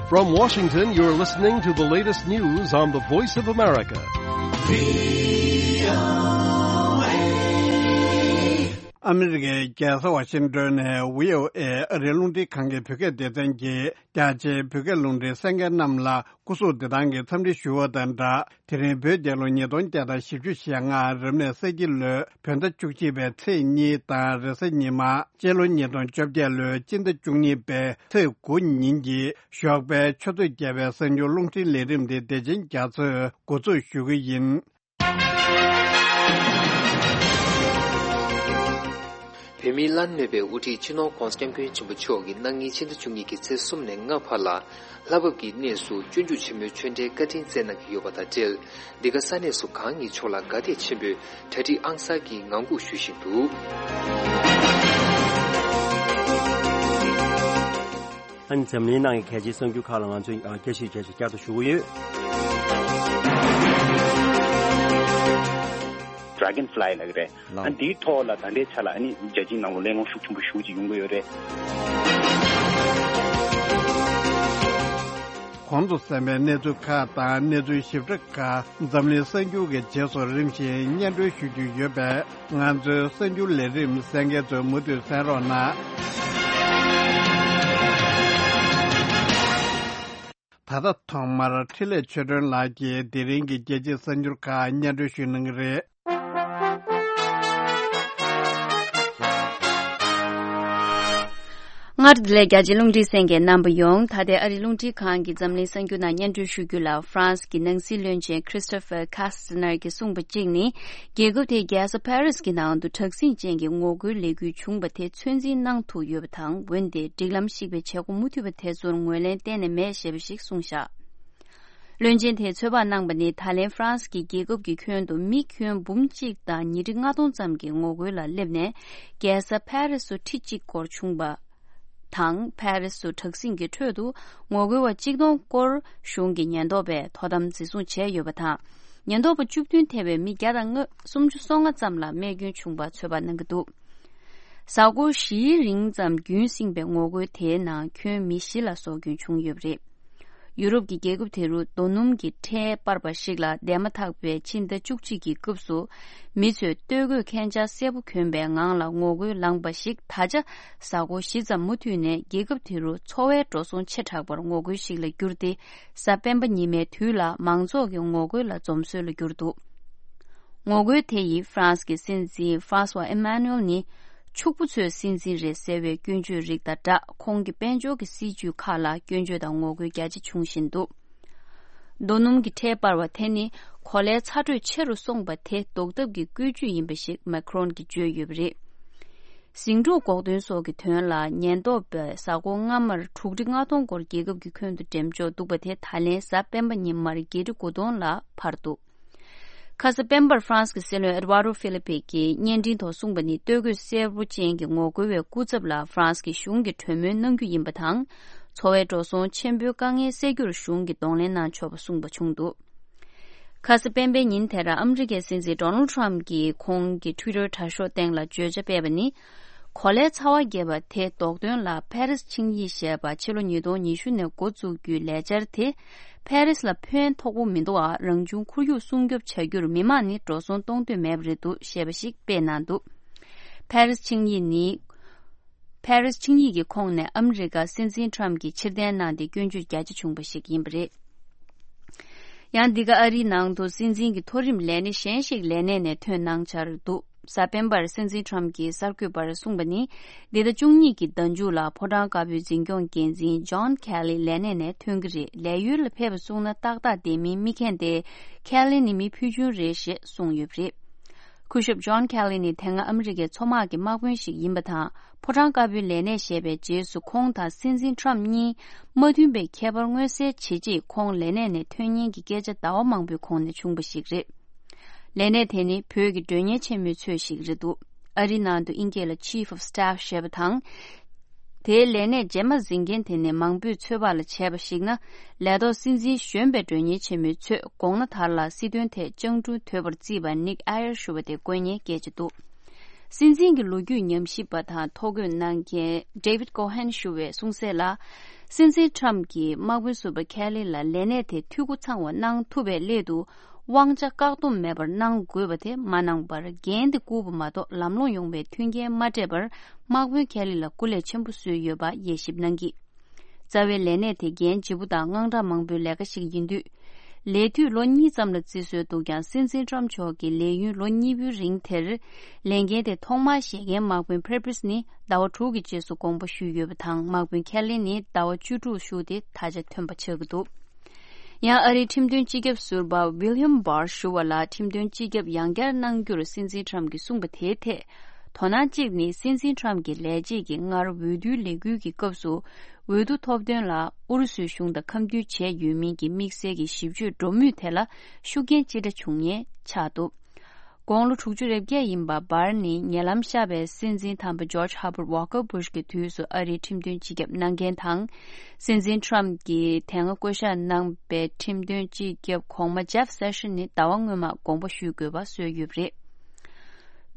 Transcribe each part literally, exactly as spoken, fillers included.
From Washington, you're listening to the latest news on the Voice of America. ཨ་མི་རི་ཀའི་རྒྱལ་ས་ཝ་ཤིང་ཏོན་ནས་བྷི་ཨོ་ཨེ་ཨ་རིའི་རླུང་འཕྲིན་ཁང་གི་བོད་སྐད་སྡེ་ཚན་གྱིས་རྒྱ་ཆེའི་བོད་སྐད་རླུང་འཕྲིན་གསན་མཁན་རྣམས་ལ་སྐུ་གཟུགས་བདེ་ཐང་གི་འཚམས་འདྲི་ཞུ་བ་དང་སྦྲགས། དེ་རིང་བོད་རྒྱལ་ལོ་ཉིས་སྟོང་བརྒྱ་དང་བཞི་བཅུ་ཞེ་ལྔ་རབ་གནས་ས་ཁྱི་ལོའི་བོད་ཟླ་བཅུ་གཅིག་པའི་ཚེས་གཉིས་དང་རེས་གཟའ་ཉི་མ། སྤྱི་ལོ་ཉིས་སྟོང་བཅོ་བརྒྱད་ལོའི་སྤྱི་ཟླ་བཅུ་གཉིས་པའི་ཚེས་དགུ་ཉིན་གྱི་ཞོགས་པའི་ཆུ་ཚོད་བརྒྱད་པའི་གསར་འགྱུར་རླུང་འཕྲིན་ལས་རིམ་དེ་བདེ་ཆེན་རྒྱ་མཚོས་འགོ་འཛུགས་ཞུ་གི་ཡིན། བོད་མིའི་བླ་ན་མེད་པའི་དབུ་ཁྲིད་སྤྱི་ནོར་༧གོང་ས་༧སྐྱབས་མགོན་ཆེན་པོ་མཆོག་གིས་གནངས་ཉིན་ཕྱི་ཟླ་བཅུ་གཉིས་ཀྱི་ཚེས་གསུམ་ནས་ལྔ་བར་ལ་ལྷ་བབས་ཀྱི་གནས་སུ་སྤྱོད་འཇུག་ཆེན་མོའི་ཆོས་འབྲེལ་བཀའ་དྲིན་སྩལ་གནང་གི་ཡོད་པ་དང་འབྲེལ། འདི་ག་ས་གནས་སུ་གང་ཉིད་མཆོག་ལ་དགའ་དད་ཆེན་པོས་གྲ་སྒྲིག་ཨང་གསར་གྱིས་ངང་སྒུག་ཞུ་བཞིན་འདུག། ཨ་ནི་འཛམ་གླིང་ནང་གི་གལ་ཆེའི་གསར་འགྱུར་ཁག་ལ་ང་ཚོས་བསྐྱར་ཞིབ་བྱས་བསྐྱར་དུ་ཞུ་གི་ཡོད། Dragonfly ལབ་ཀྱི་རེད། ཨ་འདིའི་ཐོག་ལ་ད་ལྟའི་ཆ་ལ་ཨ་ནི་རྒྱལ་སྤྱིའི་ནང་ལ་གླེང་སློང་ཤུགས་ཆེན་པོ་ཞེ་པོ་ཅིག་ཡོང་གི་ཡོད་རེད། གོང་དུ་གསན་པའི་གནས་ཚུལ་ཁག་དང་གནས་ཚུལ་ཞིབ་ཕྲ་ཁག་འཛམ་གླིང་གསར་འགྱུར་གྱི་རྗེས་སུ་རིམ་བཞིན་སྙན་སྒྲོན་ཞུ་རྒྱུ་ཡོད་པས། ང་ཚོའི་གསར་འགྱུར་ལས་རིམ་གསན་མཁན་ཚོས་མུ་མཐུད་གསན་རོགས་གནང་། ད་ལྟ་ཐོག་མར་འཕྲིན་ལས་ཆོས་སྒྲོན་ལགས་ཀྱིས་དེ་རིང་གི་རྒྱལ་སྤྱིའི་གསར་འགྱུར་ཁག་སྙན་སྒྲོན་ཞུ་གནང་གི་རེད། སྔར་བདེ་ལེགས། རྒྱ་ཆེའི་རླུང་འཕྲིན་གསན་མཁན་རྣམ་པ་ཡོངས། ད་ལྟའི་ཨ་རིའི་རླུང་འཕྲིན་ཁང་གི་འཛམ་གླིང་གསར་འགྱུར་ནང་སྙན་སྒྲོན་ཞུ་རྒྱུ་ལ། ཧྥ་རན་སི་གི་ནང་སྲིད་བློན་ཆེན་Christophe Castaner གྱིས་གསུངས་པ་གཅིག་ནི། རྒྱལ་ཁབ་དེའི་རྒྱལ་ས་ཕ་རི་སི་གི་ནང་དུ་དྲག་ཟིང་ཅན་གྱི་ངོ་རྒོལ་ལས་འགུལ་བྱུང་བ་དེ་ཚོད་འཛིན་གནང་ཐུབ་ཡོད་པ་དང་། འོན་ཏེ་སྒྲིག་ལམ་བཤིག་པའི་བྱེད་སྒོ་མུ་མཐུད་པ་དེ་ཚོར་ངོས་ལེན་གཏན་ནས་མེད་ཞེས་པ་ཞིག་གསུངས་བཞག། བློན་ཆེན་དེས་ཚོད་དཔག་གནང་པ་ནི། ད་ལན་ཧྥ་རན་སི་གི་རྒྱལ་ཁབ་ཀྱི་ཁྱོན་དུ་མི་ཁྱོན་འབུམ་གཅིག་དང་ཉིས་ཁྲི་ལྔ་སྟོང་ཙམ་གྱིས་ངོ་རྒོལ་ལ་སླེབས་ནས། རྒྱལ་ས་ཕ་རི་སི་སུ་ཁྲི་གཅིག་སྐོར་བྱུང་བ་དང་། ཕ་རི་སི་སུ་དྲག་ཟིང་གི་ཁྲོད་དུ་ངོ་རྒོལ་བ་གཅིག་སྟོང་སྐོར་གཞུང་གི་ཉེན་རྟོག་པས་དོ་དམ་འཛིན་བཟུང་བྱས་ཡོད་པ་དང་། ཉེན་རྟོག་པ་བཅུ་བདུན་ཐེ་བའི་མི་བརྒྱ་དང་སུམ་ཅུ་སོ་ལྔ་ཙམ་ལ་རྨས་སྐྱོན་བྱུང་བ་ཚོད་དཔག་གནང་གི་འདུག། གཟའ་འཁོར་བཞིའི་རིང་ཙམ་རྒྱུན་བསྲིངས་པའི་ངོ་རྒོལ་དེའི་ནང་ཁྱོན་མི་བཞི་ལ་སྲོག་སྐྱོན་བྱུང་ཡོད་པ་རེད། ཡུ་རོབ་ཀྱི་རྒྱལ་ཁབ་དེ་རུ་རྡོ་སྣུམ་གྱི་ཁྲལ་སྤར་བ་ཞིག་ལ་བསྡད་མ་ཐག་པའི་ཕྱི་ཟླ་བཅུ་གཅིག་གི་སྐབས་སུ། མི་ཚོས་སྟོད་གོས་ཁན་ཆ་སེར་པོ་གྱོན་པའི་ངང་ལ་ངོ་རྒོལ་ལངས་པ་ཞིག་ད་ཆ་གཟའ་འཁོར་བཞི་ཙམ་མུ་མཐུད་ནས་རྒྱལ་ཁབ་དེ་རུ་འཚོ་བའི་འགྲོ་སོང་ཆེ་དྲགས་པར་ངོ་རྒོལ་ཞིག་ལ་གྱུར་ཏེ། གཟའ་སྤེན་པ་ཉི་མའི་དུས་ལ་མང་ཚོགས་ཀྱི་ངོ་རྒོལ་ལ་འཛོམས་སྲོལ་ལ་གྱུར་འདུག། ངོ་རྒོལ་དེ་ཡིས་ཧྥ་རན་སི་གི་སྲིད་འཛིན་François Emmanuel ནི་ཕྱུག་པོ་ཚོའི་སྲིད་འཛིན་རེད་ཟེར་བའི་སྐྱོན་བརྗོད་རིགས་དང་སྦྲགས། ཁོང་གི་དཔལ་འབྱོར་གྱི་སྲིད་ཇུས་ཁག་ལ་སྐྱོན་བརྗོད་དང་ངོ་རྒོལ་རྒྱ་ཆེ་བྱུང་བཞིན་འདུག། རྡོ་སྣུམ་གྱི་ཁྲལ་སྤར་བ་དེ་ནི་གོ་ལའི་ཚ་དྲོད་ཆེ་རུ་སོང་བ་དེ་ཟློག་ཐབས་ཀྱི་བཀོད་ཇུས་ཡིན་པ་ཞིག་མེ་ཁི་རོན་གྱིས་བརྗོད་ཡོད་པ་རེད། ཟིང་འཁྲུག་འགོག་དོན་སོགས་ཀྱི་དོན་ལ་ཉེན་རྟོག་པས་གཟའ་འཁོར་སྔ་མར་དྲུག་ཁྲི་ལྔ་སྟོང་སྐོར་རྒྱལ་ཁབ་ཀྱི་ཁྱོན་དུ་འགྲེམས་འཇོག་འདུག་པ་དེ་ད་ལན་གཟའ་སྤེན་པ་ཉིན་མར་བརྒྱད་ཁྲི་དགུ་སྟོང་ལ་འཕར་འདུག། ཁ་ས་སྤེན་པར་ཧྥ་རན་སི་གི་སྲིད་བློན་ཨེ་ཌི་ཝར་ཌོ་ཧྥི་ལི་པེ་གིས་བརྙན་འཕྲིན་ཐོག་གསུངས་པ་ནི། སྟོད་གོས་སེར་པོ་ཅན་གྱི་ངོ་རྒོལ་བའི་སྐུ་ཚབ་ལ་ཧྥ་རན་སི་གི་གཞུང་གིས་གྲོས་མོལ་གནང་རྒྱུ་ཡིན་པ་དང་། འཚོ་བའི་འགྲོ་སོང་ཆེན་པོའི་དཀའ་ངལ་སེལ་རྒྱུར་གཞུང་གིས་གདོང་ལེན་གནང་ཆོག་པ་གསུངས་པ་བྱུང་འདུག། ཁ་ས་སྤེན་པའི་ཉིན་དེར་ཨ་མི་རི་ཀའི་སྲིད་འཛིན་ཌོ་ནལ་ཌི་ཊརམ་གྱིས་ཁོང་གི་ཊུའི་ཊར་དྲ་ཤོག་སྟེང་ལ་བརྗོད་བྱ་སྤེལ་བ་ནི། གོ་ལའི་ཚ་བ་རྒྱས་པ་དེ་ཟློག་དོན་ལ་ཕ་རི་སི་ཆིངས་ཡིག་ཞེས་པ་ཕྱི་ལོ་ཉིས་སྟོང་ཉི་ཤུ་ནས་འགོ་བཙུགས་རྒྱུའི་ལས་འཆར་དེ། ཕ་རི་སི་ལ་ཕན་ཐོགས་པོ་མི་འདུག་ཨ། རང་བྱུང་ཁོར་ཡུག་སྲུང་སྐྱོབ་བྱ་རྒྱུར་མི་མང་ནི་འགྲོ་སོང་གཏོང་འདོད་མེད་པ་རེད་འདུག་ཞེས་པ་ཞིག་སྤེལ་གནང་འདུག། ཕ་རི་སི་ཆིངས་ཡིག་ནི། ཕ་རི་སི་ཆིངས་ཡིག་གི་ཁོངས་ནས་ཨ་མི་རི་ཀ་སྲིད་འཛིན་ཊརམ་གྱིས་ཕྱིར་འཐེན་གནང་སྟེ་སྐྱོན་བརྗོད་རྒྱ་ཆེ་བྱུང་བ་ཞིག་ཡིན་པ་རེད། ཡང་འདི་ག་ཨ་རིའི་ནང་དུ་སྲིད་འཛིན་གྱི་མཐོ་རིམ་ལས་སྣེ་གཞན་ཞིག་ལས་གནས་ནས་ཐོན་གནང་འཆར་འདུག། གཟའ་སྤེན་པར་སྲིད་འཛིན་ཊརམ་གྱིས་གསར་འགོད་པར་གསུངས་པ་ནི། འདི་ཟླ་བཅུ་གཉིས་ཀྱི་ཟླ་མཇུག་ལ་ཕོ་བྲང་དཀར་པོའི་འཛིན་སྐྱོང་འགན་འཛིན་ཇོན་ཁེ་ལི་ལས་གནས་ནས་ཐོན་གྱི་རེད། ལས་ཡུལ་ལ་ཕེབས་པ་གསུངས་ན་ཏག་ཏག་བསྡད་མིན་མི་མཁྱེན་ཏེ། ཁེ་ལི་ནི་མི་ཕུལ་བྱུང་རེད་ཞེས་གསུངས་ཡོད་པ་རེད། སྐུ་ཞབས་ཇོན་ཁེ་ལི་ནི་དེ་སྔ་ཨ་མི་རི་ཀའི་མཚོ་དམག་གི་དམག་དཔོན་ཞིག་ཡིན་པ་དང་། ཕོ་བྲང་དཀར་པོའི་ལས་གནས་བཞེས་པའི་རྗེས་སུ་ཁོང་དང་སྲིད་འཛིན་ཊརམ་གཉིས་མ་མཐུན་པའི་ཁྱད་པར་མངོན་གསལ་བྱེད་ཆེད་ཁོང་ལས་གནས་ནས་ཐོན་ཉེན་གྱི་སྐད་ཆ་ཟླ་བ་མང་པོའི་གོང་ནས་བྱུང་བ་ཞིག་རེད། ལས་གནས་དེ་ནི་བོད་ཀྱི་མགྲོན་གཉེར་ཆེན་མོའི་ཚོད་ཞིག་རེད་འདུག། ཨ་རིའི་ནང་དུ་ཨིན་སྐད་ལ་Chief of Staff ཞེས་པ་དང་། དེའི་ལས་གནས་རྗེས་མ་འཛིན་མཁན་དེ་ནི་མང་པོས་ཚོད་དཔག་ལ་བྱས་པ་ཞིག་ན། ལས་ཐོག་སྲིད་འཛིན་གཞོན་པའི་མགྲོན་གཉེར་ཆེན་མོའི་ཚོད་དགོངས་ན་དར་ལ་སྲིད་དོན་ཐད་སྤྱང་གྲུང་དོད་པར་བརྩིས་པ་ནིག་ཨ་ཡར་ཞུ་བ་དེ་དགོས་ངེས་སྐད་ཆ་འདུག། སྲིད་འཛིན་གྱི་ལོ་རྒྱུས་ཉམས་ཞིབ་པ་དང་ཐོ་འགོད་གནང་མཁན་David Cohen ཞུ་བས་གསུངས་གསལ་ལ། སྲིད་འཛིན་Trump གྱིས་དམག་དཔོན་ཟུར་པ་Kelly ལ་ལས་གནས་དེ་འཐུས་སྒོ་ཚང་བ་གནང་ཐུབ་པའི་སླད་དུ། དབང་ཆ་བཀག་སྡོམ་མེད་པར་གནང་དགོས་པ་དེ་མ་གནང་བར། འགན་དེ་བསྐུར་བ་མ་གཏོགས་ལམ་ལྷོང་ཡོང་བའི་མཐུན་རྐྱེན་མ་སྤྲད་པར། དམག་དཔོན་Kelly ལ་སྐུ་ལས་ཆེན་པོ་གསོལ་ཡོད་པ་དབྱེ་ཞིབ་གནང་གིས། རྩ་བའི་ལས་གནས་དེ་འགན་ལྗིད་པོ་དང་དངངས་སྐྲག་མང་པོའི་ལས་ཀ་ཞིག་ཡིན་དུས། ལས་དུས་ལོ་གཉིས་ཙམ་ལ་བརྩི་སྲོལ་འདུག་ཀྱང་། སྲིད་འཛིན་Trump མཆོག་གིས་ལས་ཡུན་ལོ་གཉིས་པོའི་རིང་དེར། ལས་འགན་དེ་ཐོག་མར་བཞེས་མཁན་དམག་དཔོན་Pepys ནི་ཟླ་བ་དྲུག་གི་རྗེས་སུ་དགོངས་པ་ཞུས་ཡོད་པ་དང་། དམག་དཔོན་Kelly ནི་ཟླ་བ་བཅུ་དྲུག་བཞུགས་ཏེ་ད་ཆ་ཐོན་པ་ཆགས་ཀྱི་འདུག་ཡང་ཨ་རིའི་ཁྲིམས་དོན་སྤྱི་ཁྱབ་ཟུར་པ་William Barr ཞུ་བ་ལ་ཁྲིམས་དོན་སྤྱི་ཁྱབ་ཡང་བསྐྱར་གནང་རྒྱུར་སྲིད་འཛིན་Trump གྱིས་གསུངས་པ་དེའི་ཐད། དོ་སྣང་གཅིག་ནི་སྲིད་འཛིན་Trump གྱི་ལས་བྱེད་ཀྱིས་སྔར་འོས་བསྡུའི་ལས་འགུལ་གྱི་སྐབས་སུ། འོས་བསྡུ་ཐོབ་དོན་ལ་ཨུ་རུ་སུའི་གཞུང་དང་འཁམ་མཐུན་བྱས་ཡོད་མིན་གྱི་དམིགས་བསལ་གྱི་ཞིབ་དཔྱོད་འགྲོ་མུས་དེ་ལ་ཤུགས་རྐྱེན་ཅི་འདྲ་བྱུང་ངེས་ཆགས་འདུག་དགུང་ལོ་དྲུག་ཅུ་རེ་བརྒྱད་ཡིན་པ་Barr ནི་ཉེ་ལམ་ཤར་བའི་སྲིད་འཛིན་དམ་པ་George Herbert Walker Bush གི་དུས་སུ་ཨ་རིའི་ཁྲིམས་དོན་སྤྱི་ཁྱབ་གནང་མཁན་དང་། སྲིད་འཛིན་Trump གྱིས་དེ་སྔ་བསྐོ་གཞག་གནང་པའི་ཁྲིམས་དོན་སྤྱི་ཁྱབ་གོང་མ་Jeff Sessions ནི་ཟླ་བ་སྔོན་མ་དགོངས་པ་ཞུ་དགོས་པ་བཟོས་ཡོད་པ་རེད།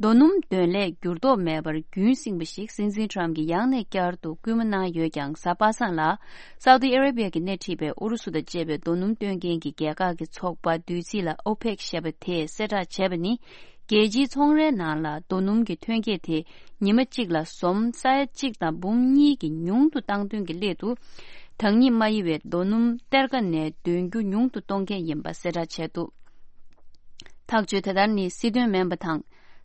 རྡོ་སྣུམ་འདོན་ལས་འགྱུར་ལྡོག་མེད་པར་རྒྱུན་བསྲིངས་པ་ཞིག་སྲིད་འཛིན་Trump གྱིས་ཡང་ནས་བསྐྱར་དུ་སྐུལ་མ་གནང་ཡོད་ཀྱང་། གཟའ་པ་སངས་ལ་Saudi Arabia གྱིས་སྣེ་ཁྲིད་པའི་ཨུ་རུ་སུ་དང་བཅས་པའི་རྡོ་སྣུམ་སྟོན་མཁན་གྱི་རྒྱལ་ཁག་གི་ཚོགས་པ་བསྡུས་ཚིག་ལ་OPEC ཞེས་པ་དེས་གསལ་བསྒྲགས་བྱས་པ་ནི། རྒྱལ་སྤྱིའི་ཚོང་རའི་ནང་ལ་རྡོ་སྣུམ་གྱི་ཐོན་སྐྱེད་དེ་ཉི་མ་གཅིག་ལ་ཟོམ་ས་ཡ་གཅིག་དང་འབུམ་གཉིས་ཀྱིས་ཉུང་དུ་བཏང་དོན་གྱི་སླད་དུ། དང་ཉིད་མ་ཡིན་པའི་རྡོ་སྣུམ་གཏེར་ཁ་ནས་འདོན་རྒྱུ་ཉུང་དུ་གཏོང་མཁན་ཡིན་པ་གསལ་བསྒྲགས་བྱས་འདུག་ཐག་གཅོད་དེ་ལྟར་ནི་སྲིད་དོན་མིན་པ་དང་།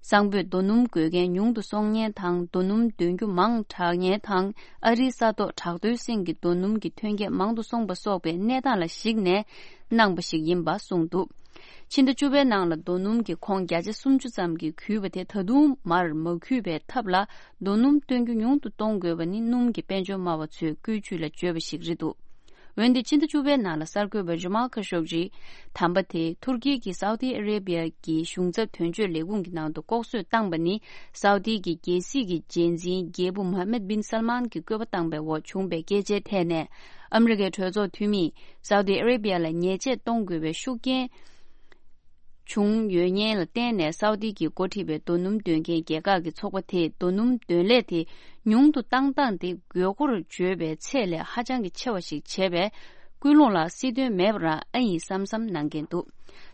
གཙང་པོས་རྡོ་སྣུམ་དགོས་མཁན་ཉུང་དུ་སོང་མཁན་དང་། རྡོ་སྣུམ་འདོན་རྒྱུ་མང་དྲགས་མཁན་དང་། ཨ་རིའི་ས་ཐོག་བྲག་རྡོའི་སེང་གི་རྡོ་སྣུམ་གྱི་ཐོན་སྐྱེད་མང་དུ་སོང་པ་སོགས་པའི་གནས་སྟངས་ལ་གཞིགས་ནས་གནང་པ་ཞིག་ཡིན་པ་གསུངས་འདུག་ཕྱི་ཟླ་བཅུ་པའི་ནང་ལ་རྡོ་སྣུམ་གྱི་ཁོངས་བརྒྱ་ཆ་སུམ་ཅུ་ཙམ་གྱིས་གུས་པ་དེ་ད་དུང་མར་མ་གུས་པའི་ཐབས་ལ་རྡོ་སྣུམ་བཏོན་རྒྱུ་ཉུང་དུ་གཏོང་དགོས་པ་ནི་སྣུམ་གྱི་དཔལ་འབྱོར་སྨྲ་བ་ཚོས་བཀོད་ཇུས་ལ་བརྗོད་པ་ཞིག་རེད་འདུག་འོན་ཏེ་ཕྱི་ཟླ་བཅུ་པའི་ནང་ལ་གསར་འགོད་པ་ཇི་མ་ཁ་ཤོག་ཇི་དམ་པ་དེ་ཐུར་ཀི་གི་སའུ་ཏི་ཨ་རེ་བི་ཡ་གི་གཞུང་ཚབ་དོན་གཅོད་ལས་ཁུངས་ཀྱི་ནང་དུ་ལྐོག་གསོད་བཏང་པ་ནི། སའུ་ཏི་གི་རྒྱལ་སྲིད་ཀྱི་རྗེས་འཛིན་རྒྱལ་པོ་མོ་ཧ་མད་བིན་སལ་མཱན་གྱི་བཀོད་པ་བཏང་པའི་འོག་བྱུང་པའི་སྐད་ཆའི་ཐད་ནས། ཨ་མི་རི་ཀའི་གྲོས་ཚོགས་འཐུས་མིས་སའུ་ཏི་ཨ་རེ་བི་ཡ་ལ་ཉེས་ཆད་གཏོང་དགོས་པའི་ཤུགས་རྐྱེན་བྱུང་ཡོད་ཉེན་ལ་བརྟེན་ནས། སའུ་ཏི་གིས་འགོ་ཁྲིད་པའི་རྡོ་སྣུམ་འདོན་མཁན་རྒྱལ་ཁག་གི་ཚོགས་པ་དེས་རྡོ་སྣུམ་འདོན་ལས་དེ་ཉུང་དུ་བཏང་སྟངས་དེ་དགོས་མཁོར་བརྗོད་པའི་ཚད་ལས་ཧ་ཅང་གི་ཆེ་བ་ཞིག་བྱས་པས། སྐུལ་སློང་ལ་སྲིད་དོན་མེད་པ་རང་ཨེ་ཡིན་བསམ་བསམ་གནང་གིན་འདུག་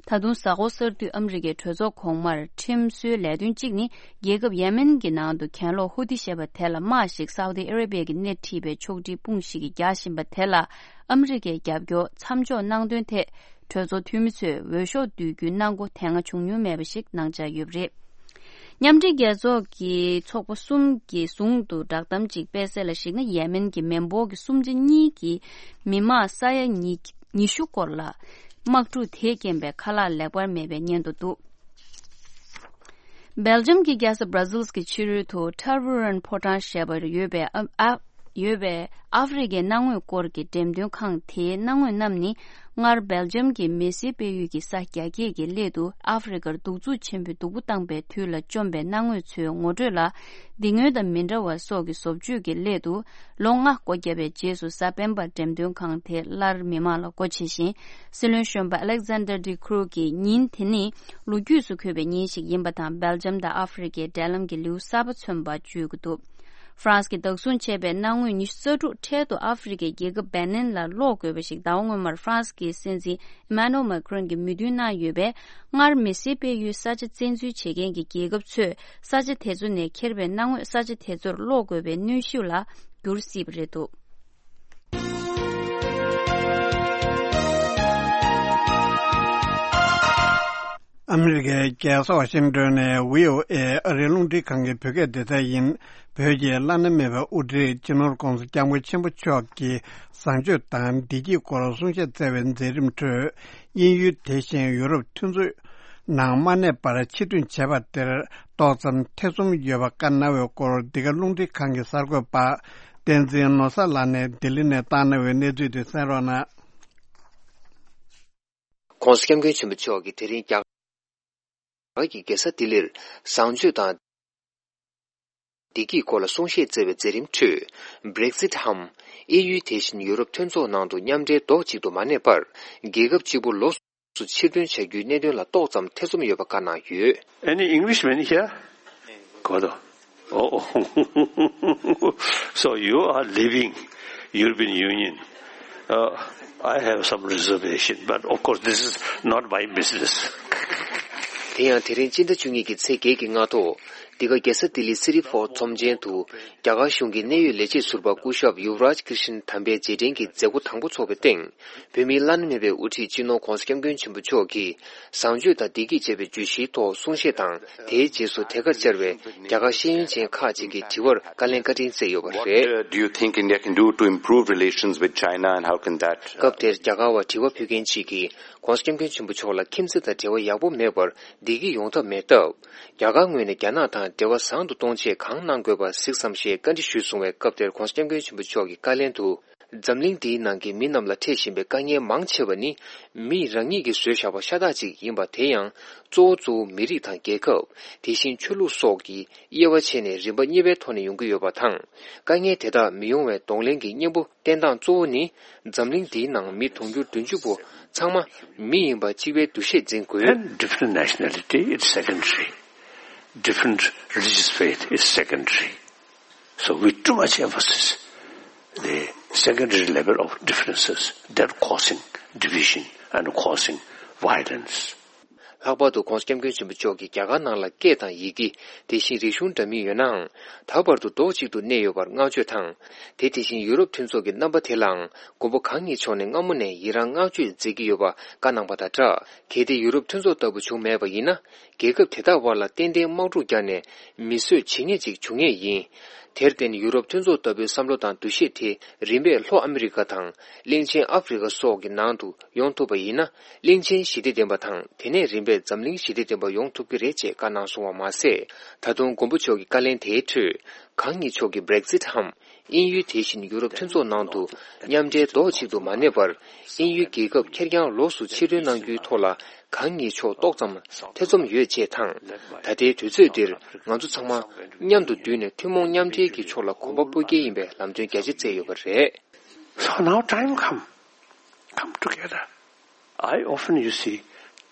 ད་དུང་གཟའ་འཁོར་གསར་དུས་ཨ་མི་རི་ཀའི་གྲོས་ཚོགས་གོང་མར་ཁྲིམས་བཟོའི་ལས་དོན་གཅིག་ནི། རྒྱལ་ཁབ་ཡེ་མེན་གྱི་ནང་དུ་གྱེན་ལོག་ཧུ་ཏི་ཞེས་པ་དེ་ལ་དམག་ཞིག་སའུ་ཏི་ཨ་རེ་བི་ཡ་གིས་སྣེ་ཁྲིད་པའི་ཕྱོགས་སྒྲིག་དཔུང་ཞིག་གིས་རྒྱག་བཞིན་པ་དེ་ལ་ཨ་མི་རི་ཀས་རྒྱབ་སྐྱོར་མཚམས་འཇོག་གནང་དོན་ཐད། གྲོས་ཚོགས་འཐུས་མི་ཚོས་འོས་ཤོག་བསྡུ་རྒྱུའི་གནང་སྒོ་དེ་སྔ་བྱུང་མྱོང་མེད་པ་ཞིག་གནང་འཆར་ཡོད་པ་རེད། མཉམ་འབྲེལ་རྒྱལ་ཚོགས་ཀྱི་ཚོགས་པ་གསུམ་གྱིས་ཟུང་དུ་བསྒྲགས་གཏམ་གཅིག་སྤེལ་གསལ་ལ་གཞིགས་ན། ཡེ་མེན་གྱི་མི་འབོར་གྱི་གསུམ་ཆ་གཉིས་ཀྱི་མི་དམངས་ས་ཡ་ཉི་ཉི་ཤུ་སྐོར་ལ་དམག་འཁྲུག་དེས་རྐྱེན་པས་ཁ་ལག་ལེགས་པར་མེད་པའི་སྙན་ཐོ་འདུག་སྦེལ་ཇམ་གྱི་རྒྱལ་ས་Brussels གྱི་ཕྱི་རོལ་དུ་Tervuren ཕོ་བྲང་ཞེས་པར་ཡོད་པའི་ཨ་ཨ་ཡོད་པའི་ཨ་ཧྥེ་རི་ཁའི་གནའ་དངོས་སྐོར་གྱི་འགྲེམས་སྟོན་ཁང་དེའི་གནའ་དངོས་རྣམས་ནི། སྔར་སྦེལ་ཇམ་གྱི་མི་སེར་སྤེལ་ཡུལ་གྱི་ས་རྒྱ་སྐྱེད་ཀྱི་སླད་དུ་ཨ་ཧྥེ་རི་ཁར་གདུག་རྩུབ་ཆེན་པོས་སྡུག་པོ་བཏང་པའི་དུས་ལ་བཅོམ་པའི་གནའ་དངོས་ཚོའི་ངོ་སྤྲོད་ལ། སྡིག་ངོས་དང་མི་འདྲ་བ་སོགས་ཀྱི་བཟོ་བཅོས་ཀྱི་སླད་དུ། ལོ་ལྔ་སྒོ་བརྒྱབ་པའི་རྗེས་སུ་གཟའ་སྤེན་པར་འགྲེམས་སྟོན་ཁང་དེ་སླར་མི་མང་ལ་སྒོ་ཕྱེ་ཞིང་། སྲིད་བློན་གཞོན་པ་Alexander De Croo གིས་ཉིན་དེ་ནི་ལོ་རྒྱུས་སུ་འཁོད་པའི་ཉིན་ཞིག་ཡིན་པ་དང་། སྦེལ་ཇམ་དང་ཨ་ཧྥེ་རི་ཁའི་འབྲེལ་ལམ་གྱི་ལེའུ་གསར་པ་མཚོན་པ་བརྗོད་ཀྱི་འདུག་ཧྥ་རན་སི་གིས་བདག་བཟུང་བྱས་པའི་གནའ་དངོས་ཉི་ཤུ་རྩ་དྲུག་འཕྲལ་དུ་ཨ་ཧྥེ་རི་ཁའི་རྒྱལ་ཁབ་བེ་ནིན་ལ་སློག་དགོས་པ་ཞིག་ཟླ་བ་སྔོན་མར་ཧྥ་རན་སི་གི་སྲིད་འཛིན་Emmanuel Macron གྱིས་མོས་མཐུན་གནང་ཡོད་པས། སྔར་མི་སེར་སྤེལ་ཡུལ་ས་ཆ་བཙན་འཛུལ་བྱེད་མཁན་གྱི་རྒྱལ་ཁབ་ཚོས་ས་ཆ་དེ་ཚོ་ནས་ཁྱེར་བའི་གནའ་དངོས་ས་ཆ་དེ་ཚོར་སློག་དགོས་པའི་གནོན་ཤུགས་ལ་འགྱུར་སྲིད་པ་རེད་འདུག་ཨ་མི་རི་ཀའི་རྒྱལ་ས་ཝ་ཤིང་ཏོན་ནས་བྷི་ཨོ་ཨེ་ཨ་རིའི་རླུང་འཕྲིན་ཁང་གི་བོད་སྐད་སྡེ་ཚན་ཡིན། བོད་ཀྱི་བླ་ན་མེད་པའི་དབུ་ཁྲིད་སྤྱི་ནོར་༧གོང་ས་༧སྐྱབས་མགོན་ཆེན་པོ་མཆོག་གིས་བཟང་སྤྱོད་དང་བདེ་སྐྱིད་སྐོར་གསུང་བཤད་སྩལ་བའི་མཛད་རིམ་ཁྲོད། དབྱིན་ཡུལ་དེ་བཞིན་ཡུ་རོབ་མཐུན་ཚོགས་ནང་མ་གནས་པར་ཕྱིར་ཐོན་བྱས་པ་དེར་ཏོག་ཙམ་ཐེ་ཚོམ་ཡོད་པ་བཀའ་གནང་བའི་སྐོར། འདི་ག་རླུང་འཕྲིན་ཁང་གི་གསར་འགོད་པ་བསྟན་འཛིན་ནོར་བཟང་ལགས་ནས་ལྡི་ལི་ནས་བཏང་གནང་བའི་གནས་ཚུལ་དེ་གསན་རོགས་གནང་། ྋགོང་ས་ྋསྐྱབས་མགོན་ཆེན་པོ་མཆོག་གིས་དེ་རིང་རྒྱ་གར་གྱི་རྒྱལ་ས་ལྡི་ལིར་བཟང་སྤྱོད་དང་བདེ་སྐྱིད་སྐོར་ལ་གསུང་བཤད་སྩལ་བའི་མཛད་རིམ་ཁྲོད། Brexit འམ་དབྱིན་ཡུལ་དེ་བཞིན་ཡུ་རོབ་མཐུན་ཚོགས་ནང་དུ་མཉམ་འབྲེལ་རྡོག་གཅིག་ཏུ་མ་གནས་པར། རྒྱལ་ཁབ་གཅིག་པུ་ལོགས་སུ་ཕྱིར་ཐོན་བྱ་རྒྱུའི་གནད་དོན་ལ་ཏོག་ཙམ་ཐེ་ཚོམ་ཡོད་པ་བཀའ་གནང་ཡོད། Any Englishman here? Kodo. Oh, so you are leaving European Union. Uh, I have some reservation, but of course, this is not my business. དེ་ཡང་དེ་རིང་སྤྱི་ཟླ་བཅུ་གཉིས་ཀྱི་ཚེས་བརྒྱད་ཀྱི་སྔ་དྲོ། འདི་ག་རྒྱལ་ས་ལྡི་ལི་སི་རི་ཕོར་ཚོམས་ཆེན་དུ། རྒྱ་གར་གཞུང་གི་གནད་ཡོད་ལས་བྱེད་ཟུར་པ་སྐུ་ཞབས་ཡུབ་རཱཇ་ཀྲི་ཤན་དམ་པའི་རྗེས་དྲན་གྱི་མཛད་སྒོ་དང་པོ་འཚོགས་པའི་སྟེང་། བོད་མིའི་བླ་ན་མེད་པའི་དབུ་ཁྲིད་སྤྱི་ནོར་༧གོང་ས་༧སྐྱབས་མགོན་ཆེན་པོ་མཆོག་གིས་བཟང་སྤྱོད་དང་བདེ་སྐྱིད་ཅེས་པའི་བརྗོད་གཞིའི་ཐོག་གསུང་བཤད་དང་། དེའི་རྗེས་སུ་དེ་གར་བཅར་བའི་རྒྱ་གར་ཤེས་ཡོན་ཅན་ཁག་ཅིག་གིས་དྲི་བར་བཀའ་ལན་བཀའ་དྲིན་སྩལ་ཡོད་པ་རེད། What, uh, do you think India can do to improve relations with China, and how can that, uh, སྐབས་དེར་རྒྱ་གར་བ་དྲི་བ་ཕུལ་མཁན་ཅིག་གིས། ༧གོང་ས་༧སྐྱབས་མགོན་ཆེན་པོ་མཆོག་ལ་ཁྱིམ་མཚེས་དང་འབྲེལ་བ་ཡག་པོ་མེད་པར་བདེ་སྐྱིད་ཡོང་ཐབས་མེད་སྟབས། རྒྱ་གར་ངོས་ནས་རྒྱ་ནག་དང་འབྲེལ་བ་བཟང་དུ་གཏོང་ཆེད་གང་གནང་དགོས་པ་གཟིགས་སམ་ཞེས་བཀའ་འདྲི་ཞུས་གསུང་བའི་སྐབས་དེར་༧གོང་ས་༧སྐྱབས་མགོན་ཆེན་པོ་མཆོག་གིས་བཀའ་ལན་དུ། འཛམ་གླིང་འདིའི་ནང་གི་མི་རྣམས་ལ་འཕྲད་བཞིན་པའི་དཀའ་ངལ་མང་ཆེ་བ་ནི། མི་རང་ཉིད་ཀྱིས་བཟོས་བཞག་པ་ཤ་སྟག་ཅིག་ཡིན་པ། དེ་ཡང་གཙོ་བོ་གཙོ་བོ་མི་རིགས་དང་རྒྱལ་ཁབ། དེ་བཞིན་ཆོས་ལུགས་སོགས་ཀྱི་དབྱེ་བ་ཕྱེ་ནས་རིམ་པ་གཉིས་པའི་ཐོག་ནས་ཡོང་གི་ཡོད་པ་དང་། དཀའ་ངལ་དེ་དག་མི་ཡོང་བའི་གདོང་ལེན་གྱི་གཉེན་པོ་བསྟེན་སྟངས་གཙོ་བོ་ནི། འཛམ་གླིང་འདིའི་ནང་མི་དུང་ཕྱུར་བདུན་ཅུ་པོ་ཚང་མ་མི་ཡིན་པ་གཅིག་པའི་འདུ་ཤེས་འཛིན་དགོས། And different nationality is secondary. Different religious faith is secondary. So we too much emphasis the secondary level of differences that causing division and causing violence. ལྷག་པར་དུ་༧གོང་ས་༧སྐྱབས་མགོན་ཆེན་པོ་མཆོག་གིས་རྒྱ་གར་ནང་ལ་སྐད་དང་ཡི་གེ། དེ་བཞིན་རིག་གཞུང་འདྲ་མིན་ཡོད་ནའང་། ད་བར་དུ་རྡོག་གཅིག་ཏུ་གནས་ཡོད་པར་བསྔགས་བརྗོད་དང་། དེ་དེ་བཞིན་ཡུ་རོབ་མཐུན་ཚོགས་ཀྱི་རྣམ་པ་དེ་ལའང་མགོན་པོ་གང་ཉིད་མཆོག་ནས་སྔ་མོ་ནས་ཡི་རང་བསྔགས་བརྗོད་མཛད་ཀྱི་ཡོད་པ་བཀའ་གནང་བ་དང་སྦྲགས། གལ་ཏེ་ཡུ་རོབ་མཐུན་ཚོགས་ལྟ་བུ་བྱུང་མེད་པ་ཡིན་ན། རྒྱལ་ཁབ་དེ་དག་དབར་ལ་ཏན་ཏན་དམག་འཁྲུག་བརྒྱབ་ནས་མི་གསོད་བྱེད་མཁན་ཅིག་འབྱུང་ངེས་ཡིན། དེར་བརྟེན་ཡུ་རོབ་མཐུན་ཚོགས་ལྟ་བུའི་བསམ་བློ་དང་འདུ་ཤེས་དེ་རིམ་པས་ལྷོ་ཨ་མི་རི་ཀ་དང་གླིང་ཆེན་ཨ་ཧྥེ་རི་ཀ་སོགས་ཀྱི་ནང་དུ་ཡོང་ཐུབ་པ་ཡིན་ན། གླིང་ཆེན་ཞི་བདེ་ལྡན་པ་དང་དེ་ནས་རིམ་པས་འཛམ་གླིང་ཞི་བདེ་ལྡན་པ་ཡོང་ཐུབ་ཀྱི་རེད་ཅེས་བཀའ་གནང་སོང་བ་མ་ཟད། ད་དུང་མགོན་པོ་མཆོག་གི་བཀའ་ལན་དེའི་ཁྲོད། གང་ཉིད་མཆོག་གིས་Brexit་འམ། དབྱིན་ཡུལ་དེ་བཞིན་ཡུ་རོབ་མཐུན་ཚོགས་ནང་དུ་མཉམ་འབྲེལ་རྡོག་གཅིག་ཏུ་མ་གནས་པར། དབྱིན་ཡུལ་རྒྱལ་ཁབ་ཁེར་རྐྱང་ལོགས་སུ་ཕྱིར་ཐོན་གནང་རྒྱུའི་ཐོག་ལ་གང་ཉིད་ཕྱོགས་ཏོག་ཙམ་ཐེ་ཚོམ་ཡོད་ཅེས་དང་། ད་ལྟའི་དུས་ཚོད་འདིར་ང་ཚོ་ཚང་མ་མཉམ་དུ་འདུས་ནས་ཐུན་མོང་མཉམ་འབྲེལ་གྱི་ཕྱོགས་ལ་གོམ་པ་སྤོ་གལ་ཡིན་པའི་ལམ་སྟོན་རྒྱ་ཆེ་བསྩལ་ཡོད་པ་རེད། So now time come, come together. I often, you see,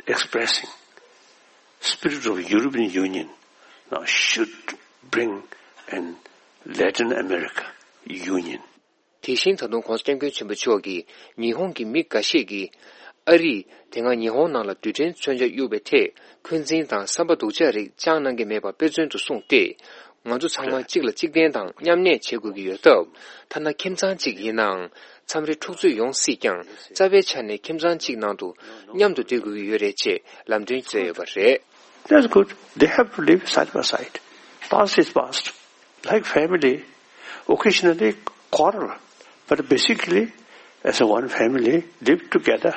expressing spirit of European Union now should bring an Latin America Union. དེ་བཞིན་ད་དུང་༧གོང་ས་༧སྐྱབས་མགོན་ཆེན་པོ་མཆོག་གིས་ཉི་ཧོང་གི་མི་འགའ་ཤས་ཀྱིས་ཨ་རིས་དེ་སྔ་ཉི་ཧོང་ནང་ལ་རྡུལ་ཕྲན་མཚོན་ཆ་གཡུག་པའི་ཐད་འཁོན་འཛིན་དང་བསམ་པ་སྡུག་ཅག་རིགས་བཅངས་གནང་གི་མེད་པ་དཔེ་མཚོན་དུ་གསུངས་ཏེ། ང་ཚོ་ཚང་མ་གཅིག་ལ་གཅིག་བརྟེན་དང་མཉམ་གནས་བྱེད་དགོས་ཀྱི་ཡོད་སྟབས། ཐ་ན་ཁྱིམ་ཚང་གཅིག་ཡིན་ནའང་མཚམས་རེ་འཁྲུག་རྩོད་ཡོང་སྲིད་ཀྱང་རྩ་བའི་ཆ་ནས་ཁྱིམ་ཚང་གཅིག་ནང་དུ་མཉམ་དུ་སྡོད་དགོས་ཀྱི་ཡོད་རེད་ཅེས་ལམ་སྟོན་མཛད་ཡོད་པ་རེད། That's good. They have to live side by side. Past is past. Like family, occasionally quarrel, but basically, as a one family, live together.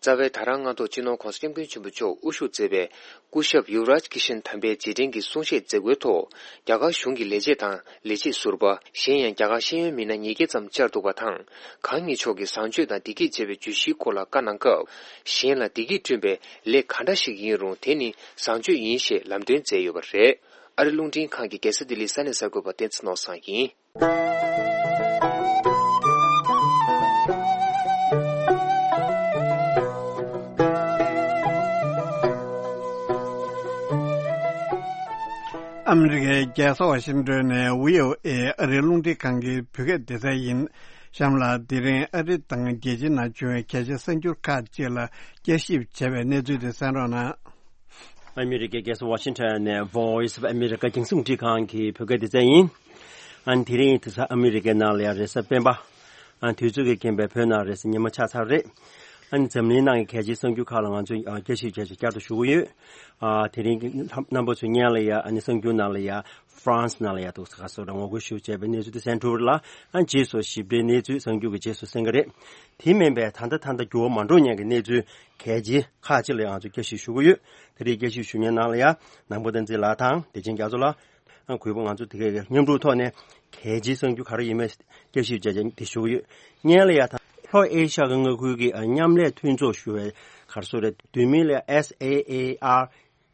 རྩ་བའི་ད་རང་སྔ་ཐོག་སྤྱི་ནོར་༧གོང་ས་༧སྐྱབས་མགོན་ཆེན་པོ་མཆོག་དབུ་བཞུགས་མཛད་པའི་སྐུ་ཞབས་ཡུ་རཱཇ་ཀི་ཤན་དམ་པའི་རྗེས་དྲན་གྱི་གསུང་བཤད་མཛད་སྒོའི་ཐོག་རྒྱ་གར་གཞུང་གི་ལས་བྱེད་དང་ལས་བྱེད་ཟུར་པ། གཞན་ཡང་རྒྱ་གར་ཤེས་ཡོན་མི་སྣ་ཉིས་བརྒྱ་ཙམ་བཅར་འདུག་པ་དང་། གང་ཉིད་མཆོག་གིས་བཟང་སྤྱོད་དང་བདེ་སྐྱིད་ཅེས་པའི་བརྗོད་གཞིའི་སྐོར་ལ་བཀའ་གནང་སྐབས། གཞན་ལ་བདེ་སྐྱིད་བསྐྲུན་པའི་ལས་ག་འདྲ་ཞིག་ཡིན་རུང་དེ་ནི་བཟང་སྤྱོད་ཡིན་ཞེས་ལམ་སྟོན་མཛད་ཡོད་པ་རེད། ཨ་རི་རླུང་འཕྲིན་ཁང་གི་རྒྱལ་ས་ལྡི་ལིའི་ས་གནས་གསར་འགོད་པ་བསྟན་འཛིན་ནོར་བཟང་ཡིན། ཨ་མི་རི་ཀའི་རྒྱལ་ས་ཝ་ཤིང་ཏོན་ནས་བྷི་ཨོ་ཨེ་ཨ་རིའི་རླུང་འཕྲིན་ཁང་གི་བོད་སྐད་སྡེ་ཚན་ཡིན། གཤམ་ལ་དེ་རིང་ཨ་རི་དང་རྒྱལ་སྤྱིའི་ནང་བྱུང་བའི་གལ་ཆེའི་གསར་འགྱུར་ཁག་ཅིག་ལ་བསྐྱར་ཞིབ་བྱས་པའི་གནས་ཚུལ་དེ་གསན་རོགས་གནང་། ཨ་མི་རི་ཀའི་རྒྱལ་ས་ཝ་ཤིང་ཊོན་ནས་Voice of America་རྒྱང་སྲིང་རླུང་འཕྲིན་ཁང་གི་བོད་སྐད་སྡེ་ཚན་ཡིན། ཨ་ནི་དེ་རིང་དེ་ས་ཨ་མི་རི་ཀའི་ནང་ལ་ཡང་རེས་གཟའ་སྤེན་པ། ཨ་ནི་དུས་ཚོད་ཀྱི་རྐྱེན་པས་བོད་ནང་རེས་གཟའ་ཉི་མ་ཆགས་ཚར་རེད། ཨ་ནི་འཛམ་གླིང་ནང་གི་གལ་ཆེའི་གསར་འགྱུར་ཁག་ལ་ང་ཚོས་ཨ་བསྐྱར་ཞིབ་བྱས་བྱས་བསྐྱར་དུ་ཞུ་གི་ཡོད། ཨ་དེ་རིང་གི་རྣམ་པ་ཚོའི་སྙན་ལ་ཡ་ཨ་ནི་གསར་འགྱུར་ནང་ལ་ཡ་ཧྥ་རན་སི་ནང་ལ་ཡ་འདུག་ས་ག་སོགས་ལ་ངོ་རྒོལ་ཞུ་བྱས་པའི་གནས་ཚུལ་དེ་གསན་ཐུབ་པ་རེད་ལ། ཨ་ནི་རྗེས་སུ་ཞིབ་ཕྲའི་གནས་ཚུལ་གསར་འགྱུར་གྱི་རྗེས་སུ་གསན་གི་རེད། དེ་མིན་པའི་ད་ལྟ་ད་ལྟ་འགྱུར་བ་མ་འགྲོ་མཁན་གྱི་གནས་ཚུལ་གལ་ཆེ་ཁག་ཅིག་ལ་ང་ཚོས་བསྐྱར་ཞིབ་ཞུ་གི་ཡོད། དེ་རིང་བསྐྱར་ཞིབ་ཞུ་མཁན་ནང་ལ་ཡ་ནང་པ་བསྟན་འཛིན་ལགས་དང་བདེ་ཆེན་རྒྱ་མཚོ་ལགས། ཨ་གུས་པ་ང་ཚོ་དེ་གའི་མཉམ་རུབ་ཐོག་ནས་གལ་ཆེའི་གསར་འགྱུར་ག་རེ་ཡིན་མིན་བསྐྱར་ཞིབ་བྱས་བྱས་དེ་ཞུ་གི་ཡོད། སྔོན་ལ་ཡ་ད་ལྷོ་ཨེ་ཤ་ཡའི་མངའ་ཁུལ་གྱི་ཨ་མཉམ་ལས་མཐུན་ཚོགས་ཞུ་བའི་ག་རེ་ཟེར་རེད། བསྡུས་མིང་ལ་ཡ་S A A R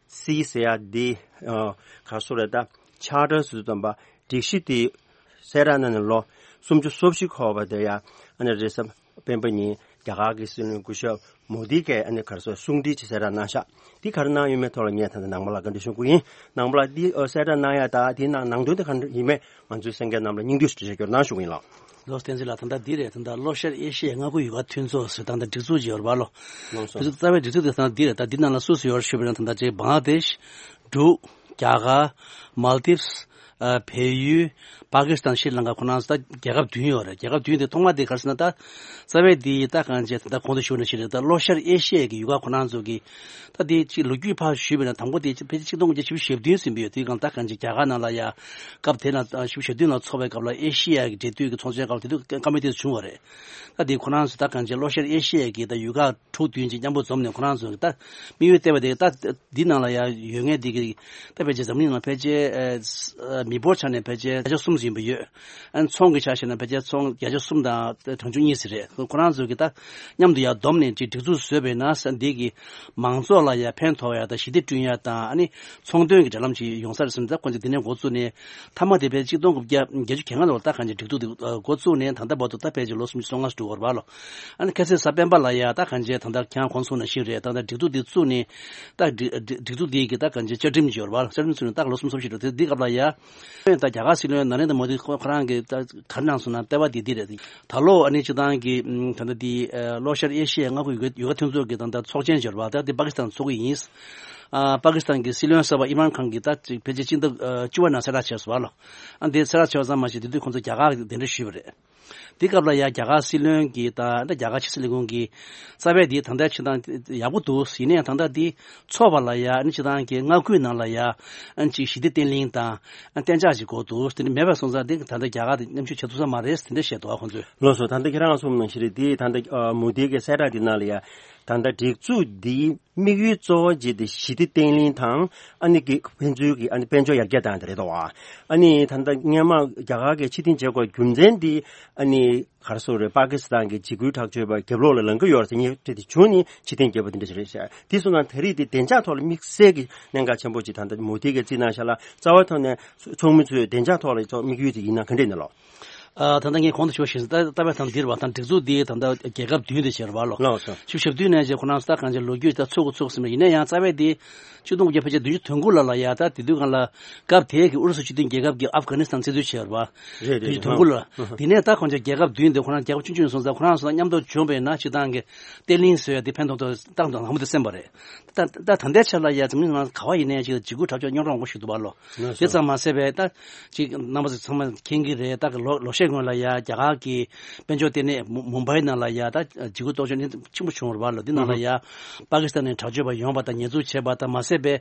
C ཟེར་ཡ་འདི་ཨ་ག་རེ་ཟེར་རེད། ད་Charter་ཟེར་དུས་ཙམ་པ་སྒྲིག་གཞི་དེ་གསལ་བསྒྲགས་གནང་ནས་ལོ་སུམ་ཅུ་སོ་བཞི་འཁོར་བ་དེ་ཡ་ཨ་ནི་རེས་གཟའ་སྤེན་པ་ཉིན་ རྒྱ་གར་གྱི་སྲིད་བློན་སྐུ་ཞབས་མོ་དི་གིས་ཨ་ནི་ག་རེ་ཟེར་གསུང་འཕྲིན་ཅིག་གསལ་བསྒྲགས་གནང་ཤག་འདི་ག་རེ་གནང་ཡོད་མེད་ཐོག་ལ་ངས་ད་ལྟ་ནང་པ་ལ་བཀའ་འདྲི་ཞུ་གི་ཡིན། ནང་པ་ལ་འདི་ཨ་གསལ་བསྒྲགས་གནང་ཡ་ད་དེའི་ནང་ནང་དོན་དེ་ག་འདྲ་ཡིན་མེད་ང་ཚོའི་གསན་མཁན་རྣམས་ལ་སྙིང་བསྡུས་ཤིག་འགྲེལ་བཤད་སྐྱོར་གནང་ཞུ་གི་ཡིན་ལགས། ལགས་སོ། བསྟན་འཛིན་ལགས། ད་ལྟ་འདི་རེད། ད་ལྟ་ལྷོ་ཤར་ཨེ་ཤི་ཡའི་མངའ་ཁུལ་ཡུལ་ཁག་མཐུན་ཚོགས་ཟེར་ད་ལྟ་སྒྲིག་འཛུགས་ཅིག་ཡོད་རེད་པ་ལོ། ལགས་སོ། དེ་ཚོ་རྩ་བའི་སྒྲིག་འཛུགས་དེ་ད་ལྟ་འདི་རེད། ད་འདི་ནང་ལ་སུ་སུ་ཡོད་རེད་ཞུས་པ་ཡིན་ན་ད་ལྟ་ཅིག་བང་ལ་དེཤ། འབྲུག་རྒྱ་གར། མལ་དིབས། ཨ། བལ་ཡུལ། པ་ཀི་སི་ཐན། ཤྲི་ལང་ཀ། ཁོ་རང་ཚོ་ད་རྒྱལ་ཁབ་བདུན་ཡོད་རེད། རྒྱལ་ཁབ་བདུན་དེ་ཐོག་མ་དེ་ག་རེ་ཟེར་ན་ད་རྩ་བའི་དེ་ད་གང་ཅི་ད་གོང་དུ་ཞུས་ནང་བཞིན་རེད། ད་ལྷོ་ཤར་ཨེ་ཤི་ཡའི་གི་ཡུལ་ཁག་ཁོ་རང་ཚོ་གི་ད་དེ་ཅིག་ལོ་རྒྱུས་ཕར་ཞུས་པ་ཡིན་ན་དང་པོ་དེ་ཕལ་ཆེར་ཆིག་སྟོང་དགུ་བརྒྱ་བཞི་བཅུ་ཞེ་བདུན་ཟིན་པ་ཡོད། དེ་གང་ད་གང་ཅི་རྒྱ་གར་ནང་ལ་ཡ་སྐབས་དེ་ན་བཞི་བཅུ་ཞེ་བདུན་ལ་ཚོགས་པའི་སྐབས་ལ་ཨེ་ཤི་ཡ་གི་འབྲེལ་མཐུད་ཀྱི་ཚོགས་ཆེན་སྐབས་ལ་དེ་དུས་བཀའ་མོལ་དེ་བྱུང་བ་རེད། ད་དེ་ཁོ་རང་ཚོ་ད་གང་ཅི་ལྷོ་ཤར་ཨེ་ཤི་ཡ་གི་ད་ཡུལ་ཁག་དྲུག་བདུན་ཅིག་མཉམ་པོ་འཛོམས་ནས་ཁོ་རང་ཚོ་གི་ད་དམིགས་ཡུལ་བལྟས་པ་དེ་ད་འདི་ནང་ལ་ཡ་ཡོད་མཁན་དེ་གི་ད་ཕལ་ཆེར་འཛམ་གླིང་ནང་ཕལ་ཆེར་ཨ་མི་འབོར་ཆ་ནས་ཕལ་ཆེར་བརྒྱ་ཆ་གསུམ་ཟིན་པ་ཡོད། ཨ་ནི་ཚོང་གི་ཆ་བཞག་ན་ཕལ་ཆེར་ཚོང་བརྒྱ་ཆ་གསུམ་དང་གྲངས་ཆུང་གཉིས་ཙམ་རེད། ཁོ་རང་ཚོ་གི་ད་མཉམ་དུ་ཡ་བསྡོམས་ནས་ཅིག་སྒྲིག་འཛུགས་བཟོས་པས་ན་ས་འདི་གི་མང་ཚོགས་ལ་ཡ་ཕན་ཐོགས་ཡ་དང་ཞི་བདེ་བསྐྲུན་ཡ་དང་ཨ་ནི་ཚོང་དོན་གི་འབྲེལ་ལམ་ཅིག་ཡོང་ས་རེད་བསམ་ད་ཁོ་ཚོ་འདི་ནས་འགོ་བཙུགས་ནས་མཐའ་མ་དེ་ཕལ་ཆེར་ཆིག་སྟོང་དགུ་བརྒྱ་བརྒྱད་ཅུ་གྱ་ལྔ་ལོར་ད་གང་ཅི་སྒྲིག་འཛུགས་དེ་འགོ་བཙུགས་ནས་ད་ལྟ་བར་དུ་ད་ཕལ་ཆེར་ལོ་སུམ་ཅུ་སོ་ལྔ་ཙམ་འགྲོ་གི་ཡོད་རེད་པ་ལོ། ཨ་ནི་ཁ་སང་གཟའ་སྤེན་པ་ལ་ཡ་ད་གང་ཅི་ད་ལྟ་ཁྱེད་རང་གོང་གསུངས་ནང་བཞིན་རེད། ད་ལྟ་སྒྲིག་འཛུགས་འདི་བཙུགས་ནས་ད་སྒྲིག་སྒྲིག་འཛུགས་འདི་གི་ད་གང་ཅི་བཅའ་ཁྲིམས་ཅིག་ཡོད་རེད་པ། བཅའ་ཁྲིམས་བཙུགས་ནས་ད་ལོ་སུམ་ཅུ་སོ་བཞི་འགྲོ་དེ་འདི་སྐབས་ལ་ཡ་ད་རྒྱ་གར་སྲིད་བློན་ན་རེན་དྲ་མོ་དི་ཁོ་ཁོ་རང་གི་ད་ག་རེ་གནང་སོང་ན་ལྟ་བ་འདི་འདི་རེད། ད་ལོ་ཨ་ནི་སྤྱི་བཏང་གི་ད་ལྟ་འདི་ལྷོ་ཤར་ཨེ་ཤི་ཡའི་མངའ་ཁུལ་ཡུལ་ཁ་མཐུན་ཚོགས་ཀྱི་ད་ལྟ་ཚོགས་ཆེན་ཅིག་ཡོད་རེད་པ། ད་འདི་པ་ཀི་སི་ཐན་ཚོགས་ཀྱི་ཡིན། ཨ་པ་ཀི་སི་ཐན་གྱི་སྲིད་བློན་གསར་པ་ཨི་མན་ཁཱན་གྱིས་ད་ཅིག་ཕལ་ཆེར་སྤྱི་ཟླ་བཅུ་པ་ནང་གསལ་བསྒྲགས་བྱས་སོང་བ་ལོ། ཨ་འདི་གསལ་བསྒྲགས་བྱས་པ་ཙམ་མ་ཟད་དེ་དུས་ཁོང་ཚོ་རྒྱ་གར་གདན་འདྲེན་ཞུས་པ་རེད། དེ་སྐབས་ལ་ཡ་རྒྱ་གར་སྲིད་བློན་གྱིས་ད་ད་རྒྱ་གར་ཕྱི་སྲིད་ལས་ཁུངས་ཀྱིས་རྩ་བའི་དེ་ད་ལྟ་ཕྱི་ཐང་ཡག་པོ་འདུག་ཡིན་ནའི་ད་ལྟ་དེ་ཚོགས་པ་ལ་ཡ་ཨ་ནི་ཕྱི་ཐང་གི་མངའ་ཁུལ་ནང་ལ་ཡ་ཨ་ནི་ཅིག་ཞི་བདེ་བརྟན་ལྷིང་དང་ཨ་གཏན་འཇགས་ཤིག་དགོས་འདུག་དེ་འདྲ་མེད་པ་སོང་ཙང་དེ་ད་ལྟ་རྒྱ་གར་དེ་མཉམ་ཞུགས་བྱེད་ཐུབ་ས་མ་རེད་དེ་འདྲ་བཤད་འདུག་ཁོང་ཚོས། ལགས་སོ། ད་ལྟ་ཁྱེད་རང་གསུངས་ནང་བཞིན་རེད། དེ་ད་ལྟ་ཨ་མོ་དི་གི་གསལ་བསྒྲགས་དེ་ནང་ལ་ཡ་ད་ལྟ་སྒྲིག་འཛུགས་འདིའི་དམིགས་ཡུལ་གཙོ་བོ་གཅིག་དེ་ཞི་བདེ་བརྟན་ལྷིང་དང་ཨ་ནི་གི་ཕན་ཚུན་གྱི་ཨ་ནི་དཔལ་འབྱོར་ཡར་རྒྱས་བཏང་དེ་རེད་དོ། ཨ་ནི་ད་ལྟ་སྔོན་མ་རྒྱ་གར་གྱིས་ཕྱིར་འཐེན་བྱེད་དགོས་རྒྱུ་མཚན་འདི་ཨ་ནི་ག་རེ་ཟེར་རེད། པ་ཀི་སི་ཐན་གྱི་འཇིགས་སྐུལ་དྲག་སྤྱོད་པ་རྒྱབ་ལོགས་ལ་ལངས་ཀྱི་ཡོད་རེད་ཟེར་ཉེས་ཁྲི་དེ་བྱུང་ནས་ཕྱིར་འཐེན་བརྒྱབ་པ་དེ་འདྲ་ཞིག་རེད་ཤག་དེ་སོང་ཙང་ད་རེས་དེ་བདེ་འཇགས་ཐོག་ལ་དམིགས་བསལ་གྱི་གནད་འགག་ཆེན་པོ་ཅིག་ད་ལྟ་མོ་དི་གིས་བརྩིས་གནང་ཤག་ལ། རྩ་བའི་ཐོག་ནས་ཚོགས་མི་ཚོས་བདེ་འཇགས་ཐོག་ལ་ཚོགས་དམིགས་ཡུལ་དེ་ཡིན་ན་ག་འདྲས་ཡིན་ན་ལོ། ཨ་ད་ལྟ་ངས་གོང་དུ་ཞུས་པ་བཞིན་ད་ལྟ་བའི་ཐང་འདིར་བ་དང་སྒྲིག་འཛུགས་འདི་ད་ལྟ་རྒྱལ་ཁབ་བདུན་དེ་བྱས་རེད་པ་ལོ། ལགས་སོ། ཆིག་སྟོང་དགུ་བརྒྱ་བཞི་བཅུ་ཞེ་བདུན་ནས་བྱས་ཁོ་རང་ཚོ་ད་གང་ཅི་ལོ་རྒྱུས་ད་ཚུགས་ཀྱི་ཚུགས་ཟིན་པ་ཡིན་ན་ཡང་རྩ་བའི་འདི་ཆིག་སྟོང་དགུ་བརྒྱ་ཕལ་ཆེར་བདུན་ཅུ་དོན་དགུ་ལ་ལ་ཡ་ད་དེ་དུས་སྒང་ལ་སྐབས་དེའི་གི་ཨུ་རུ་སུ་སྤྱི་མཐུན་རྒྱལ་ཁབ་ཀྱིས་ཨབ་གྷ་ནི་སི་ཐན་བཙན་འཛུལ་བྱས་རེད་པ། རེད་རེད། བདུན་ཅུ་དོན་དགུ་ལ། ཨ་དེ་ནས་ད་ཁོང་ཚོ་རྒྱལ་ཁབ་བདུན་དེ་ཁོ་རང་རྒྱལ་ཁབ་ཆུང་ཆུང་སོང་ཙང་ཁོ་རང་ཚོ་མཉམ་དུ་བྱུང་བས་ན་སྤྱི་བཏང་གི་བརྟན་ལྷིང་བཟོ་ཡ་དེ་ཕན་ཐོགས་ཐོགས་ཏག་ཏག་ལྷག་མོ་དེ་སེམས་པ་རེད། ད་ད་ད་ལྟའི་ཆ་ལ་ཡ་འཛམ་གླིང་ནང་ག་བ་ཡིན་ནའི་ཅིག་འཇིགས་སྐུལ་དྲག་སྤྱོད་རྙོག་དྲ་མང་པོ་ཞིག་འདུག་པ་ལོ། ལགས་སོ། དེ་ཙམ་མ་ཟད་པའི་ད་ཅིག་རྣམ་པ་ཚོ་ཚང་མ་མཁྱེན་གྱི་རེད། ད་གི་ལོ་ལོ་ཤས་སྔོན་ལ་ཡ་རྒྱ་གར་གྱི་དཔལ་འབྱོར་ལྟེ་གནས་མུ་མུམ་བྷའི་ནང་ལ་ཡ་ད་འཇིགས་སྐུལ་དོགས་གཅོད་ནི་ཆེན་པོ་བྱུང་བ་རེད་པ་ལོ། འདི་ནང་ལ་ཡ་པ་ཀི་སི་ཐན་ནས་དྲག་སྤྱོད་པ་ཡོང་བ་དང་ཉེས་འཛུགས་བྱས་པ་དང་མ་ཟད་པའི་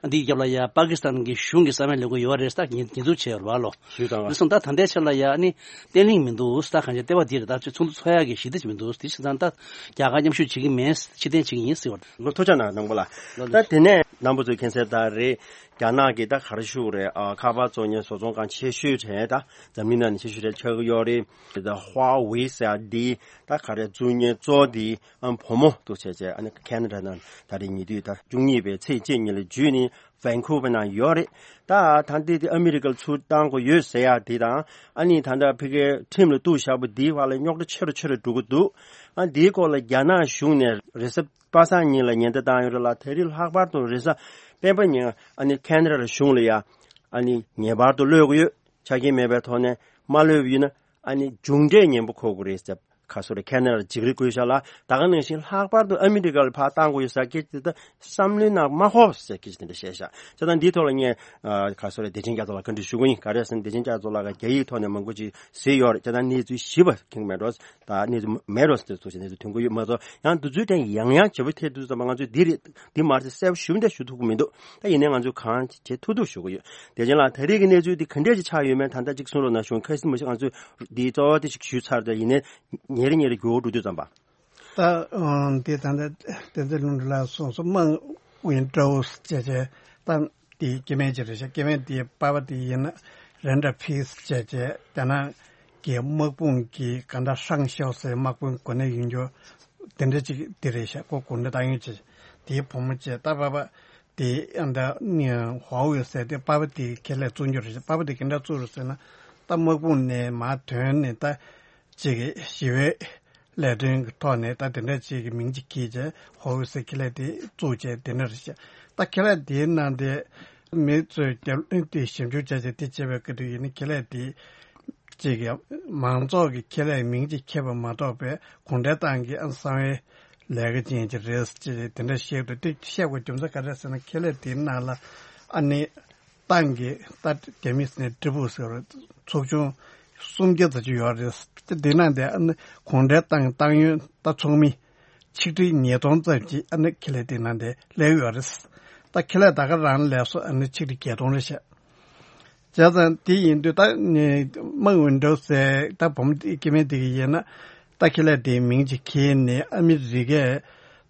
འདིའི་རྒྱབ་ལ་ཡ་པ་ཀི་སི་ཐན་གྱི་གཞུང་གི་གསང་བའི་ལས་འགུལ་ཡོད་རེད། ད་ཉེས་ཉེས་འཛུགས་བྱས་ཡོད་རེད་པ་ལོ། ཞུས་ཙང་། རེད་སོང་ད་ད་ལྟའི་ཆ་ལ་ཡ་ཨ་ནི་བརྟན་ལྷིང་མི་འདུག་ད་གང་ཅི་ལྟེ་བ་འདི་རེད། ད་ཚོགས་འདུ་ཚོགས་ཡག་གི་ཞི་བདེ་ཅིག་མི་འདུག་དེ་བྱས་ཙང་ད་རྒྱ་གར་མཉམ་ཞུགས་བྱེད་ཀྱི་མེད། ཕྱིར་འཐེན་བྱེད་ཀྱི་ཡིན་ཟེར་བ་རེད། ལོ་ཐུགས་རྗེ་གནང་། ནང་པ་ལ། ལོ་ད་དེ་ནས་རྣམ་པ་ཚོས་མཁྱེན་གསལ་ལྟར་རེད། རྒྱ་ནག་གི་ད་ག་རེ་ཞུ་དགོས་རེད། ཨ་ཁ་པར་བཙོང་མཁན་བཟོ་ཚོང་ཁང་ཆེ་ཤོས་གྲས་ད་འཛམ་གླིང་ནང་ནས་ཆེ་ཤོས་གྲས་ཆགས་ཀྱི་ཡོད་རེད། ད་ཧྭ་ཝེ་ཟེར་ཡ་འདི་ད་ག་རེ་བཙུགས་མཁན་གཙོ་བོ་འདི་ཨ་བུ་མོ་འདུག་བྱས་བྱས་ཨ་ནི་ཁེ་ན་ཌ་ནང་ད་རེས་ཉེ་དུས་ད་བཅུ་གཉིས་པའི་ཚེས་གཅིག་ཉིན་ལ་འཇུས་ནས་ཝན་ཁུ་ཝར་ནང་ཡོད་རེད། ད་ད་འདི་དེ་ཨ་མི་རི་ཀར་ཚུར་བཏང་དགོས་ཡོད་ཟེར་ཡ་དེ་དང་ཨ་ནི་ད་ལྟ་ཕ་གིའི་ཁྲིམས་ལ་གཏུག་བཞག་པ་འདིའི་བར་ལ་རྙོག་དྲ་ཆེ་རུ་ཆེ་རུ་འགྲོ་གི་འདུག་ཨ་འདིའི་སྐོར་ལ་རྒྱ་ནག་གཞུང་ནས་རེས་གཟའ་པ་སངས་ཉིན་ལ་ཉེན་བརྡ་བཏང་ཡོད་རེད་ལ། ད་རེས་ལྷག་པར་དུ་རེས་གཟའ་སྤེན་པ་ཉིན་ཨ་ནི་ཁེ་ན་ཌ་གཞུང་ལ་ཡ་ཨ་ནི་ངེས་པར་དུ་གློད་དགོས་ཡོད། ཆ་རྐྱེན་མེད་པའི་ཐོག་ནས་མ་གློད་པ་ཡིན་ན་ཨ་ནི་མཇུག་འབྲས་ངན་པ་འཁོར་དགོས་རེད་ཟེར། ག་སོ་རེ་ཁེ་ན་ཌ་འཇིགས་རི་བསྐུལ་ཤག་ལ། ད་ག་ནང་བཞིན་ལྷག་པར་དུ་ཨ་མི་རི་ཀ་ལ་ཕར་བཏང་དགོས་ཡོད་ཟེར་སྐད་ཆ་དེ་ད་བསམ་བློའི་ནང་མ་འཁོར་ཟེར་སྐད་ཆ་དེ་འདྲ་བཤད་ཤག་བྱས་ཙང་འདིའི་ཐོག་ལ་ངས་ཨ་ག་སོ་རེ་བདེ་ཆེན་རྒྱ་མཚོ་ལགས་བཀའ་འདྲི་ཞུ་གི་ཡིན། ག་རེ་ཟེར་ན་བདེ་ཆེན་རྒྱ་མཚོ་ལགས་ཀྱིས་རྒྱ་ཡིག་ཐོག་ནས་མང་པོ་ཅིག་གཟིགས་ཡོད་རེད། བྱས་ཙང་གནས་ཚུལ་ཞིབ་པ་མཁྱེན་གྱི་མེད་འགྲོ། ད་གནས་ཚུལ་མེད་འགྲོ་ཟེར་ཚོ་ཞིག་གནས་ཚུལ་ཐོན་གྱི་ཡོད་མ་གཏོགས། ཡང་འདི་ཚོའི་གྲས་ཡང་ཡང་ཞིབ་པ་ཐེབས་དུས་ཙམ་པ་ང་ཚོས་འདི་རེད་འདི་མ་རེད་ཟེར་གསལ་པོ་ཞུ་འདྲ་ཞུ་ཐུབ་ཀྱི་མི་འདུག་ད་ཡིན་ནའི་ང་ཚོས་གང་བྱེད་ཐུབ་ཐུབ་ཞུ་གི་ཡོད། བདེ་ཆེན་ལགས་ད་རེས་ཀྱི་གནས་ཚུལ་འདི་ག་འདྲས་ཅིག་ཆགས་ཡོད་མེད་ད་ལྟ་ཅིག་གསུང་རོགས་གནང་ཞུ། ཁ་སང་མ་གཞི་ང་ཚོས་འདི་གཙོ་བོ་དེ་ཞིག་ཞུས་ཚར། ད་ཡིན་ནའི་ཉེ་རེ་ཉེ་རེ་འགྱུར་བ་འགྲོ་དུས་ཙམ་པ། ད་ཨང་དེ་ད་ལྟ་བསྟན་འཛིན་ལྷུན་གྲུབ་ལགས་གསུངས་སོང་། དམག་ཝིན་ཀྲོ་སི་ཅེས་བྱས་ད་དེ་སྐྱེ་དམན་ཅིག་རེད་ཤག་སྐྱེ་དམན་དེའི་པ་ཕ་དེ་ཡིན་ན་རེན་ཌར་ཕིས་ཅེས་བྱས་རྒྱ་ནག་གི་དམག་དཔུང་གི་ག་འདྲ་ཧྲང་ཤའོ་སེ་དམག་དཔུང་གོ་གནས་ཡོད་རྒྱུ་དེ་འདྲ་ཅིག་དེ་རེད་ཤག་ཁོ་གོ་གནས་བཏང་ཡོད་ཅིག་དེའི་བུ་མོ་བྱས་ད་པ་ཕ་དེ་ཨ་འདྲ་ཧྭ་ཝེ་ཟེར་དེ་པ་ཕ་དེ་ཁས་ལེན་བཙུགས་རྒྱུ་རེད་ཤག་པ་ཕ་དེ་ག་འདྲ་བཙུགས་རེད་ཟེར་ན་ད་དམག་དཔུང་ནས་མར་ཐོན་ནས་ད་ཅིག་ཞི་བའི་ ལས་དོན་གྱི་ཐོག་ནས་ད་དེ་འདྲ་ཅིག་གི་མིང་ཅིག་གྱེས་བྱས་ཧོ་ཝི་ཟེར་ཁེ་ལས་དེ་བཙུགས་བྱས་དེ་འདྲ་རེད་ཤག་ད་ཁེ་ལས་དེའི་ནང་དེ་མི་ཚོས་རྒྱབ་ལོན་དེ་ཞིབ་འཇུག་བྱས་བྱས་དེ་བྱས་པའི་སྐབས་དུ་ཡིན་ན་ཁེ་ལས་དེ་ཅིག་གི་མང་ཚོགས་ཀྱི་ཁེ་ལས་མིང་ཅིག་ཁྱེར་བ་མ་གཏོགས་པའི་གུང་ཁྲན་ཏང་གི་ཨ་གསང་བའི་ལས་ཀ་ཅན་ཅིག་རེད་ཅེས་དེ་འདྲ་བཤད་འདུག་དེ་བཤད་དགོས་རྒྱུ་མཚན་ག་རེ་ཟེར་ན་ཁེ་ལས་དེའི་ནང་ལ་ཨ་ནི་ཏང་གི་ད་རྒྱ་མིས་ནས་ཀྲི་པུ་ཟེར་བ་ཚོགས་ཆུང་སུམ་བརྒྱ་ཙམ་ཅིག་ཡོད་རེད། དེ་དེ་ནང་དེ་ཨ་ནི་གུང་ཁྲན་ཏང་ཏང་ཡོན་ད་ཚོགས་མི་ཆིག་ཁྲི་ཉིས་སྟོང་ཙམ་ཅིག་ཨ་ནི་ཁེ་ལས་དེ་ནང་དེ་སླེབས་ཡོད་རེད། ད་ཁེ་ལས་ད་ག་རང་ལས་སུ་ཨ་ནི་ཆིག་ཁྲི་བརྒྱད་སྟོང་རེད་ཤག་བྱས་ཙང་དེ་ཡིན་དུས་ད་ནི་དམངས་འོས་འགྲོ་ཟེར་ད་བུ་མོ་སྐྱེ་དམན་དེ་གི་ཡིན་ན་ད་ཁེ་ལས་དེའི་མིང་ཅིག་ཁྱེར་ནས་ཨ་མི་རི་ཀས་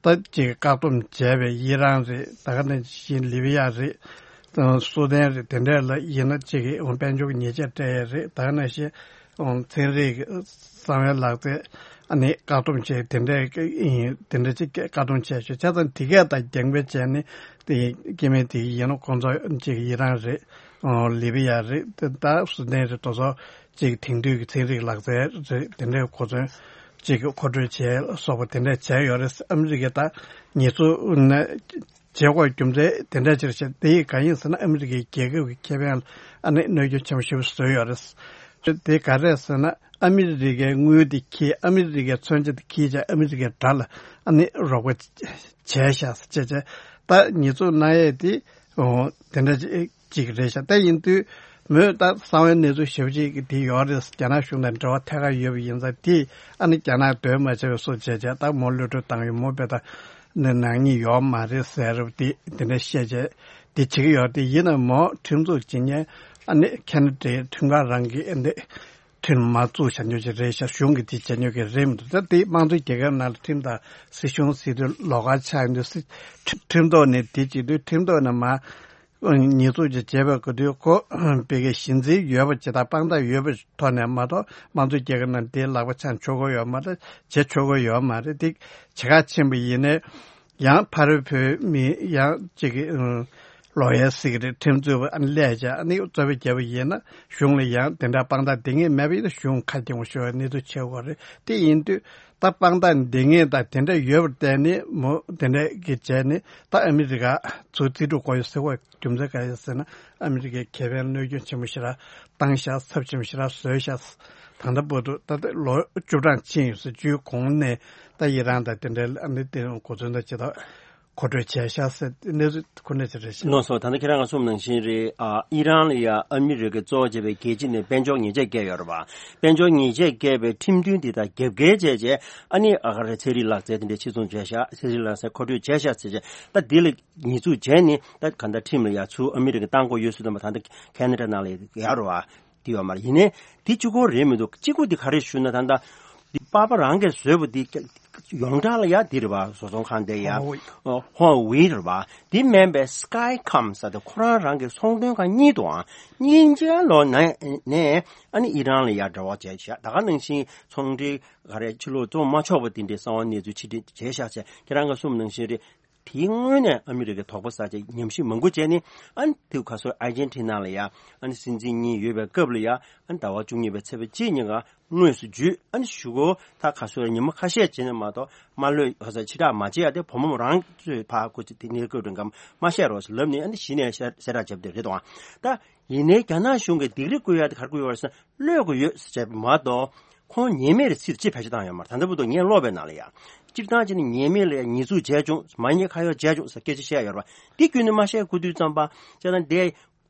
ད་ཅིག་བཀག་སྡོམ་བྱས་པའི་ཨི་རན་རེད། ད་ག་ནང་བཞིན་ལི་བི་ཡ་རེད། སུ་དན་རེད། དེ་འདྲས་ལ་ཡིན་ན་ཅིག་གི་དཔལ་འབྱོར་གྱི་ཉེས་ཆད་སྤྲད་ཡས་རེད། ད་ག་ནང་བཞིན་ཚན་རིག་གསང་བའི་ལག་རྩལ་ཨ་ནི་བཀག་སྡོམ་བྱས་དེ་འདྲས་ཡིན་དེ་འདྲས་ཅིག་བཀག་སྡོམ་བྱས་ཤག་བྱས་ཙང་དེ་གས་དང་རྒྱང་འཕེན་བྱས་ནས་དེ་སྐྱེ་དམན་དེ་ཡིན་ན་ཁོང་ཚོ་ཅིག་ཨི་རན་རེད། ལི་བི་ཡ་རེད། དེ་ད་སུ་དན་རེད། དེ་ཚོ་ཅིག་དེང་དུས་ཀྱི་ཚན་རིག་ལག་རྩལ་རེད། དེ་འདྲའི་གོ་མཚོན་ཅིག་མཁོ་སྤྲོད་བྱས་སོགས་པ་དེ་འདྲ་བྱས་ཡོད་རེད། ཨ་མི་རི་ཀས་ད་ཉེས་འཛུགས་ནས་བྱེད་དགོས་རྒྱུ་མཚན་དེ་འདྲ་ཅིག་རེད་ཤག་དེ་ཡིས་གང་ཡིན་ཟེར་ན་ཨ་མི་རི་ཀའི་རྒྱལ་ཁབ་ཀྱི་ཁེ་ཕན་ལ་ཨ་ནི་གནོད་སྐྱོན་ཆེན་པོ་ཞེ་པོ་བཟོས་ཡོད་རེད། དེ་ག་རེད་ཟེར་ན་ཨ་མི་རི་ཀའི་དངུལ་དེ་ཁྱེར། ཨ་མི་རི་ཀའི་མཚོན་ཆ་དེ་ཁྱེར་བྱས་ཨ་མི་རི་ཀའི་དགྲ་ལ་ཨ་ནི་རོགས་པ་བྱས་ཤག་ཟེར་བྱས་བྱས་ད་ཉེས་འཛུགས་གནང་ཡས་དེ་འོ་དེ་འདྲ་ཅིག་ཅིག་རེད་ཤག་ད་ཡིན་དུས་མོས་ད་གསང་བའི་གནས་ཚུལ་ཞེ་པོ་ཅིག་དེ་ཡོད་རེད། རྒྱ་ནག་གཞུང་དང་འབྲེལ་བ་ཐད་ཀར་ཡོད་པ་ཡིན་ཙང་དེ་ཨ་ནི་རྒྱ་ནག་འདོད་མ་བྱས་པའི་བཟོ་བྱས་བྱས་ད་མོ་གློད་བཀྲོལ་བཏང་ཡོད། མོ་དཔེ་ད་ནི་ནག་ཉེས་ཡོད་མ་རེད་ཟེར་བ་དེ་དེ་འདྲ་བཤད་བྱས་དེ་བྱེད་ཀྱི་ཡོད། དེ་ཡིན་ན་མོ་ཁྲིམས་འཛུགས་བྱེད་མཁན་ཨ་ནི་ཁེ་ན་ཌའི་ཁྲིམས་ཁང་རང་གི་ཨ་ནི་ཁྲིམས་མ་བཙུགས་བྱ་མྱོང་ཅིག་རེད་ཤག་གཞུང་གིས་དེ་བྱ་མྱོང་གི་རེད་མི་འདུག་ད་དེ་དམངས་གཙོའི་རྒྱལ་ཁབ་ནང་ལ་ཁྲིམས་དང་སྲིད་གཞུང་ཟེར་དུས་ལོགས་ཀ་ཆགས་ཡོང་དུས་སྲིད་ཁྲིམས་ཁྲིམས་ཐོག་ནས་དེ་བྱེད་དུས་ཁྲིམས་ཐོག་ནས་མ་ཉེས་འཛུགས་ཅིག་བྱས་པའི་སྐབས་དུས་ཁོ་བོད་ཀྱི་གཞི་འཛིན་ཡོད་པ་ཅིག་དང་དཔང་རྟགས་ཡོད་པའི་ཐོག་ནས་མ་གཏོགས་དམངས་གཙོའི་རྒྱལ་ཁབ་ནང་དེའི་ལག་པ་འཆང་ཆོག་གི་ཡོད་མ་རེད། བྱེད་ཆོག་གི་ཡོད་མ་རེད། དེ་བྱེད་ག་ཕྱིན་པ་ཡིན་ནའི་ཡང་ཕ་རོལ་བོད་མི་ཡང་གཅིག་གི་ལོ་ཡར་ཟེར་གི་རེད། ཁྲིམས་རྩོད་པ་ཨ་ནི་སླེབས་བྱས་ཨ་ནི་རྩོད་པ་བརྒྱབ་པ་ཡིན་ན་གཞུང་ལ་ཡང་དེ་འདྲ་དཔང་རྟགས་འདི་ངེས་མེད་པ་ཡིན་ན་གཞུང་ཁ་སྐྱེངས་པོ་ཤོར་བའི་གནས་ཚུལ་ཆེ་བ་རེད། དེ་ཡིན་དུས་ད་དཔང་རྟགས་འདི་ངེས་དང་དེ་འདྲ་ཡོད་པར་བརྟེན་ནས་མོ་དེ་འདྲ་གི་བྱས་ནས་ད་ཨ་མི་རི་ཀ་ཚུར་རྩིས་སྤྲོད་དགོས་ཡོད་ཟེར་བ་རྒྱུ་མཚན་ག་རེ་ཟེར་ན་ཨ་མི་རི་ཀའི་ཁེ་ཕན་གནོད་སྐྱོན་ཆེན་པོ་ཞེ་དྲག་བཏང་ཤག་ཚབས་ཆེན་པོ་ཞེ་དྲག་བཟོས་ཤག་ད་ལྟ་བར་དུ་ད་ལྟ་ལོ་བཅུ་གྲངས་ཕྱིན་ཡོད་ཟེར། བཅུའི་གོང་ནས་ད་ཡི་རང་དང་དེ་འདྲའི་ཨ་ནི་དེ་གོ་མཚོན་དང་ཇི་ལྟར་མཁོ་སྤྲོད་བྱས་ཤག་ཟེར་གནས་ཚུལ་ཁོ་ནས་ཅི་རེད་ཤག་ལགས་སོ། ད་ལྟ་ཁྱེད་རང་ག་གསུངས་ནང་བཞིན་རེད། ཨ་ཨི་རན་ལ་ཡ་ཨ་མི་རི་ཀས་གཙོ་བོ་བྱས་པའི་རྒྱལ་སྤྱི་ནས་དཔལ་འབྱོར་ཉེས་ཆད་བཀལ་ཡོད་རེད་པ། དཔལ་འབྱོར་ཉེས་ཆད་བཀལ་བའི་ཁྲིམས་མཐུན་དེ་དག་རྒྱབ་འགལ་བྱས་བྱས་ཨ་ནི་ཨ་ག་རེ་ཚན་རིག་ལག་རྩལ་དེ་འདྲ་ཕྱིར་ཚོང་བྱས་ཤག་ཚན་རིག་ལག་རྩལ་མཁོ་སྤྲོད་བྱས་ཤག་ཟེར་བྱས་ད་འདི་ལ་ཉེས་འཛུགས་བྱས་ནས་ད་ག་འདྲ་ཁྲིམས་ལ་ཡ་ཚུར་ཨ་མི་རི་ཀས་བཏང་དགོས་ཡོད་ཟེར་དུས་མ་ད་ལྟ་ཁེ་ན་ཌ་ནང་ལ་ཡོད་རེད་པ། དེ་ཡོད་མ་རེད། ཡིན་ནའི་དེ་གཅིག་པོ་རེད་མི་འདུག་གཅིག་པོ་དེ་ག་རེ་ཞུ་ན་ད་ལྟ་འདི་པ་པ་རང་གིས་བཟོས་པ་འདི་ཡོངས་གྲགས་ལ་ཡ་འདི་རེད་པ། བཟོ་ཚོང་ཁང་དེ་ཡ་ཧོ་ཝེ་རེད་པ། འདི་མིན་པའི་སི་ཀའི་ཀམ་ཟེར་དེ་ཁོ་རང་རང་གི་ཚོང་དོན་ཁང་གཉིས་འདུག་ཨང་། གཉིས་ཆ་ལོ་ནས་ནས་ཨ་ནི་ཨི་རན་ལ་ཡ་འབྲེལ་བ་བྱས་ཤག་ད་ག་ནང་བཞིན་ཚོང་འབྲེལ་ག་རེ་ཕྱི་ལོགས་བཙོང་མ་ཆོག་པ་དེ་འདྲའི་གསང་བ་གནས་ཚུལ་ཕྱིར་འཐེན་བྱས་ཤག་བྱས་ཁྱེད་རང་གིས་གསུངས་ནང་བཞིན་རེད། དེའི་སྔོན་ནས་ཨ་མི་རི་ཀས་དོགས་པ་ཟ་བྱས་ཉམས་ཞིབ་མང་པོ་བྱས་ནས་ཨ་ནི་དེ་ག་སོ་ཨར་ཇན་ཊི་ན་ལ་ཡ་ཨ་ནི་སྲིད་འཛིན་གཉིས་ཡོད་པའི་སྐབས་ལ་ཡ་ཨ་ནི་ཟླ་བ་བཅུ་གཉིས་པའི་ཚེས་པ་གཅིག་ཉིན་ཀ་དངོས་སུ་བརྒྱུད་ཨ་ནི་གཞུག་གུ་ད་ག་སོ་ཉི་མ་ཁ་ཤས་བྱས་ནས་མ་གཏོགས་དམའ་ལོས་ག་ས་ཕྱི་བསྒྲགས་མ་བྱས་ཡ་དེ་བུ་མོ་རང་ཚོས་ཕ་གོ་ཚེ་དེ་ནས་བཀོད་དྲན་གམ་མ་བཤད་རོགས་ཟེར་ལབ་ནས་ཨ་ནི་གཞི་ནས་གསལ་བསྒྲགས་བྱས་པ་དེ་རེད་དོ། ད་ཡིན་ནའི་རྒྱ་ནག་གཞུང་གིས་སྡིགས་ར་བསྐུལ་ཡ་དེ་ག་རེ་བསྐུལ་ཡོད་རེད་ཟེར་ན་གློད་དགོས་ཡོད་ཟེར་བྱས་པ་མ་གཏོགས་ཁོང་ཉེས་མེད་རེད་ཚུལ་ཅིག་བེད་སྤྱོད་བཏང་ཡོད་མ་རེད། ད་ལྟ་བར་དུ་ངས་ཀློག་པའི་ནང་ལ་ཡ་སྤྱིར་བཏང་བྱས་ན་ཉེས་མེད་ལ་ཡ་ཉེས་འཛུགས་བྱས་བྱུང་། མ་ཉེས་ཁ་གཡོགས་བྱས་བྱུང་ཟེར་སྐད་ཆ་བཤད་ཡོད་རེད་པ། འདི་བརྒྱུད་ནས་མ་བཤད་དགོས་དུས་ཙམ་པ་བྱས་ན་འདི་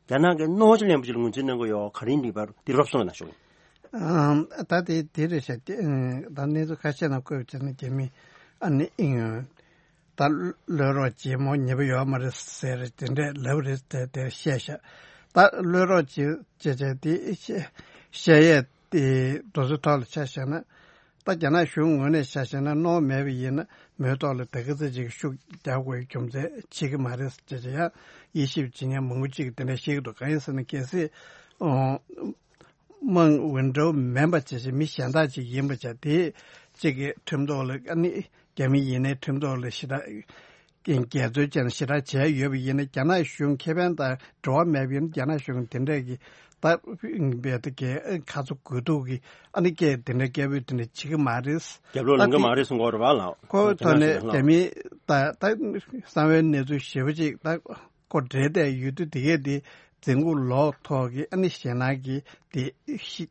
རྒྱ་ནག་གི་གནང་བ་ཅིག་ལེན་པ་ཅིག་ལ་ངོས་འཛིན་གནང་གི་ཡོད། ག་རེ་ཡིན་པའི་བར་དུ་འདི་རོབ་སོང་ན་ཞུ། ཨམ། ད་དེ་དེ་རེད་ཤག་དེ་ཨ་ད་གནས་ཚུལ་ཁ་ཤས་ནང་བཀོད་པ་བྱས་ན་རྒྱ་མི་ཨ་ནི་ཨིན། ད་གློད་རོགས་བྱེད་མོ་ཉེས་པ་ཡོད་མ་རེད་ཟེར་དེ་འདྲས་ལབ་རེད་དེ་དེ་བཤད་ཤག་ད་གློད་རོགས་བྱེད་བྱེད་བྱས་དེ་བཤད་བཤད་ཡས་དེ་དུས་ཚོད་ཐོག་ལ་ཆ་བཞག་ན་ད་རྒྱ་ནག་གཞུང་ངོས་ནས་ཆ་བཞག་ན་གནང་མེད་པ་ཡིན་ན་མོའི་ཐོག་ལ་དེ་ག་ཚོད་ཅིག་ཤུགས་རྒྱག་དགོས་རྒྱུ་མཚན་བྱེད་ཀྱི་མ་རེད་ཟེར་བྱས་ཡང་དབྱེ་ཞིབ་བྱེད་མཁན་མང་པོ་ཅིག་གིས་དེ་འདྲས་བཤད་ཀྱི་འདུག་གང་ཡིན་ཟེར་ན་གལ་སྲིད་ཨོ། དམངས་འོས་འབྲེལ་མིན་པ་བྱས་ཤིང་མི་གཞན་དག་ཅིག་ཡིན་པ་བྱས་དེ་གཅིག་གི་ཁྲིམས་ཐོག་ལ་ཨ་ནི་རྒྱ་མི་ཡིན་ནའི་ཁྲིམས་ཐོག་ལ་ཞེ་དྲག་འགལ་འཛོལ་ཅན་ཞེ་དྲག་བྱས་ཡོད་པ་ཡིན་ན་རྒྱ་ནག་གཞུང་ཁེ་ཕན་དང་འབྲེལ་བ་མེད་པ་ཡིན་ན་རྒྱ་ནག་གཞུང་དེ་འདྲས་ཀྱི་ ད་བལ་ཏེ་གས་ཁ་ཚོ་དགོས་གཏུག་གི་ཨ་ནི་སྐད་དེ་འདྲ་སྐད་འབོད་དེ་འདྲ་བྱེད་ཀྱི་མ་རེད། རྒྱབ་ལོག་ལངས་ཀྱི་མ་རེད་གསུང་གི་ཡོད་རེད་བ་ལགས། ཁོ་ཐོག་ནས་རྒྱ་མི་ད་ད་གསང་བའི་གནས་ཚུལ་ཞེ་པོ་ཅིག་ད་ཁོ་འདྲེས་བསྡད་ཡོད་དུས་དེ་གས་དེ་འཛིན་ཁུག་ལོག་ཐོག་གི་ཨ་ནི་ཞེད་སྣང་གི་དེ་ཤི་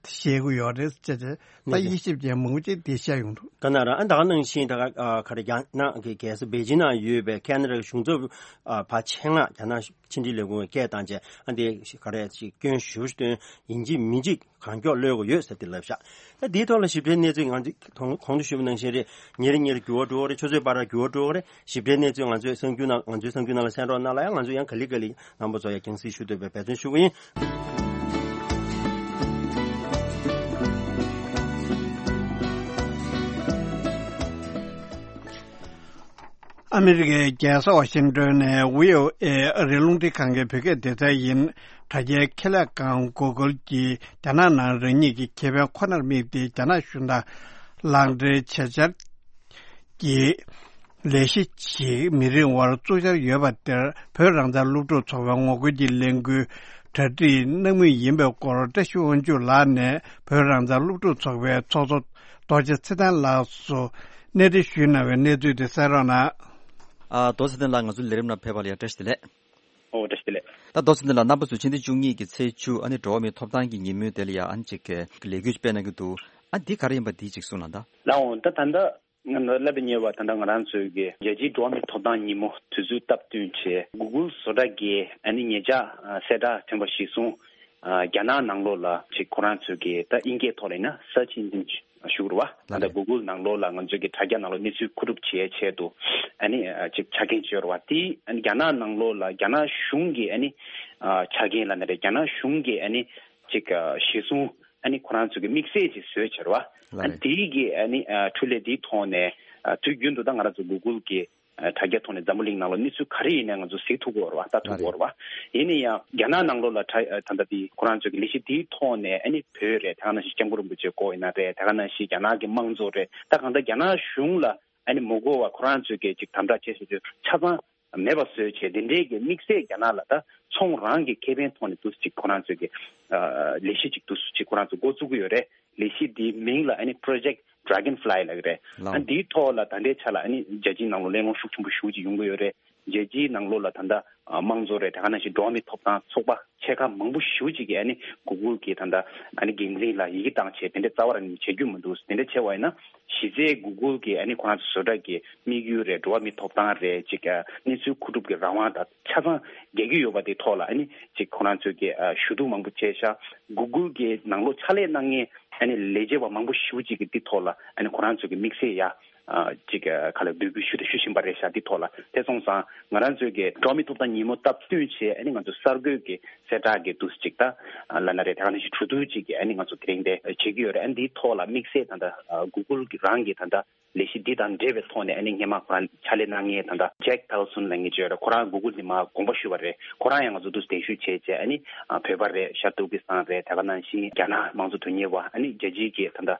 བཤད་ཀྱི་ཡོད་རེད་ཅེས་བྱས། ད་ནས་དབྱེ་ཞིབ་ཅན་མང་པོ་ཅིག་དེ་བཤད་ཡོང་འདུག། ག་ན་ར་ཨ་ད་ག་ནང་བཞིན་ད་ག་ཨ་ག་རེ་རྒྱ་ནག་གི་རྒྱལ་ས་པེ་ཅིང་ནང་ཡོད་པའི་ཁེ་ན་ཌ་གཞུང་ཚབ་ཨ་ཕ་ཆེད་མངགས་རྒྱ་ནག་ཕྱི་འབྲེལ་ལས་ཁུངས་སྐད་བཏང་བྱས་ཨ་འདི་ག་རེ་ཅིག་སྐྱོན་ཞུ་སྟོན་ཡིན་གཅིག་མིན་གཅིག་གང་མགྱོགས་གློད་དགོས་ཡོད་ཟེར་ཏེ་ལབ་ཤག། ད་འདིའི་ཐོག་ལ་ཞིབ་ཕྲའི་གནས་ཚུལ་ང་ཚོས་གོང་གོང་དུ་ཞུས་པ་ནང་བཞིན་རེད། ཉིན་རེ་ཉིན་རེ་འགྱུར་བ་འགྲོ་གི་རེད། ཆུ་ཚོད་བར་འགྱུར་བ་འགྲོ་གི་རེད། ཞིབ་ཕྲའི་གནས་ཚུལ་ང་ཚོས་གསར་འགྱུར་ནང་ང་ཚོའི་གསར་འགྱུར་ནང་ལ་གསན་རོགས་གནང་ལ་ཡང་ང་ཚོས་ཡང་ག་ལེ་ག་ལེ་རྣམ་པ་ཚོ་ཡང་རྒྱང་སྲིང་ཞུ་འདོད་པའི་འབད་བརྩོན་ཞུ་གི་ཡིན། ཨ་མི་རི་ཀའི་རྒྱལ་ས་ཝ་ཤིང་ཏོན་ནས་ཝི་ཨོ་ཨེ་ཨ་རིའི་རླུང་འཕྲིན་ཁང་གི་བོད་སྐད་སྡེ་ཚན་ཡིན། དྲ་རྒྱའི་ཁེ་ལས་ཁང་གུ་གལ་གྱིས་རྒྱ་ནག་ནང་རང་ཉིད་ཀྱི་ཁེ་ཕན་ཁོ་ནར་དམིགས་ཏེ་རྒྱ་ནག་གཞུང་དང་ལག་འབྲེལ་བྱེད་འཆར་གྱི་ལས་གཞི་ཞིག་མི་རིང་བར་བཙུགས་འཆར་ཡོད་པ་དེར་བོད་རང་བཙན་སློབ་ཕྲུག་ཚོགས་པས་ངོ་རྒོལ་གྱི་ལས་འགུལ་གྲ་སྒྲིག་གནང་མུས་ཡིན་པའི་སྐོར་བཀྲ་ཤིས་དབང་ཕྱུག་ལགས་ནས་བོད་རང་བཙན་སློབ་ཕྲུག་ཚོགས་པའི་ཚོགས་གཙོ་རྡོ་རྗེ་ཚེ་བརྟན་ལགས་སུ་གནས་འདྲི་ཞུས་གནང་བའི་གནས་ཚུལ་དེ་གསན་རོགས་གནང་། ཨ། རྡོ་རྗེ་ཚེ་བརྟན་ལགས་ང་ཚོའི་ལས་རིམ་ནང་ཕེབས་པ་ལ་ཡང་བཀྲ་ཤིས་བདེ་ལེགས། ཨོ་བཀྲ་ཤིས་བདེ་ལེགས། ད་རྡོ་རྗེ་ཚེ་བརྟན་ལགས་རྣམ་པ་ཚོས་ཕྱི་ཟླ་བཅུ་གཉིས་ཀྱི་ཚེས་བཅུ་ཨ་ནི་འགྲོ་བ་མིའི་ཐོབ་ཐང་གི་ཉིན་མོའི་དེ་ལ་ཡང་ཨ་ནི་ཅིག་ལས་འགུལ་སྤེལ་གནང་གི་འདུག། ཨ་འདི་ག་རེ་ཡིན་པ་འདི་ཅིག་གསུངས་གནང་དང་། ལགས་འོང་ད་ད་ལྟ་ང་ལ་སླེབས་ཉེ་བ་ད་ལྟ་ང་རང་ཚོའི་གི་རྒྱལ་སྤྱིའི་འགྲོ་བ་མིའི་ཐོབ་ཐང་ཉིན་མོ་དུས་ཚོད་སྟབས་བསྟུན་བྱས་Google་བཟོ་གྲྭ་གིས་ཨ་ནི་ཉེ་ཆར་གསལ་བསྒྲགས་ཐོན་པ་གཞིར་བཟུང་རྒྱ་ནག་ནང་ལོགས་ལ་ཅིག་ཁོ་རང་ཚོའི་གི་ད་དབྱིན་སྐད་ཐོག་ལ་ཡིན་ན་search engine་ཞུ་རུ་བ་ད་ལྟ་Google་ནང་ལོགས་ལ་ང་ཚོའི་གི་དྲ་རྒྱ་ནང་ལོགས་གནས་ཚུལ་མཁོ་སྒྲུབ་བྱེད་ཆེད་དུ་ཨ་ནི་ཅིག་ཆ་རྐྱེན་བྱོས་རུ་བ་དེ་ཨ་ནི་རྒྱ་ནག་ནང་ལོགས་ལ་རྒྱ་ནག་གཞུང་གི་ཨ་ནི་ཆ་རྐྱེན་ལ་ན་རེ་རྒྱ་ནག་གཞུང་གི་ཨ་ནི་ཅིག་གཞིར་བཟུང་ཨ་ནི་ཁོ་རང་ཚོ་གི་དམིགས་བསལ་ཅིག་བཟོས་བྱས་རུ་བ་ཨ་ནི་དེའི་གི་ཨ་ནི་འཕྲོ་ལས་དེའི་ཐོག་ནས་དུས་རྒྱུན་དུ་ད་ང་རང་ཚོ་Google་གི་དྲ་རྒྱ་ཐོག་ནས་འཛམ་བུ་གླིང་ནང་ལ་གནས་ཚུལ་ག་རེ་ཡིན་ནའི་ང་ཚོ་གཟིགས་ཐུབ་ཀྱི་ཡོད་རེད་བ་ལྟ་ཐུབ་ཀྱི་ཡོད་རེད་བ། ཡིན་ན་ཡང་རྒྱ་ནག་ནང་ལོགས་ལ་ད་ད་ལྟ་དེ་ཁོ་རང་ཚོའི་གི་ལས་གཞི་དེའི་ཐོག་ནས་ཨ་ནི་བོད་རེད་དེ་ག་ནང་བཞིན་སྐྱབས་མགོན་རིན་པོ་ཆེའི་སྐོར་ཡིན་ན་རེད་དེ་ག་ནང་བཞིན་རྒྱ་ནག་གི་དམངས་གཙོ་རེད་ད་གང་ལྟར་རྒྱ་ནག་གཞུང་ལ་ཨ་ནི་མི་དགོས་པ་ཁོ་རང་ཚོའི་གི་ཅིག་དམ་དྲག་བྱེད་བཞིན་དུས་ཆ་ཚང་མེད་པ་བཟོས་བྱས་དེ་འདྲའི་གི་དམིགས་བསལ་རྒྱ་ནག་ལ་ད་ཚོང་རང་གི་ཁེ་ཕན་ཐོག་ནས་འདུག་ཅིག་ཁོ་རང་ཚོའི་གི་ལས་གཞི་ཅིག་འདུག་ཅིག་ཁོ་རང་ཚོ་འགོ་བཙུགས་ཀྱི་ཡོད་རེད། ལས་གཞི་འདིའི་མིང་ལ་ཨ་ནི་Project Dragonfly་ལབ་ཀྱི་རེད། ལགས། ཨ་འདིའི་ཐོག་ལ་ད་ལྟའི་ཆ་ལ་ཨ་ནི་རྒྱལ་སྤྱིའི་ནང་ལོགས་གླེང་སློང་ཤུགས་ཆེན་པོ་ཞེ་པོ་ཅིག་ཡོང་གི་ཡོད་རེད། རྒྱལ་སྤྱིའི་ནང་ལོགས་ལ་ད་ལྟ་དམངས་གཙོ་རེད་དེ་ག་ནང་བཞིན་འགྲོ་བ་མིའི་ཐོབ་ཐང་ཚོགས་པ་ཆེ་ཁག་མང་པོ་ཞེ་པོ་ཅིག་གིས་ཨ་ནི་Google་གི་ད་ལྟ་ཨ་ནི་འགན་འཛིན་ལ་ཡི་གེ་བཏང་བྱས་དེ་འདྲ་རྩ་བ་རང་ནས་བྱེད་རྒྱུ་མི་འདུག་དེ་འདྲ་བྱས་པ་ཡིན་ན་གཞི་རྩའི་Google་གི་ཨ་ནི་ཁོ་རང་ཚོ་བཟོ་གྲྭ་གི་དམིགས་ཡུལ་རེད་འགྲོ་བ་མིའི་ཐོབ་ཐང་རེད་ཅིག་གནས་ཚུལ་མཁོ་སྒྲུབ་ཀྱི་རང་དབང་དང་ཆ་ཚང་རྒྱག་གི་ཡོད་པ་དེ་ཐོག་ལ་ཨ་ནི་ཅིག་ཁོ་རང་ཚོས་ཀྱི་ཞུ་གཏུག་མང་པོ་བྱས་ཤག Google་གི་ནང་ལོགས་ཕྱག་ལས་གནང་མཁན་ཨ་ནི་ལས་བྱེད་པ་མང་པོ་ཞེ་པོ་ཅིག་གིས་འདི་ཐོག་ལ་ཨ་ནི་ཁོ་རང་ཚོས་ཀྱི་དམིགས་བསལ་ཡ་ཅིག་ག་ལ་འབོད་སྐུལ་ཞུ་དང་ཞུ་བཞིན་པ་རེད་ཤག་འདི་ཐོག་ལ་དེ་སོང་ཙང་ང་རང་ཚོས་ཀྱི་འགྲོ་བ་མིའི་ཐོབ་ཐང་ཉིན་མོ་སྟབས་བསྟུན་བྱས་ཨ་ནི་ང་ཚོ་གསར་འགོད་ཀྱི་གསལ་བསྒྲགས་ཀྱི་འདུག་ཅིག་ད་ལ་ན་རེད་དེ་ག་ནང་བཞིན་གྲོས་བསྡུར་ཅིག་གི་ཨ་ནི་ང་ཚོ་དེ་རིང་དེ་བྱེད་ཀྱི་ཡོད་རེད། ཨ་ནི་འདིའི་ཐོག་ལ་དམིགས་བསལ་ད་ལྟ་Google་གི་རང་གི་ད་ལྟ་ལས་གཞི་འདི་དང་འབྲེལ་བའི་ཐོག་ནས་ཨ་ནི་སྔས་མ་ཁོ་རང་ཕྱག་ལས་གནང་མཁན་ད་ལྟ་Jack Pelson་ལབ་མཁན་ཅིག་ཡོད་རེད། ཁོ་རང་Google་ནས་མར་དགོངས་པ་ཞུས་པ་རེད། ཁོ་རང་ཡང་ང་ཚོ་འདུག་གདན་ཞུ་བྱས་བྱས་ཨ་ནི་བོད་པ་རེད་ཤར་ཏུར་ཀི་སི་ཐན་རེད་དེ་ག་ནང་བཞིན་རྒྱ་ནག་དམངས་གཙོ་དོན་གཉེར་བ་ཨ་ནི་རྒྱལ་སྤྱིའི་གི་ད་ལྟ་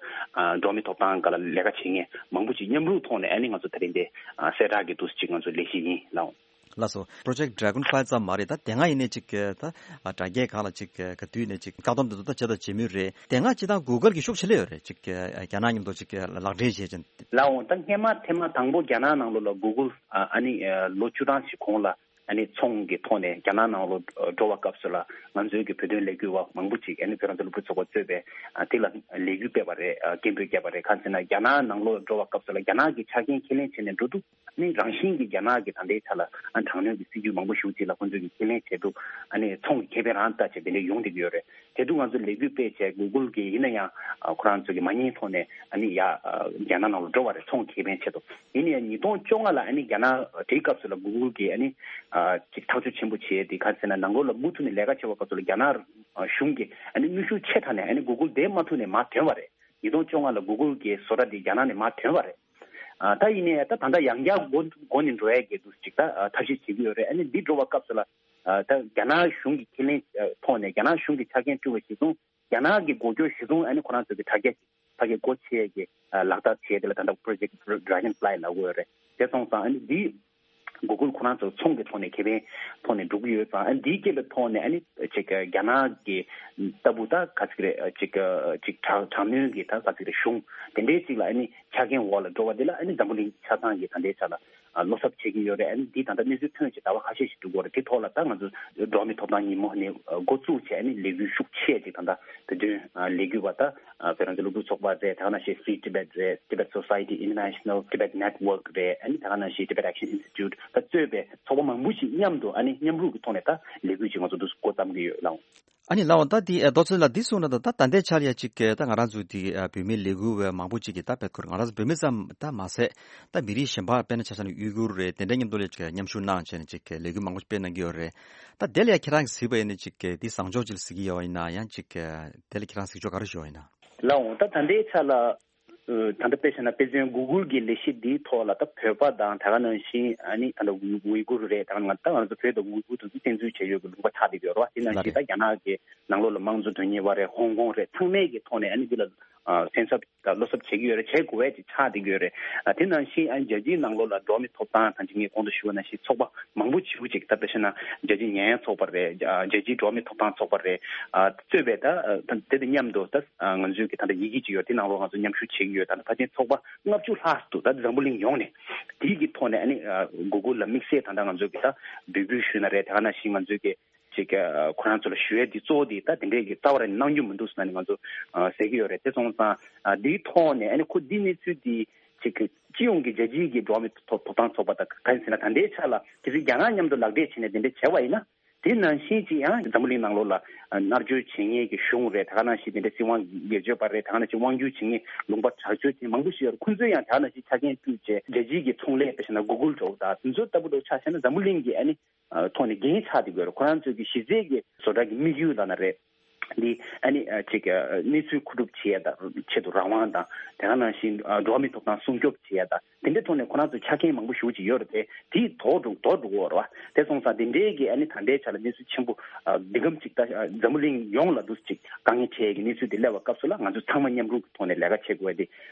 འགྲོ་བ་མིའི་ཐོབ་ཐང་སྒང་ལ་ལས་ཀ་བྱེད་མཁན་མང་པོ་ཅིག་མཉམ་རུབ་ཐོག་ནས་ཨ་ནི་ང་ཚོ་དེ་རིང་འདི་གསལ་བསྒྲགས་ཀྱི་འདུག་ཅིག་ང་ཚོ་ལས་གཞི་ཡིན་ལགས། ལགས་སོ། Project Dragonfly་ཙམ་མ་རེད་ད་དེ་སྔ་ཡིན་ནའི་ཅིག་ད་དྲ་རྒྱའི་སྒང་ལ་ཅིག་ག་དུས་ནས་ཅིག་བཀག་སྡོམ་དེ་ཚོ་ད་བྱས་དང་བྱེད་མུས་རེད། དེ་སྔ་ཅིག་ད་Google་གི་ཤུགས་ཆེ་ལོས་ཡོད་རེད་ཅིག་རྒྱ་ནག་མཉམ་དུ་ཅིག་ལག་འབྲེལ་བྱས་ཅིང་། ལགས་འོང་ད་སྔས་མ་ཐེངས་མ་དང་པོ་རྒྱ་ནག་ནང་ལོགས་ལ་Google་ཨ་ནི་ལོ་བཅུ་གྲངས་ཤིག་གོང་ལ་ཨ་ནི་ཚོང་གི་ཐོག་ནས་རྒྱ་ནག་ནང་ལོགས་འགྲོ་བ་སྐབས་སུ་ལ་ང་ཚོའི་གི་བོད་དོན་ལས་འགུལ་བ་མང་པོ་ཅིག་ཨ་ནི་བོད་རང་བཙན་སློབ་ཕྲུག་ཚོགས་པ་གཙོས་པའི་དེ་ལ་ལས་འགུལ་སྤེལ་བ་རེད། སྐད་འབོད་བརྒྱབ་པ་རེད། གང་ཟེར་ན་རྒྱ་ནག་ནང་ལོགས་འགྲོ་བ་སྐབས་སུ་ལ་རྒྱ་ནག་གི་ཆ་རྐྱེན་ཁས་ལེན་བྱས་ནས་འགྲོ་འདུག་ནི་རང་བཞིན་གྱིས་རྒྱ་ནག་གི་ད་ལྟའི་ཆ་ལ་ཨ་དྲག་གནོན་གྱི་སྲིད་ཇུས་མང་པོ་ཞེ་པོ་ཅིག་ལ་ཁོང་ཚོས་ཀྱི་ཁས་ལེན་བྱས་འདུག་ཨ་ནི་ཚོང་གི་ཁེ་ཕན་རང་ལྟ་བྱས་དེ་འདྲ་ཡོང་བསྡད་ཀྱི་ཡོད་རེད། དེ་དུས་ང་ཚོ་ལས་འགུལ་སྤེལ་བྱས་Google་གི་ཡིན་ན་ཡང་ཨ་ཁོ་རང་ཚོ་གི་མ་ཉེས་ཐོག་ནས་ཨ་ནི་ཡ་ཨ་རྒྱ་ནག་ནང་ལ་འགྲོ་བ་རེད། ཚོང་གི་ཁེ་ཕན་ཆེད་དུ། ཡིན་ན་ཡང་ཉིས་སྟོང་བཅོ་ལྔ་ལ་ཨ་ནི་རྒྱ་ནག་དེའི་སྐབས་སུ་ལ་Google་གི་ཨ་ནི་ཨ་ཅིག་ཐག་གཅོད་ཆེན་པོ་བྱས་ཏེ་ག་རེ་ཟེར་ན་ནང་ལོགས་ལ་མུ་མཐུད་ནས་ལས་ཀ་བྱེད་པའི་སྐབས་སུ་ལ་རྒྱ་ནག་གཞུང་གི་ཨ་ནི་གནོན་ཤུགས་ཆེ་དྲགས་ནས་ཨ་ནི་Google་དེ་མ་ཐུག་ནས་མར་ཐོན་པ་རེད། ཉིས་སྟོང་བཅོ་ལྔ་ལ་Google་གི་བཟོ་གྲྭ་དེ་རྒྱ་ནག་ནས་མར་ཐོན་པ་རེད། ཨ་ད་ཡིན་ནའི་ད་ད་ལྟ་ཡང་བསྐྱར་འགོ་འགོ་ནས་འགྲོ་ཡས་ཀྱི་འདུག་ཅིག་ད་ཨ་ཐབས་ཤེས་བྱེད་ཀྱི་ཡོད་རེད། ཨ་ནི་འདི་འགྲོ་བ་སྐབས་སུ་ལ་ཨ་ད་རྒྱ་ནག་གཞུང་གི་ཁས་ལེན་ཨ་ཐོག་ནས་རྒྱ་ནག་གཞུང་གི་ཆ་རྐྱེན་སྤྲོད་པ་གཞིར་བཟུང་རྒྱ་ནག་གི་འགོ་སྐྱོར་གཞིར་བཟུང་ཨ་ནི་ཁོ་རང་ཚོ་གི་དྲ་རྒྱ་ཅིག་ཕ་གིར་སྒོ་ཕྱེ་ཡས་ཀྱི་ཨ་ལག་བསྟར་བྱས་དེ་ལ་ད་ལྟ་Project Dragonfly་ལབ་ཀྱི་ཡོད་རེད། དེ་སོང་ཙང་ཨ་ནི་འདི་ Google ཁོ་རང་ཚོ་ཚོང་གི་ཐོག་ནས་ཁེ་ཕན་ཐོག་ནས་འགྲོ་གི་ཡོད་ཙང་ཨ་ནི་འདིའི་རྐྱེན་པའི་ཐོག་ནས་ཨ་ནི་ཅིག་རྒྱ་ནག་གི་ལྟ་བུ་ད་ག་ཚོད་རེད་ཅིག་ཅིག་དྲག་དྲག་གནོན་གྱི་ད་ག་ཚོད་རེད་གཞུང་དེ་འདྲའི་ཅིག་ལ་ཨ་ནི་ཆ་རྐྱེན་འོག་ལ་འགྲོ་བ་འདི་ལ་ཨ་ནི་འཛམ་བུ་གླིང་ཆ་ཚང་གི་ད་ལྟའི་ཆ་ལ་བློ་འཚབ་བྱེད་ཀྱི་ཡོད་རེད། ཨ་ནི་འདི་ད་ལྟ་གནས་ཚུལ་ཐོན་བྱས་ཟླ་བ་ཁ་ཤས་ཤིག་འགྲོ་གི་ཡོད་རེད། དེ་ཐོག་ལ་ད་ང་ཚོ་འགྲོ་བ་མིའི་ཐོབ་ཐང་ཉིན་མོ་ནས་འགོ་བཙུགས་བྱས་ཨ་ནི་ལས་འགུལ་ཤུགས་ཆེ་ཅིག་ད་ལྟ་བོད་དོན་ལས་འགུལ་བ་ད་བོད་རང་བཙན་སློབ་ཕྲུག་ཚོགས་པ་རེད། ད་ག་ནང་བཞིན་Free Tibet རེད། Tibet Society International Tibet Network རེད། ཨ་ནི་ད་ག་ནང་བཞིན་Tibet Action Institute ད་གཙོས་པའི་ཚོགས་པ་མང་པོ་ཞིག་མཉམ་དུ་ཨ་ནི་མཉམ་རུབ་ཀྱི་ཐོག་ནས་ད་ལས་འགུལ་ཅིག་ང་ཚོ་འདུག་འགོ་བརྩམས་ཀྱི་ཡོད་ལགས། ཨ་ནི་ལགས་འོང་ད་འདི་རྡོ་རྗེ་ལགས་འདི་གསུངས་ན་ད་ད་ལྟའི་ཆར་ཡ་ཅིག་ད་ང་རང་ཚོ་འདི་བོད་མི་ལས་འགུལ་བ་མང་པོ་ཅིག་གིས་ད་དཔེ་ཁུར་ང་རང་ཚོ་བོད་མི་ཙམ་ད་མ་ཟད་ད་མི་རིགས་གཞན་པ་དཔེར་ན་ཆ་བཞག་ན་ཡུ་གུར་རེད། དེ་འདྲའི་མཉམ་དུ་ལ་ཅིག་མཉམ་ཞུགས་གནང་བྱས་ནས་ཅིག་ལས་འགུལ་མང་པོ་ཅིག་སྤེལ་གནང་གི་ཡོད་རེད། ད་དེ་ལ་ཡ་ཁྱེད་རང་གིས་གཟིགས་པ་ཡིན་ན་ཅིག་འདི་བཟང་ཕྱོགས་ཅིག་ལ་གཟིགས་ཀྱི་ཡོད་ཡིན་ན་ཡང་ཅིག་དེ་ལ་ཁྱེད་རང་གཟིགས་ཕྱོགས་ག་རེ་ཞུ་བ་ཡིན་ན། ལགས་འོང་ད་ད་ལྟའི་ཆ་ལ། ད་ལྟ་དཔེ་བྱས་ན་དཔེ་མཚོན་Google གི་ལས་གཞི་འདིའི་ཐོག་ལ་ད་བོད་པ་དང་དེ་ག་ནང་བཞིན་ཨ་ནི་ད་ལྟ་ཝི་ཝི་གུར་རེད། ད་ང་ད་ང་ཚོ་བོད་དང་ཝི་གུར་དེ་ཚོ་བཙན་འཛུལ་བྱས་ཡོད་ཀྱི་ལུང་པ་ཆགས་བསྡད་ཀྱི་ཡོད་རེད་བ། དེ་ནང་ལགས་བཞིན་རེད། ད་རྒྱ་ནག་གི་ནང་ལོགས་ལ་དམངས་གཙོ་དོན་གཉེར་བ་རེད། ཧོང་ཀོང་རེད། ཚང་མས་ཀྱི་ཐོག་ནས་ཨ་ནི་འདི་ལ་སེམས་འཚབ་དང་བློ་འཚབ་བྱེད་ཀྱི་ཡོད་རེད། བྱེད་དགོས་པ་ཅིག་ཆགས་བསྡད་ཀྱི་ཡོད་རེད། དེ་ནང་བཞིན་ཨ་ནི་རྒྱལ་སྤྱིའི་ནང་ལོགས་ལ་འགྲོ་བ་མིའི་ཐོབ་ཐང་དང་ཅིག་ངས་གོང་དུ་ཞུས་པ་ནང་བཞིན་ཚོགས་པ་མང་པོ་ཞེ་པོ་ཅིག་ད་དཔེ་བྱས་ན་རྒྱལ་སྤྱིའི་ཉེས་ཡངས་ཚོགས་པ་རེད། རྒྱལ་སྤྱིའི་འགྲོ་བ་མིའི་ཐོབ་ཐང་ཚོགས་པ་རེད། གཙོས་པའི་ད་དེ་དང་མཉམ་དུ་ད་ང་ཚོའི་གི་ད་ལྟ་ཡི་གེ་ཅིག་ཡོད། དེ་ནང་ལོགས་ང་ཚོ་མཉམ་ཞུགས་བྱེད་ཀྱི་ཡོད། ད་ལྟ་ཕལ་ཆེར་ཚོགས་པ་ལྔ་བཅུ་ལྷག་འདུག་ད་འཛམ་བུ་གླིང་ཡོངས་ནས་དེའི་གི་ཐོག་ནས་ཨ་ནི་Google ལ་དམིགས་བསལ་ད་ལྟ་ང་ཚོའི་གི་ད་འབོད་སྐུལ་ཞུས་ན་རེད། དེ་ག་ནང་བཞིན་ང་ཚོའི་གི་ཅིག་ཁོ་རང་ཚོ་ལ་ཞུ་ཡས་འདི་གཙོ་བོ་འདི་ད་དེ་འདྲའི་གི་རྩ་བ་རང་ནས་གནང་རྒྱུ་མི་འདུག་ཟེར་ནས་ང་ཚོ་ཟེར་གི་ཡོད་རེད། དེ་སོང་ཙང་འདིའི་ཐོག་ནས་ཨ་ནི་ཁོ་འདི་གནས་ཚུལ་འདི་ཅིག་གི་སྤྱི་ཡོངས་ཀྱི་རྒྱལ་སྤྱིའི་གི་འགྲོ་བ་མིའི་ཐོབ་ཐོབ་ཐང་ཚོགས་པ་དང་ག་རེ་ཟེར་ན་ད་ལྟའི་ཆ་ལ་གལ་སྲིད་རྒྱ་ནག་མཉམ་དུ་ལག་འབྲེལ་བྱས་ནས་དེ་འདྲ་བྱས་པ་ཡིན་ན། དེ་ནང་བཞིན་ཅིག་ཡང་འཛམ་བུ་གླིང་ནང་ལོགས་ལ་མནར་གཅོད་བྱེད་མཁན་གྱི་གཞུང་རེད། དེ་ག་ནང་བཞིན་དེ་འདྲ་སྲིད་དབང་སྒེར་གཅོད་པ་རེད། དེ་ག་ནང་བཞིན་དབང་སྒྱུར་བྱེད་མཁན་ལུང་པ་དྲག་སྤྱོད་བྱེད་མཁན་མང་པོ་ཞིག་ཡོད་རེད། ཁོང་ཚོས་ཡང་དེ་ག་ནང་བཞིན་ཆ་རྐྱེན་སྤྲུལ་བྱས་རྒྱལ་སྤྱིའི་གི་ཚོང་ལས་དཔེ་བཞག་ན་Google་འདྲ་བོ་དང་དེ་ཚོ་ལྟ་བུ་འདྲ་བོ་ཆ་བཞག་ན་འཛམ་བུ་གླིང་གི་ཨ་ནི་ཐོག་ནས་འགན་ཆགས་བསྡད་ཀྱི་ཡོད་རེད། ཁོ་རང་ཚོའི་གི་གཞི་རྩའི་གི་བཟོ་གྲྭ་གི་དམིགས་ཡུལ་ལབ་ན་རེད། འདི་ཨ་ནི་ཅིག་གནས་ཚུལ་མཁོ་སྒྲུབ་བྱེད་ཡ་དང་ཆེད་དུ་རང་དབང་དང་དེ་ག་ནང་བཞིན་འགྲོ་བ་མིའི་ཐོབ་ཐང་སྲུང་སྐྱོབ་བྱེད་ཡ་དང་དེ་འདྲའི་ཐོག་ནས་ཁོ་རང་ཚོ་ཆ་རྐྱེན་མང་པོ་ཞེ་པོ་ཅིག་ཡོད་རེད་དེ། དེ་དོར་འགྲོ་དོར་འགྲོ་གི་ཡོད་རེད་བ། དེ་སོང་ཙང་དེ་འདྲའི་གི་ཨ་ནི་ད་ལྟའི་ཆ་ལ་གནས་ཚུལ་ཆེན་པོ་འདི་གམ་ཅིག་ད་འཛམ་བུ་གླིང་ཡོངས་ལ་འདུག་ཅིག་དཀའ་ངལ་འཕྲད་ཡ་གི་གནས་ཚུལ་དེ་སླེབས་པའི་སྐབས་སུ་ལ་ང་ཚོ་ཚང་མ་མཉམ་རུབ་ཀྱི་ཐོག་ནས་ལས་ཀ་བྱེད་དགོས་ཡ་དེ་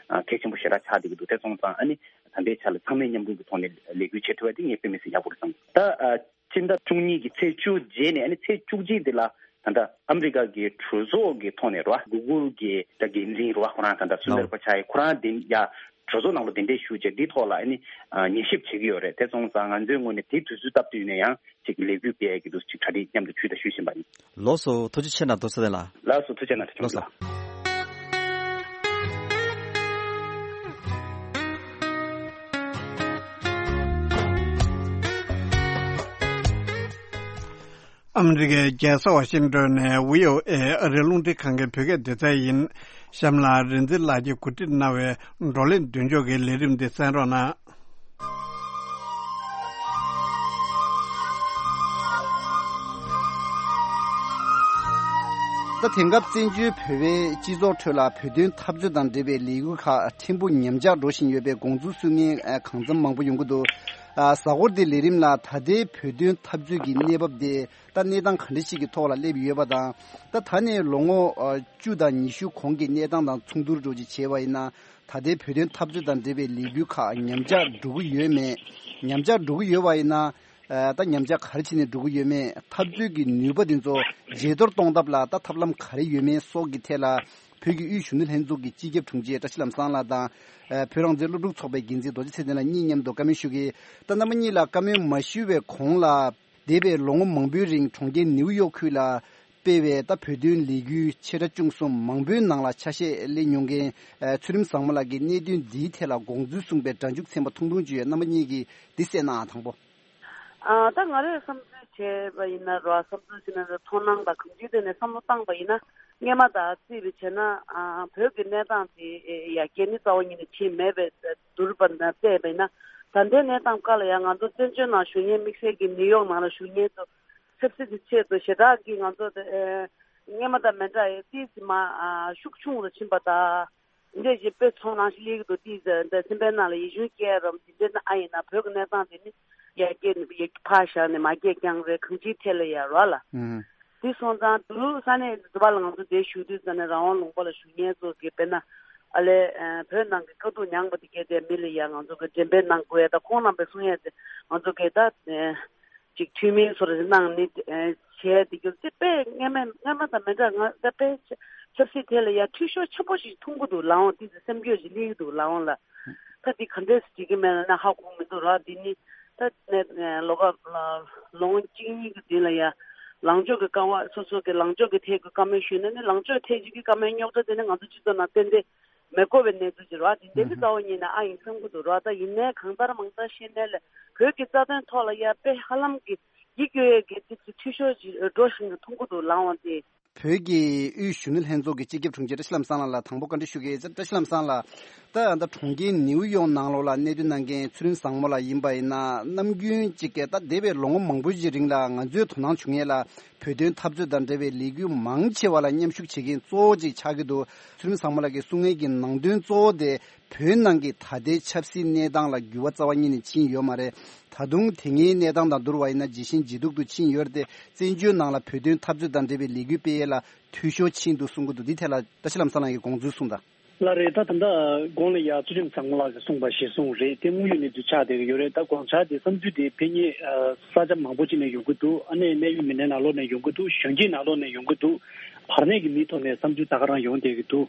གལ་ཆེན་པོ་ཞེ་དྲག་ཆགས་བསྡད་ཀྱི་འདུག་དེ་སོང་ཙང་ཨ་ནི་ད་ལྟའི་ཆ་ལ་ཚང་མས་མཉམ་རུབ་ཀྱི་ཐོག་ནས་ལས་འགུལ་བྱེད་ཐུབ་ཡ་དེ་ངས་དཔེ་མི་སྲིད་ཡག་པོ་རེད་བསམ། ད་ཨ། སྤྱི་ཟླ་བཅུ་གཉིས་ཀྱི་ཚེས་བཅུ་རྗེས་ནས་ཨ་ནི་ཚེས་བཅུ་གཅིག་དེ་ལ་ད་ལྟ་ཨ་མི་རི་ཀ་གི་གྲོས་ཚོགས་ཀྱི་ཐོག་ནས་རེད་བ། Google གི་ད་འགན་འཛིན་རེད་བ། ཁོ་རང་ད་ལྟ་སུ་ལ་རེད་པ་ཆགས་ཡིན། ཁོ་རང་དེ་ཡ་གྲོས་ཚོགས་ནང་ལ་གདན་འདྲེན་ཞུས་བྱས་འདིའི་ཐོག་ལ་ཨ་ནི་ཉན་ཞིབ་བྱེད་ཀྱི་ཡོད་རེད། དེ་སོང་ཙང་ང་ཚོའི་ངོས་ནས་དེའི་དུས་ཚོད་སྟབས་བསྟུན་ནས་ཡང་ཅིག་ལས་འགུལ་སྤེལ་ཡས་ཀྱི་འདུག་ཅིག་གྲ་སྒྲིག་མཉམ་དུ་ཞུས་དང་ཞུ་བཞིན་པ་ཡིན། ལགས་སོ། ཐུགས་རྗེ་ཆེ་གནང་། རྡོ་རྗེ་ལགས། ལགས་སོ། ཐུགས་རྗེ་གནང་། ཐུགས་རྗེ་གནང་། ལགས་སོ། ཨ་མི་རི་ཀའི་རྒྱལ་ས་ཝ་ཤིང་ཏོན་ནས་བྷི་ཨོ་ཨེ་ཨ་རིའི་རླུང་འཕྲིན་ཁང་གི་བོད་སྐད་སྡེ་ཚན་ཡིན། གཤམ་ལ་རིག་འཛིན་ལགས་ཀྱིས་གོ་སྒྲིག་གནང་བའི་བགྲོ་གླེང་མདུན་ལྕོག་གི་ལས་རིམ་འདི་གསན་རོགས་གནང་། ད་དེང་སྐབས་བཙན་བྱོལ་བོད་པའི་སྤྱི་ཚོགས་ཁྲོད་ལ་བོད་དོན་འཐབ་རྩོད་དང་འབྲེལ་བའི་ལས་འགུལ་ཁག་ཕྲན་བུ་ཉམས་ཆག་འགྲོ་བཞིན་ཡོད་པའི་དགོངས་ཚུལ་གསུང་མཁན་གང་འཚམ་མང་པོ་ཡོང་གི་འདུག་གཟའ་འཁོར་འདིའི་ལས་རིམ་ལ་ད་ལྟའི་བོད་དོན་འཐབ་རྩོད་ཀྱི་གནས་བབ་དེ་ད་གནས་སྟངས་ག་འདྲ་ཞིག་གི་ཐོག་ལ་སླེབས་ཡོད་པ་དང་། ད་ད་ནས་ལོ་ངོ་བཅུ་དང་ཉི་ཤུ་གོང་གི་གནས་སྟངས་དང་མཚུངས་བསྡུར་འདྲ་ཅིག་བྱས་པ་ཡིན་ན། ད་ལྟའི་བོད་དོན་འཐབ་རྩོད་དང་འབྲེལ་བའི་ལས་འགུལ་ཁག་ཉམས་ཆག་འགྲོ་གི་ཡོད་མེད། ཉམས་ཆག་འགྲོ་གི་ཡོད་པ་ཡིན་ན། ད་ཉམས་ཆག་ག་རེ་བྱས་ནས་འགྲོ་གི་ཡོད་མེད། འཐབ་རྩོད་ཀྱི་ནུས་པ་དེ་ཚོ་ཇེ་མཐོར་གཏོང་ཐབས་ལ་ད་ཐབས་ལམ་ག་རེ་ཡོད་མེད་སོགས་ཀྱི་ཐད་ལ། བོད་ཀྱི་དབུས་གཞོན་ནུ་ལྷན་ཚོགས་ཀྱི་སྤྱི་ཁྱབ་དྲུང་ཆེ་བཀྲ་ཤིས་ལམ་བཟང་ལགས་དང་། བོད་རང་བཙན་སློབ་ཕྲུག་ཚོགས་པའི་འགན་འཛིན་རྡོ་རྗེ་ཚེ་བརྟན་ལགས་གཉིས་མཉམ་དུ་བཀའ་མོལ་ཞུ་གི། ད་རྣམ་པ་གཉིས་ལ་བཀའ་མོལ་མ་ཞུ་བའི་གོང་ལ། འདས་པའི་ལོ་ངོ་མང་པོའི་རིང་གྲོང་ཁྱེར་ནེའུ་ཡོག་ཁུལ་ལ་སྤེལ་བའི་ད་བོད་དོན་ལས་འགུལ་ཆེ་ཕྲ་ཆུང་གསུམ་མང་པོའི་ནང་ལ་ཆ་ཤས་ལེན་མྱོང་མཁན་ཚུལ་ཁྲིམས་བཟང་མོ་ལགས་ཀྱིས་གནད་དོན་འདིའི་ཐད་ལ་དགོངས་ཚུལ་གསུངས་པའི་སྒྲ་འཇུག་ཚན་པ་ཐུང་ཐུང་ཅིག་ཡོད། རྣམ་པ་གཉིས་ཀྱིས་འདི་གསན་ནའང་དང་པོ། ཨ། ད་ང་རས་བསམ་ཚུལ་བྱས་པ་ཡིན་ན་རོ། བསམ་ཚུལ་ཟེར་ན་རོ། མཐོང་སྣང་དང་གང་ཅིའི་ཐད་ནས་བསམ་བློ་བཏང་པ་ཡིན་ན། སྔས་མ་དང་རྩིས་པ་བྱས་ན། ཨ། བོད་ཀྱི་གནས་སྟངས་དེ་ཡར་རྒྱས་ནི་རྩ་བ་ཉིད་ནས་ཕྱིན་མེད་པའི་བསྡུར་བ་ན་བལྟས་པ་ཡིན་ན། ད་ལྟའི་གནས་སྟངས་སྐབས་ལ་ཡང་ང་ཚོ་བཙན་བྱོལ་ནང་བཞུགས་མཁན། དམིགས་བསལ་གྱི་ནིའུ་ཡོག་ནང་ལ་བཞུགས་མཁན་ཚོ་ཚབ་སྲིད་ཀྱི་ཆེད་དུ་ཞེ་དྲག་གིས་ང་ཚོ་དེ་སྔས་མ་དང་མི་འདྲ་བའི་ཏོག་ཙམ་མར་ཤུགས་ཆུང་རུ་ཕྱིན་པ་དང་། འདི་འདྲ་ཞིག་དཔེ་ཚོར་སྣང་ཞིག་སླེབས་ཀྱི་འདུག་དེ་འདྲ་སེམས་པའི་ནང་ལ་ཡིད་གཞུང་སྐྱེ་རབས་འདི་འདྲ་ན་ཨ་ཡིན་ན་བོད་ཀྱི་གནས་སྟངས་དེ་ནི་ཡར་རྒྱས་ནི་ཡར་ཕར་བཞག་ནས་མར་རྒྱས་རྐྱང་རེད། གང་ཅིའི་ཐད་ལ་ཡར་རོ་ལ། ཨུམ། དེ་སོང་ཙང་དུ་ས་གནས་འདི་པ་ལ་ང་ཚོ་འདིར་བཞུགས་དུས་ཙ་ནས་རང་དབང་ལུང་པ་ལ་བཞུགས་མཁན་ཚོ་གི་དཔེར་ན་ ཨ་ལས་བོད་ནང་གི་དཀའ་སྡུག་མྱངས་པ་དེ་གས་དེ་མི་ལ་ཡ་ང་ཚོ་གི་འགྲེམས་སྤེལ་གནང་དགོས་ཡ་ད་ཁོང་རྣམ་པས་གསུང་ཡ་དེ་ང་ཚོ་གི་ད་ཅིག་འཐུས་མི་ཚོར་གནང་ནི་བྱས་དེ་གྱུར་ཅིག་དཔེ་སྔ་མ་སྔ་མ་དང་མི་འདྲ་ང་ད་དཔེ་ཆབ་སྲིད་ཐད་ལ་ཡ་འཐུས་ཤོར་ཆེན་པོ་ཞིག་མཐོང་གི་འདུག་ལགས་འོང་དེ་ཚོ་སེམས་སྐྱོ་ཞིག་སླེབས་ཀྱི་འདུག་ལགས་འོང་ལ། ད་འདི་ག་འདྲས་སེ་བྱེད་ཀྱི་མེད་ལ་ན་ཧ་གོ་མི་འདུག་ར། འདི་ནི་ད་ནས་ལོ་ག་ལོ་ངོ་གཅིག་གཉིས་ཀྱི་རྗེས་ལ་ཡ་ལངས་ཕྱོགས་ཀྱི་བཀའ་བ་སོ་སོ་གི་ལངས་ཕྱོགས་ཀྱི་ཐད་ཀྱི་བཀའ་མོལ་ཞུས་ན་ནི་ལངས་ཕྱོགས་ཐད་ཀྱི་བཀའ་མོལ་རྙོག་དྲ་དེ་ནི་ང་ཚོ་སྤྱི་ཚོགས་ནང་ཏན་ཏན་མི་དགོས་པའི་གནས་ཚུལ་ཅིག་ར། འདི་འདྲའི་གི་རྩ་བ་ཉིད་ནས་ཨ་ཡིན་བསམ་གྱི་འདུག་ར། ད་ཡིན་ནའི་གང་ལྟར་མང་ལྟར་བཤད་ནའི་ལས་བོད་ཀྱི་རྩ་དོན་ཐོག་ལ་ཡ་དཔེ་ཧ་ལམ་གྱི་ཡིད་སྐྱོ་ཡས་ཀྱི་ཏིག་ཙི་འཐུས་ཤོར་ཅིག་འགྲོ་བཞིན་གྱི་མཐོང་གི་འདུག་ལགས་འོང་དེ། བོད་ཀྱི་དབུས་གཞོན་ནུ་ལྷན་ཚོགས་ཀྱི་སྤྱི་ཁྱབ་དྲུང་ཆེ་བཀྲ་ཤིས་ལྷ་མོ་བསམ་ལགས་ལ་དང་པོ་བཀའ་འདྲི་ཞུ་གི་ཡོད། བཀྲ་ཤིས་ལྷ་མོ་བསམ་ལགས། ད་ད་གྲོང་ཁྱེར་ནིའུ་ཡོག་ནང་ལོགས་ལ་གནས་སྡོད་གནང་མཁན་ཚུལ་ཁྲིམས་བཟང་མོ་ལགས་ཡིན་པ་ཡིན་ན་ནམ་རྒྱུན་གཅིག་གིས་ད་འདས་པའི་ལོ་ངོ་མང་པོ་ཞིག་རིང་ལ་ང་ཚོའི་དོ་སྣང་བྱུང་ཡས་ལ་བོད་དོན་འཐབ་རྩོད་དང་འབྲེལ་བའི་ལས་འགུལ་མང་ཆེ་བ་ལ་མཉམ་ཞུགས་བྱེད་མཁན་གཙོ་བོ་གཅིག་ཆགས་ཀྱི་འདུག་ཚུལ་ཁྲིམས་བཟང་མོ་ལགས་ཀྱིས་གསུང་མཁན་གྱི་ནང་དོན་གཙོ་བོ་དེ་བོད་ནང་གི་ད་ལྟའི་ཆབ་སྲིད་གནས་སྟངས་ལ་འགྱུར་བ་རྩ་བ་ཉིད་ནས་ཕྱིན་ཡོད་མ་རེད། ད་དུང་དེ་སྔའི་གནས་སྟངས་དང་བསྡུར་བ་ཡིན་ན་ཇེ་ཞན་ཇེ་སྡུག་ཏུ་ཕྱིན་ཡོད་རེད་དེ། བཙན་བྱོལ་ནང་ལ་བོད་དོན་འཐབ་རྩོད་དང་འབྲེལ་བའི་ལས་འགུལ་སྤེལ་ཡས་ལ་འཐུས་ཤོར་ཕྱིན་འདུག་གསུང་གི་འདུག་འདི་ཐད་ལ་བཀྲ་ཤིས་ལྷ་མོ་བསམ་ལགས་ཀྱི་དགོངས་ཚུལ་གསུངས་དང་། ལགས་རེད། ད་ད་ལྟ་གོང་ལ་ཡ་ཚུལ་ཁྲིམས་བཟང་མོ་ལགས་ཀྱིས་གསུངས་པ་གཞིར་བཟུང་རེད་དེ་དངོས་ཡོད་གནས་ཚུལ་ཆགས་བསྡད་ཀྱི་ཡོད་རེད། ད་དགོངས་འཆར་དེ་བསམ་ཚུལ་དེ་ཕན་ཉེ་ས་ཆ་མང་པོ་ཅིག་ནས་ཡོང་གི་འདུག་ཨ་ནེ་གནད་ཡོད་མི་སྣའི་ནང་ལོགས་ནས་ཡོང་གི་འདུག་གཞོན་སྐྱེས་ནང་ལོགས་ནས་ཡོང་གི་འདུག་བར་གནས་ཀྱི་མིའི་ཐོག་ནས་བསམ་ཚུལ་ད་ག་རང་ཡོང་བསྡད་ཀྱི་འདུག་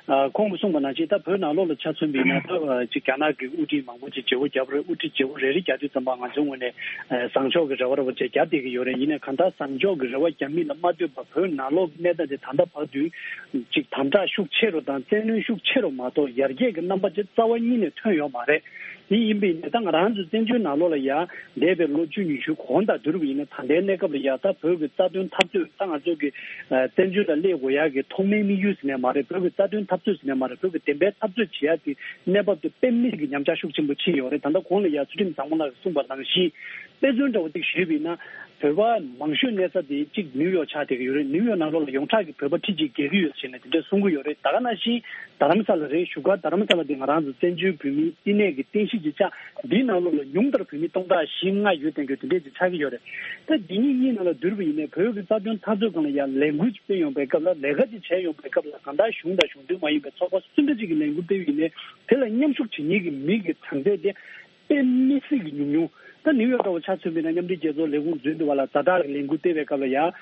ཨ་ཁོང་གིས་གསུངས་པ་ནང་བཞིན་ད་བོད་ནང་ལོགས་ལ་ཆ་མཚོན་པ་ཡིན་ན་ད་ཅིག་རྒྱ་ནག་གི་དབུ་ཁྲིད་མང་པོ་ཅིག་བརྗེ་པོ་བརྒྱབ་རེད། དབུ་ཁྲིད་བརྗེ་པོ་རེ་རེ་རྒྱག་དུས་ཙམ་པ་ང་ཚོའི་ངོས་ནས་བཟང་ཕྱོགས་ཀྱི་རེ་བ་རེ་བ་ཅིག་རྒྱག་བསྡད་ཀྱི་ཡོད་རེད། ཡིན་ནའི་གང་ལྟར་བཟང་ཕྱོགས་ཀྱི་རེ་བ་རྒྱག་མིན་ལ་མ་ལྟོས་པར་བོད་ནང་ལོགས་ཀྱི་གནས་སྟངས་དེ་ད་ལྟ་བར་དུ་ཅིག་དམ་དྲག་ཤུགས་ཆེ་རུ་དང་བཙན་གནོན་ཤུགས་ཆེ་རུ་མ་གཏོགས་ཡར་རྒྱས་ཀྱི་རྣམ་པ་ཅིག་རྩ་བ་ཉིད་ནས་ཐོན་ཡོད་མ་རེད། དེ་ཡིན་པ་ཡིན་ནའི་ད་ང་རང་ཚོ་བཙན་བྱོལ་ནང་ལོགས་ལ་ཡ་འདས་པའི་ལོ་བཅུ་ཉི་ཤུ་གོང་དང་བསྡུར་བ་ཡིན་ན་ད་ལྟའི་གནས་སྐབས་ལ་ཡ་ད་བོད་ཀྱི་རྩ་དོན་འཐབ་རྩོད་ད་ང་ཚོ་གི་བཙན་བྱོལ་ལ་སླེབས་དགོས་ཡག་གི་ཐོག་མའི་དམིགས་ཡུལ་ཟེར་ནས་མ་རེད། བོད་ཀྱི་རྩ་དོན་འཐབ་རྩོད་ཟེར་ནས་མ་རེད། བོད་ཀྱི་བདེན་པའི་འཐབ་རྩོད་བྱེད་ཡག་གི་གནས་བབ་དེ་དཔེ་མི་སྲིད་ཀྱི་ཉམས་ཆག་ཤུགས་ཆེན་པོ་ཕྱིན་ཡོད་རེད། ད་ལྟ་གོང་ལ་ཡ་ཚུལ་ཁྲིམས་བཟང་མོ་ལགས་ཀྱིས་གསུངས་པ་ནང་བཞིན་དཔེ་མཚོན་འདྲ་བོ་ཅིག་ཞུས་པ་ཡིན་ན་བོད་པ་མང་ཤོས་གནས་ས་དེ་གཅིག་ནིའུ་ཡོག་ཆགས་བསྡད་ཀྱི་ཡོད་རེད། ནིའུ་ཡོག་ནང་ལོགས་ལ་ཡོངས་གྲགས་ཀྱི་བོད་པ་ཁྲི་གཅིག་བརྒལ་གྱི་ཡོད་ཟེར་ནས་དེ་འདྲས་གསུང་གི་ཡོད་རེད། ད་ག་ནང་བཞིན་རྡ་རམ་ས་ལ་རེད། བཞུགས་སྒར་རྡ་རམ་ས་ལ་དེ་ང་རང་ཚོ་བཙན་བྱོལ་བོད་མིའི་བསྟི་གནས་ཀྱི་རྟེན་གཞི་ཅིག་ཆགས། འདིའི་ནང་ལོགས་ལ་ཉུང་མཐར་བོད་མི་སྟོང་ཕྲག་བཞི་ལྔ་ཡོད་བསྡད་རྒྱུ་དེ་འདྲས་ཅིག་ཆགས་ཀྱི་ཡོད་རེད། ད་འདི་གཉིས་གཉིས་ནང་ལ་བསྡུར་བ་ཡིན་ནའི་བོད་ཀྱི་རྩ་དོན་འཐབ་རྩོད་སྒང་ལ་ཡང་ལས་འགུལ་ཅིག་སྤེལ་ཡོང་པའི་སྐབས་ལ་ལས་ཀ་ཅིག་བྱས་ཡོང་པའི་སྐབས་ལ་གང་ལྟར་གཞུང་དང་གཞུང་འབྲེལ་མ་ཡིན་པའི་ཚོགས་པ་སུ་འདྲ་ཅིག་གིས་ལས་འགུལ་སྤེལ་བ་ཡིན་ནའི་དེ་ལ་མཉམ་ཞུགས་བྱེད་མཁན་གྱི་མི་གི་གྲངས་ཚད་དེ་དཔེ་མི་སྲིད་ཀྱི་ཉུང་ཉུང་། ད་ནིའུ་ཡོག་འདྲ་བོ་ཆ་མཚོན་པ་ཡིན་ན་མཉམ་འབྲེལ་རྒྱལ་ཚོགས་ལས་ཁུངས་འཛུལ་འདུག་བ་ལ་ཛ་དྲག་གི་ལས་འགུལ་སྤེལ་བའི་སྐབས་ལ་ཡང་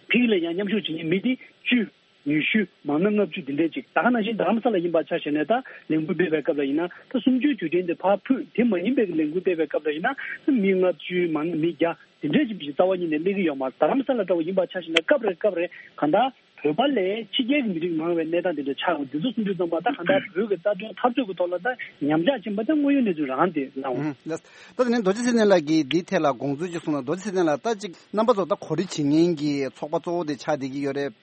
ཕིག་ལ་ཡང་མཉམ་ཞུགས་བྱེད་མཁན་མི་དེ་བཅུ། ཉི་ཤུ། མང་ན་ལྔ་བཅུ་འདི་འདྲས་ཅིག་ད་ག་ནང་བཞིན་རྡ་རམ་ས་ལ་ཡིན་པ་ཆ་བཞག་ནས་ད་ལས་འགུལ་སྤེལ་བའི་སྐབས་ལ་ཡིན་ན་ད་གསུམ་བཅུའི་དུས་དྲན་དེ་ཕར་ཕུད་དེ་མ་ཡིན་པའི་ལས་འགུལ་སྤེལ་བའི་སྐབས་ལ་ཡིན་ན་ད་མི་ལྔ་བཅུ་མང་ན་མི་བརྒྱ་འདི་འདྲས་ཅིག་རྩ་བ་ཉིད་ནས་སླེབས་ཀྱི་ཡོད་མ་རེད། རྡ་རམ་ས་ལ་འདྲ་བོ་ཡིན་པ་ཆ་བཞག་ན་སྐབས་རེ་སྐབས་རེ་གང་ལྟར་བོད་པ་ལས་ཕྱི་རྒྱལ་གྱི་མི་རིགས་མང་བའི་གནས་སྟངས་དེ་འདྲ་ཆགས་འོང་། འདི་ཚོ་གསུམ་བཅུ་ཙམ་པ་ད་གང་ལྟར་བོད་ཀྱི་རྩ་དོན་འཐབ་རྩོད་ཀྱི་ཐོག་ལ་ད་ཉམས་ཆག་ཕྱིན་པ་ད་དངོས་ཡོད་གནས་ཚུལ་རང་དེ་ལའང་། ད་དེ་ནས་རྡོ་རྗེ་ཚེ་བརྟན་ལགས་ཀྱིས་འདིའི་ཐད་ལ་དགོངས་ཚུལ་ཅིག་གསུངས་ན། རྡོ་རྗེ་ཚེ་བརྟན་ལགས་ད་ཅིག་རྣམ་པ་ཚོ་ད་གོ་སྒྲིག་བྱེད་མཁན་གྱི་ཚོགས་པ་གཙོ་བོ་དེ་ཆགས་བསྡད་ཀྱི་ཡོད་རེད།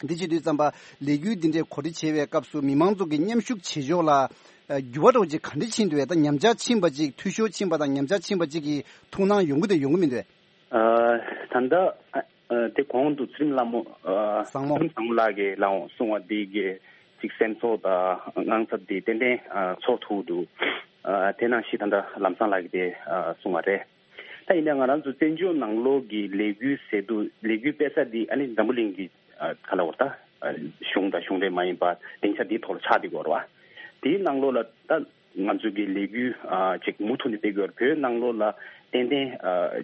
འདི་བྱེད་དུས་ཙམ་པ་ལས་འགུལ་འདི་འདྲའི་གོ་སྒྲིག་བྱེད་པའི་སྐབས་སུ་མི་མང་ཚོ་གི་མཉམ་ཞུགས་བྱེད་ཕྱོགས་ལ་འགྱུར་བ་འདྲ་བོ་ཅིག་ག་འདྲ་ཕྱིན་འདུག་བས། ད་ཉམས་ཆག་ཕྱིན་པ་ཅིག་འཐུས་ཤོར་ཕྱིན་པ་དང་ཉམས་ཆག་ཕྱིན་པ་ཅིག་གི་ཐུགས་སྣང་ཡོང་གི་འདུག་ཡོང་གི་མི་འདུག་བས། ད་ལྟ་དེ་གོང་དུ་ཚུལ་ཁྲིམས་ལྷ་མོ་བཟང་མོ་ཚུལ་ཁྲིམས་བཟང་མོ་ལགས་ཀྱིས་ལའང་གསུངས་པ་འདི་གི་ཅིག་སེམས་ཚོར་དང་དངངས་འཚབ་འདི་ཏན་ཏན་ཚོར་ཐུབ་འདུག་དེ་ནང་བཞིན་ད་ལྟ་ལམ་བཟང་ལགས་ཀྱིས་དེ་གསུངས་པ་རེད། ད་ཡིན་ན་ང་རང་ཚོ་བཙན་བྱོལ་ནང་ལོགས་ཀྱི་ལས་འགུལ་ཟེར་དུས་ལས་འགུལ་སྤེལ་ས་འདི་ཨ་ནི་འཛམ་བུ་གླིང་གི་ག་ལ་བར་ད་གཞུང་དང་གཞུང་འབྲེལ་མ་ཡིན་པ་སྡིངས་ཆ་འདིའི་ཐོག་ལ་ཆགས་བསྡད་ཀྱི་ཡོད་རེད་བ། དེའི་ནང་ལོགས་ལ་ད་ང་ཚོ་གི་ལས་འགུལ་ཅིག་མུ་མཐུད་ནས་སྤེལ་གྱི་ཡོད་རེད། བོད་ནང་ལོགས་ལ་ཏན་ཏན་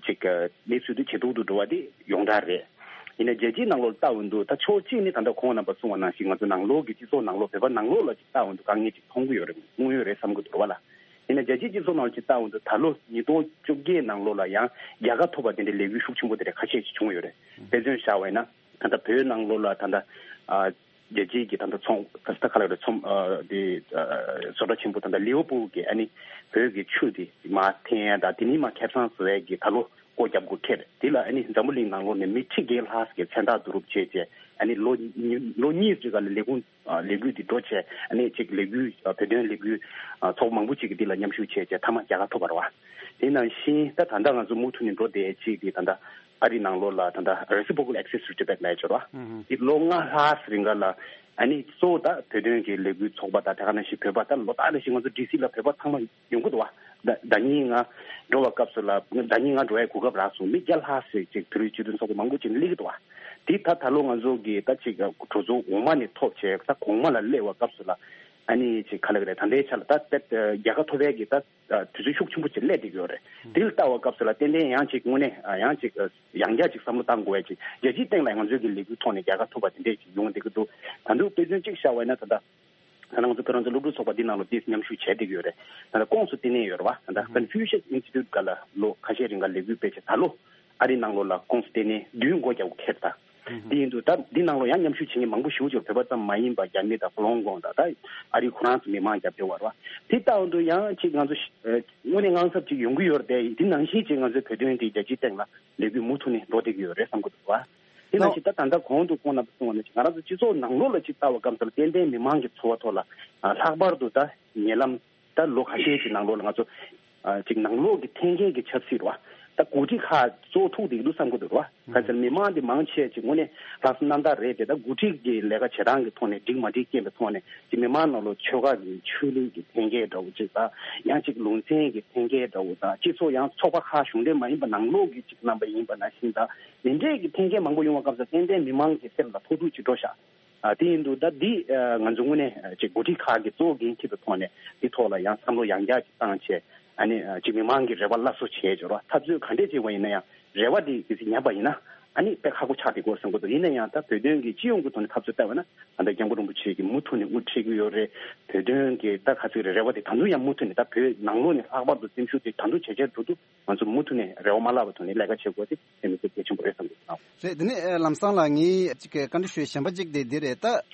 ཅིག་གནས་ཚུལ་འདི་ཇེ་སྡུག་ཏུ་འགྲོ་བ་འདི་ཡོངས་གྲགས་རེད། ཡིན་ན་རྒྱལ་སྤྱིའི་ནང་ལོགས་ལ་ལྟ་འོང་དུས་ད་ཕྱོགས་གཅིག་ནས་ད་ལྟ་ཁོང་རྣམ་པ་གསུངས་པ་ནང་བཞིན་ང་ཚོ་ནང་ལོགས་ཀྱི་སྤྱི་ཚོགས་ནང་ལོགས་བོད་པ་ནང་ལོགས་ལ་ཅིག་ལྟ་འོང་དུས་དཀའ་ངལ་ཅིག་མཐོང་གི་ཡོད་རེད། མཐོང་ཡོད་རེད་བསམ་གྱི་འདུག་བ་ལ། ཡིན་ན་རྒྱལ་སྤྱིའི་སྤྱི་ཚོགས་ནང་ལ་ཅིག་ལྟ་འོང་དུས་ད་ལོ་ཉིས་སྟོང་བཅོ་བརྒྱད་ནང་ལོགས་ལ་ཡང་རྒྱལ་ཁ་ཐོབ་པ་དེ་འདྲའི་ལས་འགུལ་ཤུགས་ཆེན་པོ་དེ་འདྲ་ཁ་ཤས་ཤིག་བྱུང་ཡོད་རེད། དཔེ་མཚོན་བཞག་པ་ཡིན་ན་ད་ལྟ་བོད་ནང་ལོགས་ལ་ད་ལྟ་རྒྱལ་སྤྱིའི་གི་ད་ལྟ་ཚོང་ད་ལྟ་ག་ལ་རེད་ཚོང་དེ་བཟོ་གྲྭ་ཆེན་པོ་ད་ལྟ་ལི་ཝར་པུལ་གི་ཨ་ནི་བོད་ཀྱི་ཆུ་དེ་མར་འཐེན་ཡ་ད་དེ་ནི་མར་ཁེ་བཟང་བཟོ་ཡ་གི་ད་ལོ་སྒོ་རྒྱབ་དགོས་ཁེལ་རེད། དེ་ལ་ཨ་ནི་འཛམ་བུ་གླིང་ནང་ལོགས་ནས་མི་ཁྲི་བརྒྱད་ལྷག་ཙམ་གྱི་མཚན་རྟགས་བསྡུ་རུབ་བྱས་རྗེས་ཨ་ནི་ལོ་ཉི་ལོ་གཉིས་ཙམ་ག་ལ་ལས་ཁུངས་ལས་འགུལ་འདི་འགྲོ་བྱས་ཨ་ནི་ཅིག་ལས་འགུལ་བོད་དོན་ལས་འགུལ་ཚོགས་མང་པོ་ཅིག་གིས་འདི་ལ་མཉམ་ཞུགས་བྱས་རྗེས་མཐའ་མ་རྒྱལ་ཁ་ཐོབ་པ་རེད་བ། དེ་ནང་བཞིན་ད་ད་ལྟ་ང་ཚོ་མུ་མཐུད་ནས་འགྲོ་བསྡད་ཅིག་གི་ད་ལྟ་ཨ་རི་ནང་ལོགས་ལ་ད་ལྟ་Reciprocal Access to Tibet་ལབ་ཡ་ཅིག་ཡོད་རེད་བ། འདི་ལོ་ལྔ་ལྷག་རིང་ག་ལ་ཨ་ནི་གཙོ་བོ་ད་བོད་དོན་གྱི་ལས་འགུལ་ཚོགས་པ་དང་དེ་ག་ནང་བཞིན་བོད་པ་ད་ལོ་ལྟར་ནང་བཞིན་ང་ཚོ་ཌི་སི་ལ་བོད་པ་ཚང་མ་ཡོང་གི་འདུག་བ། ཟླ་ཟླ་གཉིས་ང་འགྲོ་བ་སྐབས་སུ་ལ་ཟླ་གཉིས་ང་འགྲོ་ཡའི་གོ་སྐབས་རག་སོང་། མི་བརྒྱ་ལྷག་ཙམ་ཅིག་བོད་རིགས་སྤྱི་མཐུན་ཚོགས་པ་མང་པོ་ཅིག་སླེབས་ཀྱི་འདུག་བ། དེ་ད་ད་ལོ་ང་ཚོ་གི་ད་ཅིག་གྲོས་ཚོགས་འོག་མ་ནས་ཐོབ་བྱས་ད་གོང་མ་ལ་སླེབས་པ་སྐབས་སུ་ལ་ ཨ་ནི་ཅིག་ག་ལ་ག་རེ་ད་ལྟའི་ཆ་ལ་ད་ད་རྒྱལ་ཁ་ཐོབ་པའི་གི་ད་དུས་ཚོད་ཤུགས་ཆེན་པོ་ཅིག་སླེབས་བསྡད་ཀྱི་ཡོད་རེད། དེ་ལ་ལྟ་བ་སྐབས་སུ་ལ་ཏན་ཏན་ཡང་ཅིག་དངོས་གནས་ཡང་ཅིག་ཡང་བསྐྱར་ཅིག་བསམ་བློ་བཏང་དགོས་ཡ་ཅིག་རྒྱལ་སྤྱིའི་སྟེང་ལ་ང་ཚོའི་གི་ལས་འགུལ་ཐོག་ནས་རྒྱལ་ཁ་ཐོབ་པ་དེ་འདྲས་ཅིག་ཡོང་བསྡད་ཀྱི་འདུག་ད་དུང་དཔེ་མཚོན་གཅིག་བཞག་པ་ཡིན་ན་ད་ལྟ། ད་ང་ཚོ་བོད་རང་བཙན་སློབ་ཕྲུག་ཚོགས་པ་འདི་ནང་ལ་དེ་མཉམ་ཞུགས་བྱས་བསྡད་ཀྱི་ཡོད་རེད། ད་ལྟ་Confucius Institute སྒང་ལ་ལོ་ཁ་ཤས་རིང་ག་ལས་འགུལ་སྤེལ་བྱས་ད་ལོ་ཨ་རིའི་ནང་ལོགས་ལ་ཀོང་སི་ལྟེ་གནས་བདུན་སྒོ་རྒྱག་དགོས་ཁེལ་ད། དེ་ཡིན་དུས་ད་འདི་ནང་ལོགས་ཡང་མཉམ་ཞུགས་བྱེད་མཁན་མང་པོ་ཞེ་པོ་ཅིག་བོད་པ་ཙམ་མ་ཡིན་པ་རྒྱ་མི་དང་ཧྥུ་ལོང་ཀོང་དང་ད་ཨ་རིའི་ཁོ་རང་ཚོ་མི་མང་རྒྱབ་སྐྱོར་བར་བ། དེ་ལྟ་བུ་འདུག་ཡང་ཅིག་ང་ཚོ་ཤ་ཨ་དངོས་གནས་དངངས་འཚབ་ཅིག་ཡོང་གི་ཡོད་རེད་དེ། དེ་ནང་བཞིན་ཅིག་ང་ཚོའི་བོད་དོན་དེ་རྒྱལ་སྤྱིའི་སྟེང་ལ་ལས་འགུལ་མུ་མཐུད་ནས་འགྲོ་བསྡད་ཀྱི་ཡོད་རེད་བསམ་གྱི་འདུག་བ། དེ་ནང་བཞིན་ད་ད་ལྟ་གོང་དུ་ཁོང་རྣམ་པ་གསུངས་པ་ནང་བཞིན་ང་རང་ཚོ་སྤྱི་ཚོགས་ནང་ལོགས་ལ་ཅིག་ལྟ་བ་སྐབས་སུ་ལ་ཏན་ཏན་མི་མང་གི་འཚོ་བ་ཐོག་ལ་ཨ་ལྷག་པར་དུ་ད་ཉེ་ལམ་ད་ལོ་ཁ་ཤས་ཀྱི་ནང་ལོགས་ལ་ང་ཚོ་ཨ་ཅིག་ནང་ལོགས་ཀྱི་འཐེན་འཁྱེར་གྱི་ཆབ་སྲིད་རེད་བ། ད་འགོ་ཁྲིད་ཁག་གཙོ་བོ་ཐུག་བསྡད་ཀྱི་འདུག་བསམ་གྱི་འདུག་རེད་བ། ག་ཚོད་མི་མང་འདི་མང་ཆེ་ཅིག་དངོས་གནས་ལྷག་བསམ་རྣམ་དག་རེད་དེ། ད་འགོ་ཁྲིད་ཀྱི་ལས་ཀ་བྱེད་སྟངས་ཀྱི་ཐོག་ནས་འགྲིག་མ་འགྲིག་རྐྱེན་པའི་ཐོག་ནས་ཅིག་མི་མང་ནང་ལོགས་ཆོལ་ཁ་གི་ཆོས་ལུགས་ཀྱི་འཐེན་འཁྱེར་འདྲ་བོ་ཅིག་དང་ཡང་ཅིག་ལུང་ཚན་གྱི་འཐེན་འཁྱེར་འདྲ་བོ་དང་སྤྱི་ཚོགས་ཡང་ཚོགས་པ་ཁག་གཞུང་འབྲེལ་མ་ཡིན་པ་ནང་ལོགས་ཀྱི་ཅིག་རྣམ་པ་ཡིན་པ་ནང་བཞིན་དང་དེ་འདྲས་ཀྱི་འཐེན་འཁྱེར་མང་པོ་ཡོང་བ་སྐབས་སུ་ཏན་ཏན་མི་མང་གི་སེམས་ལ་ཕོག་ཐུག་ཅིག་འགྲོ་ཤག་ཨ་དེ་ཡིན་དུས་ད་འདི་ཨ་ང་ཚོ་དངོས་གནས་ཨ་ཅིག་འགོ་ཁྲིད་ཁག་གིས་གཙོ་བོ་འགན་འཁྱེར་བའི་ཐོག་ནས་འདི་ཐོག་ལ་ཡང་བསམ་བློ་ཡང་བསྐྱར་ཅིག་བཏང་བྱས། ཨ་ནི་ཨ་ཅིག་མི་མང་གི་རེ་བ་སླར་གསོ་བྱས་འབྱོར་བ། འཐབ་རྩོད་ག་འདྲས་བྱས་པ་ཡིན་ན་ཡང་རེ་བ་དེ་གལ་སྲིད་ཉམས་པ་ཡིན་ན་ཨ་ནི་དཔེ་ཁག་པོ་ཆགས་བསྡད་ཀྱི་ཡོད་བསམ་གྱི་འདུག་ཡིན་ན་ཡང་ད་བོད་དོན་གྱི་སྤྱི་ཡོངས་ཀྱི་ཐོག་ནས་འཐབ་རྩོད་བལྟས་པ་ན་ད་ལྟ་སྐྱབས་མགོན་རིན་པོ་ཆེ་གིས་མུ་མཐུད་ནས་དབུ་ཁྲིད་ཀྱི་ཡོད་རེད། བོད་དོན་གྱི་ད་ག་ཚོད་རེད། རེ་བ་དེ་ད་དུང་ཡང་མུ་མཐུད་ནས་ད་བོད་ནང་ལོགས་ནས་ལྷག་པར་དུ་སེམས་ཤུགས་དེ་ད་དུང་ཇེ་ཆེར་འགྲོ་འདུག་ང་ཚོ་མུ་མཐུད་ནས་རེ་བ་མ་བརླག་པའི་ཐོག་ནས་ལས་ཀ་བྱེད་དགོས་དེ་དེ་ནི་གལ་ཆེན་པོ་རེད་བསམ་གྱི་འདུག་རེད། དེ་ནི་ཨ་ལམ་སང་ལགས་ངས་ཅིག་བཀའ་འདྲི་ཞུ་ཡ་གཞན་པ་ཅིག་དེ་འདི་རེད། ད་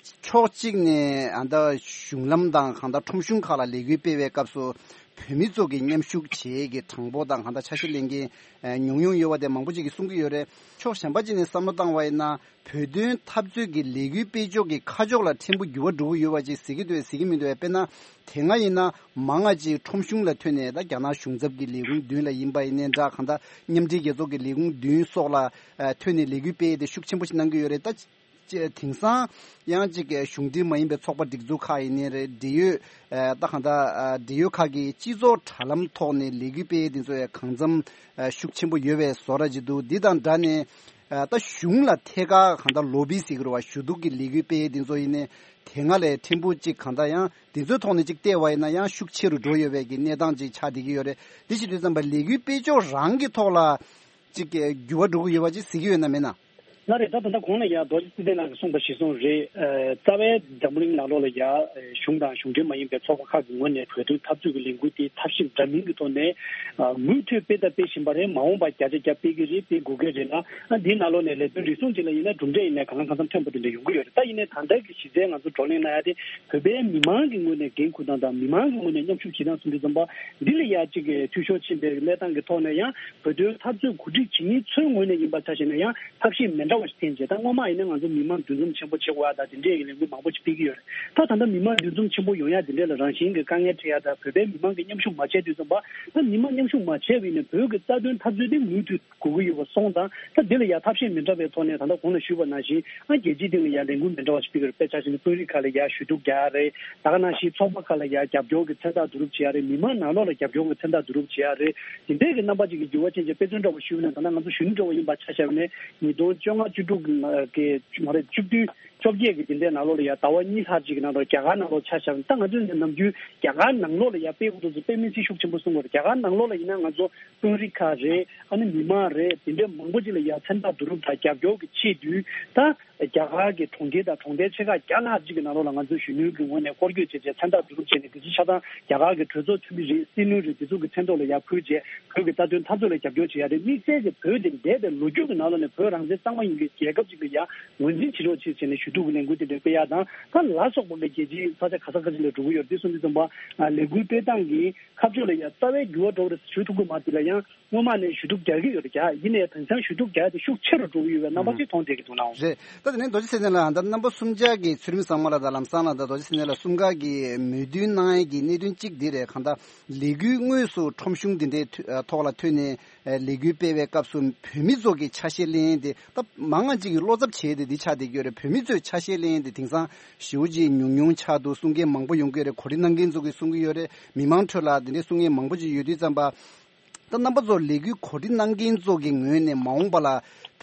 ཕྱོགས་གཅིག་ནས་ཨ་ད་གཞུང་ལམ་དང་གང་ལྟར་ཁྲོམ་གཞུང་ཁག་ལ་ལས་འགུལ་སྤེལ་བའི་སྐབས་སུ་བོད་མི་ཚོ་གི་མཉམ་ཞུགས་བྱེད་ཀྱི་གྲངས་འབོར་དང་གང་ལྟར་ཆ་ཤས་ལེན་མཁན་ཨ་ཉུང་ཉུང་ཡོད་པ་དེ་མང་པོ་ཅིག་གིས་གསུང་གི་ཡོད་རེད། ཕྱོགས་གཞན་པ་ཅིག་ནས་བསམ་བློ་བཏང་བ་ཡིན་ན། བོད་དོན་འཐབ་རྩོད་ཀྱི་ལས་འགུལ་སྤེལ་ཕྱོགས་ཀྱི་ཁ་ཕྱོགས་ལ་ཕྲན་བུ་འགྱུར་བ་འགྲོ་གི་ཡོད་པ་ཅིག་ཟེར་གྱི་འདུག་ཟེར་གྱི་མི་འདུག་དཔེར་ན་དེ་སྔ་ཡིན་ན་མང་ང་ཅིག་ཁྲོམ་གཞུང་ལ་ཐོན་ནས་ད་རྒྱ་ནག་གཞུང་ཚབ་ཀྱི་ལས་ཁུངས་མདུན་ལ་ཡིན་པ་ཡིན་ནའི་འདྲ། གང་ལྟར་མཉམ་འབྲེལ་རྒྱལ་ཚོགས་ཀྱི་ལས་ཁུངས་མདུན་སོགས་ལ་ཨ་ཐོན་ནས་ལས་འགུལ་སྤེལ་ཏེ་ཤུགས་ཆེན་པོ་ཞིག་གནང་གི་ཡོད་རེད། ད་ཅི་དེང་སང་ཡང་ཅིག་གཞུང་འབྲེལ་མ་ཡིན་པའི་ཚོགས་པ་སྒྲིག་འཛུགས་ཁག་ཡིན་ནའི་རེད། འབྲེལ་ཡོད་ཨ་ད་གང་ལྟར་ཨ་འབྲེལ་ཡོད་ཁག་གིས་སྤྱི་ཚོགས་དྲ་ལམ་ཐོག་ནས་ལས་འགུལ་སྤེལ་དེ་ཚོ་ཡང་གང་འཚམ་ཨ་ཤུགས་ཆེན་པོ་ཡོད་པའི་བཟོ་འདྲ་ཅིག་འདུག་འདི་དང་འདྲ་ནས། ཨ་ད་གཞུང་ལ་ཐད་ཀར་གང་ལྟར་ལོ་བི་ཟེར་གྱི་རེད་བ། ཞུ་གཏུག་གི་ལས་འགུལ་སྤེལ་དེ་ཚོ་ཡིན་ནའི་དེ་སྔ་ལས་ཕྲན་བུ་ཅིག་གང་ལྟར་ཡང་དེ་ཚོའི་ཐོག་ནས་ཅིག་བལྟས་པ་ཡིན་ན་ཡང་ཤུགས་ཆེ་རུ་འགྲོ་ཡོད་པའི་གི་གནས་སྟངས་ཅིག་ཆགས་བསྡད་ཀྱི་ཡོད་རེད། དེ་བྱེད་དུས་ཙམ་པ་ལས་འགུལ་སྤེལ་ཕྱོགས་རང་གི་ཐོག་ལ་ཅིག་འགྱུར་བ་འགྲོ་གི་ཡོད་པ་ཅིག་གཟིགས་ཀྱི་ཡོད་ན་མེད་ན། ལགས་རེད། ད་ད་ལྟ་གོང་ལ་ཡ་རྡོ་རྗེ་ཚེ་བརྟན་ལགས་ཀྱིས་གསུངས་པ་གཞིར་བཟུང་རེད། ཨ་རྩ་བའི་འཛམ་བུ་གླིང་ནང་ལོགས་ལ་ཡ་གཞུང་དང་གཞུང་འབྲེལ་མ་ཡིན་པའི་ཚོགས་པ་ཁག་གི་ངོས་ནས་བོད་དོན་འཐབ་རྩོད་ཀྱི་ལས་འགུལ་དེ་ཐབས་ཤེས་འདྲ་མིན་གྱི་ཐོག་ནས་ཨ་མུ་མཐུད་སྤེལ་དང་སྤེལ་བཞིན་པ་རེད། མ་འོངས་པར་བརྒྱ་ཆ་བརྒྱ་སྤེལ་གྱི་རེད། སྤེལ་དགོས་ཀྱི་རེད་ལ། ཨ་འདིའི་ནང་ལོགས་ནས་ལས་དོན་རེ་ཟུང་ཅིག་ལ་ཡིན་ན་གྲུབ་འབྲས་ཡིན་ནའི་གང་ལ་གང་འཚམ་ཐོན་པ་དེ་འདྲ་ཡོང་གི་ཡོད་རེད། ད་ཡིན་ནའི་ད་ལྟ་གི་གཞི་རྩའི་ང་ཚོ་བགྲོ་གླེང་གནང་ཡ་དེ་བོད་པའི་མི་མང་གི་ངོས་ནས་འགན་འཁུར་སྟངས་དང་མི་མང་གི་ངོས་ནས་མཉམ་ཞུགས་བྱེད་སྟངས་སོགས་འདི་ཙམ་པ་འདི་ལ་ཡ་གཅིག་གི་འཐུས་ཤོར་ཕྱིན་པའི་གནས་སྟངས་ཀྱི་ཐོག་ནས་ཡང་བོད་དོན་འཐབ་རྩོད་འགོ་ཁྲིད་བྱེད་མཁན་ཚོའི་ངོས་ནས་ཡིན་པ་ཆ་བཞག་ན་ཡང་ཐབས་ཤེས་མི་འདྲ་བ་ཞིག་འཐེན་བྱས། ད་སྔོན་མ་ཡིན་ན་ང་ཚོ་མི་མང་འདུ་འཛོམས་ཆེན་པོ་བྱེད་དགོས་ཡ་ད་དེ་འདྲས་ཀྱི་ལས་འགུལ་མང་པོ་ཞིག་སྤེལ་གྱི་ཡོད་རེད། ད་ད་ལྟ་མི་མང་འདུ་འཛོམས་ཆེན་པོ་ཡོང་ཡ་དེ་འདྲས་ལ་རང་བཞིན་གྱི་དཀའ་ངལ་འཕྲད་ཡ་ད་བོད་པའི་མི་མང་གིས་མཉམ་ཞུགས་མ་བྱས་དུས་ཙམ་པ་ད་མི་མང་མཉམ་ཞུགས་མ་བྱས་པ་ཡིན་ན་བོད་ཀྱི་རྩ་དོན་འཐབ་རྩོད་དེ་མུ་མཐུད་དགོས་ཀྱི་ཡོད་པ་སོང་ཙང་། ད་འདི་ལ་ཡ་ཐབས་ཤེས་མི་འདྲ་བའི་ཐོག་ནས་ད་ལྟ་གོང་ལ་ཞུས་པ་ནང་བཞིན་ཨ་རྒྱལ་སྤྱིའི་སྟེང་ལ་ཡ་ལས་འགུལ་མི་འདྲ་བ་ཞིག་སྤེལ་གྱི་རེད། དཔེ་ཆ་བཞག་ན་དཔོན་རིགས་ཁག་ལ་ཡ་ཞུ་གཏུག་རྒྱག་ཡ་རེད། ད་ག་ནང་བཞིན་ཚོགས་པ་ཁག་ལ་ཡ་རྒྱབ་སྐྱོར་གྱི་མཚན་རྟགས་བསྡུ་རུབ་བྱེད་ཡ་རེད། མི་མང་ནང་ལོགས་ལ་རྒྱབ་སྐྱོར་གྱི་མཚན་རྟགས་བསྡུ་རུབ་བྱེད་ཡ་རེད། དེ་འདྲའི་གི་རྣམ་པ་ཅིག་གི་འགྱུར་བ་ཅན་ཅིག་དཔེ་མཚོན་འདྲ་བ་ཞུས་ན་ད་ལྟ་ང་ཚོ་གཞོན་ནུ་འདྲ་བ་ཡིན་པ་ཆ་བཞག་ནས་ཉིས་སྟོང་བཅོ་ལྔ་བཅུ་དྲུག་གི་མ་རེད་བཅུ་བདུན་བཅོ་བརྒྱད་ཀྱི་དེ་འདྲའི་ནང་ལོགས་ལ་ཡ་ཟླ་བ་གཉིས་ལྷག་ཅིག་གི་ནང་ལོགས་རྒྱ་གར་ནང་ལོགས་ཆ་བཞག་ན། ད་ང་ཚོས་ནམ་རྒྱུན་རྒྱ་གར་ནང་ལོགས་ལ་ཡ་དཔེ་ཁོ་ཚོ་ཚོ་དཔེ་མི་སྲིད་ཤུགས་ཆེན་པོ་གསུང་གི་ཡོད་རེད། རྒྱ་གར་ནང་ལོགས་ལ་ཡིན་ན་ང་ཚོ་དཔོན་རིགས་ཁག་རེད། ཨ་ནི་མི་མང་རེད། དེ་འདྲའི་མང་པོ་ཅིག་ལ་ཡ་མཚན་རྟགས་བསྡུ་རུབ་དང་རྒྱབ་སྐྱོར་གྱི་ཆེད་དུ་ད་རྒྱ་གར་གྱི་གྲོང་ཁྱེར་དང་གྲོང་རྡལ་ཆེ་ཁག་བརྒྱ་ལྷག་ཅིག་གི་ནང་ལོགས་ལ་ང་ཚོ་གཞོན་ནུའི་གི་ངོས་ནས་སྐོར་སྐྱོད་བྱས་བྱས་མཚན་རྟགས་བསྡུ་རུབ་བྱས་ནས། དེ་ཚོ་ཆ་ཚང་རྒྱ་གར་གྱི་གྲོས་ཚོགས་འཐུས་མི་རེད། སྲིད་བློན་རེད། དེ་ཚོ་གི་མཚན་ཐོག་ལ་ཡར་ཕུལ་བྱས་བོད་ཀྱི་རྩ་དོན་འཐབ་རྩོད་ལ་རྒྱབ་སྐྱོར་བྱེད་ཡ་རེད། དམིགས་བསལ་གྱི་བོད་དེ་འདས་པའི་ལོ་རྒྱུས་ཀྱི་ནང་ལོགས་ནས་བོད་རང་བཙན་གཙང་མ་ཡིན་པའི་རྒྱལ་ཁབ་ཅིག་ལ་ཡ་ངོས་འཛིན་བྱེད་རོགས་བྱེད་བྱས་ནས་ཞུ་གཏུག་གི་ལས་འགུལ་དེ་འདྲ་སྤེལ་ཡ་དང་། ད་ལ་སོགས་པ་གི་རྒྱལ་སྤྱིའི་ས་ཆ་ག་ས་ག་ཅིག་ལ་འགྲོ་གི་ཡོད་རེད། དེ་སོང་དུས་ཙམ་པ་ལས་འགུལ་སྤེལ་སྟངས་ཀྱི་ཁ་ཕྱོགས་ལ་ཡ་རྩ་བའི་འགྱུར་བ་འགྲོ་གི་རེད་ཞུ་ཐུབ་ཀྱི་མ་རེད་ལ། ཡང་སྔོན་མ་ནས་ཞུ་གཏུག་རྒྱག་གི་ཡོད་རེད། རྒྱག་ཡིན་ནའི་དེང་སང་ཞུ་གཏུག་རྒྱག་དེ་ཤུགས་ཆེ་རུ་འགྲོ་གི་ཡོད་པའི་རྣམ་པ་ཅིག་མཐོང་བསྡད་ཀྱི་འདུག་ནའང་། རེད། ད་དེ་ནས་རྡོ་རྗེ་ཚེ་བརྟན་ལགས་ད་རྣམ་པ་གསུམ་ཆ་གི་ཚུལ་ཁྲིམས་བཟང་མོ་ལགས་དང་ལམ་སང་ལགས་དང་རྡོ་རྗེ་ཚེ་བརྟན་ལགས་གསུམ་ཀ་གི་མོས་མཐུན་གནང་ཡས་ཀྱི་གནད་དོན་གཅིག་འདི་རེད། གང་ལྟར་ལས་འགུལ་དངོས་སུ་ཁྲོམ་གཞུང་འདི་འདྲའི་ཐོ་ཐོག་ལ་ཐོན་ནས་ལས་འགུལ་སྤེལ་བའི་སྐབས་སུ་བོད་མི་ཚོ་གི་ཆ་ཤས་ལེན་ཡས་དེ་ད་མང་ང་ཅིག་གིས་བློ་འཚབ་བྱས་ཏེ་འདི་ཆགས་བསྡད་ཀྱི་ཡོད་རེད། བོད་མི་ཚོའི་ཆ་ཤས་ལེན་ཡས་དེ་དེང་སང་ཞེ་པོ་ཅིག་ཉུང་ཉུང་ཆགས་འདུག་གསུང་མཁན་མང་པོ་ཡོང་གི་ཡོད་རེད། གོ་སྒྲིག་གནང་མཁན་ཚོ་གིས་གསུང་གི་ཡོད་རེད། མི་མང་ཁྲོད་ལ་དེ་འདྲའི་གསུང་མཁན་མང་པོ་ཅིག་ཡོད་དུས་ཙམ་པ། ད་རྣམ་པ་ཚོ་ལས་འགུལ་གོ་སྒྲིག་གནང་མཁན་ཚོ་གི་ངོས་ནས་མ་འོངས་པ་ལ་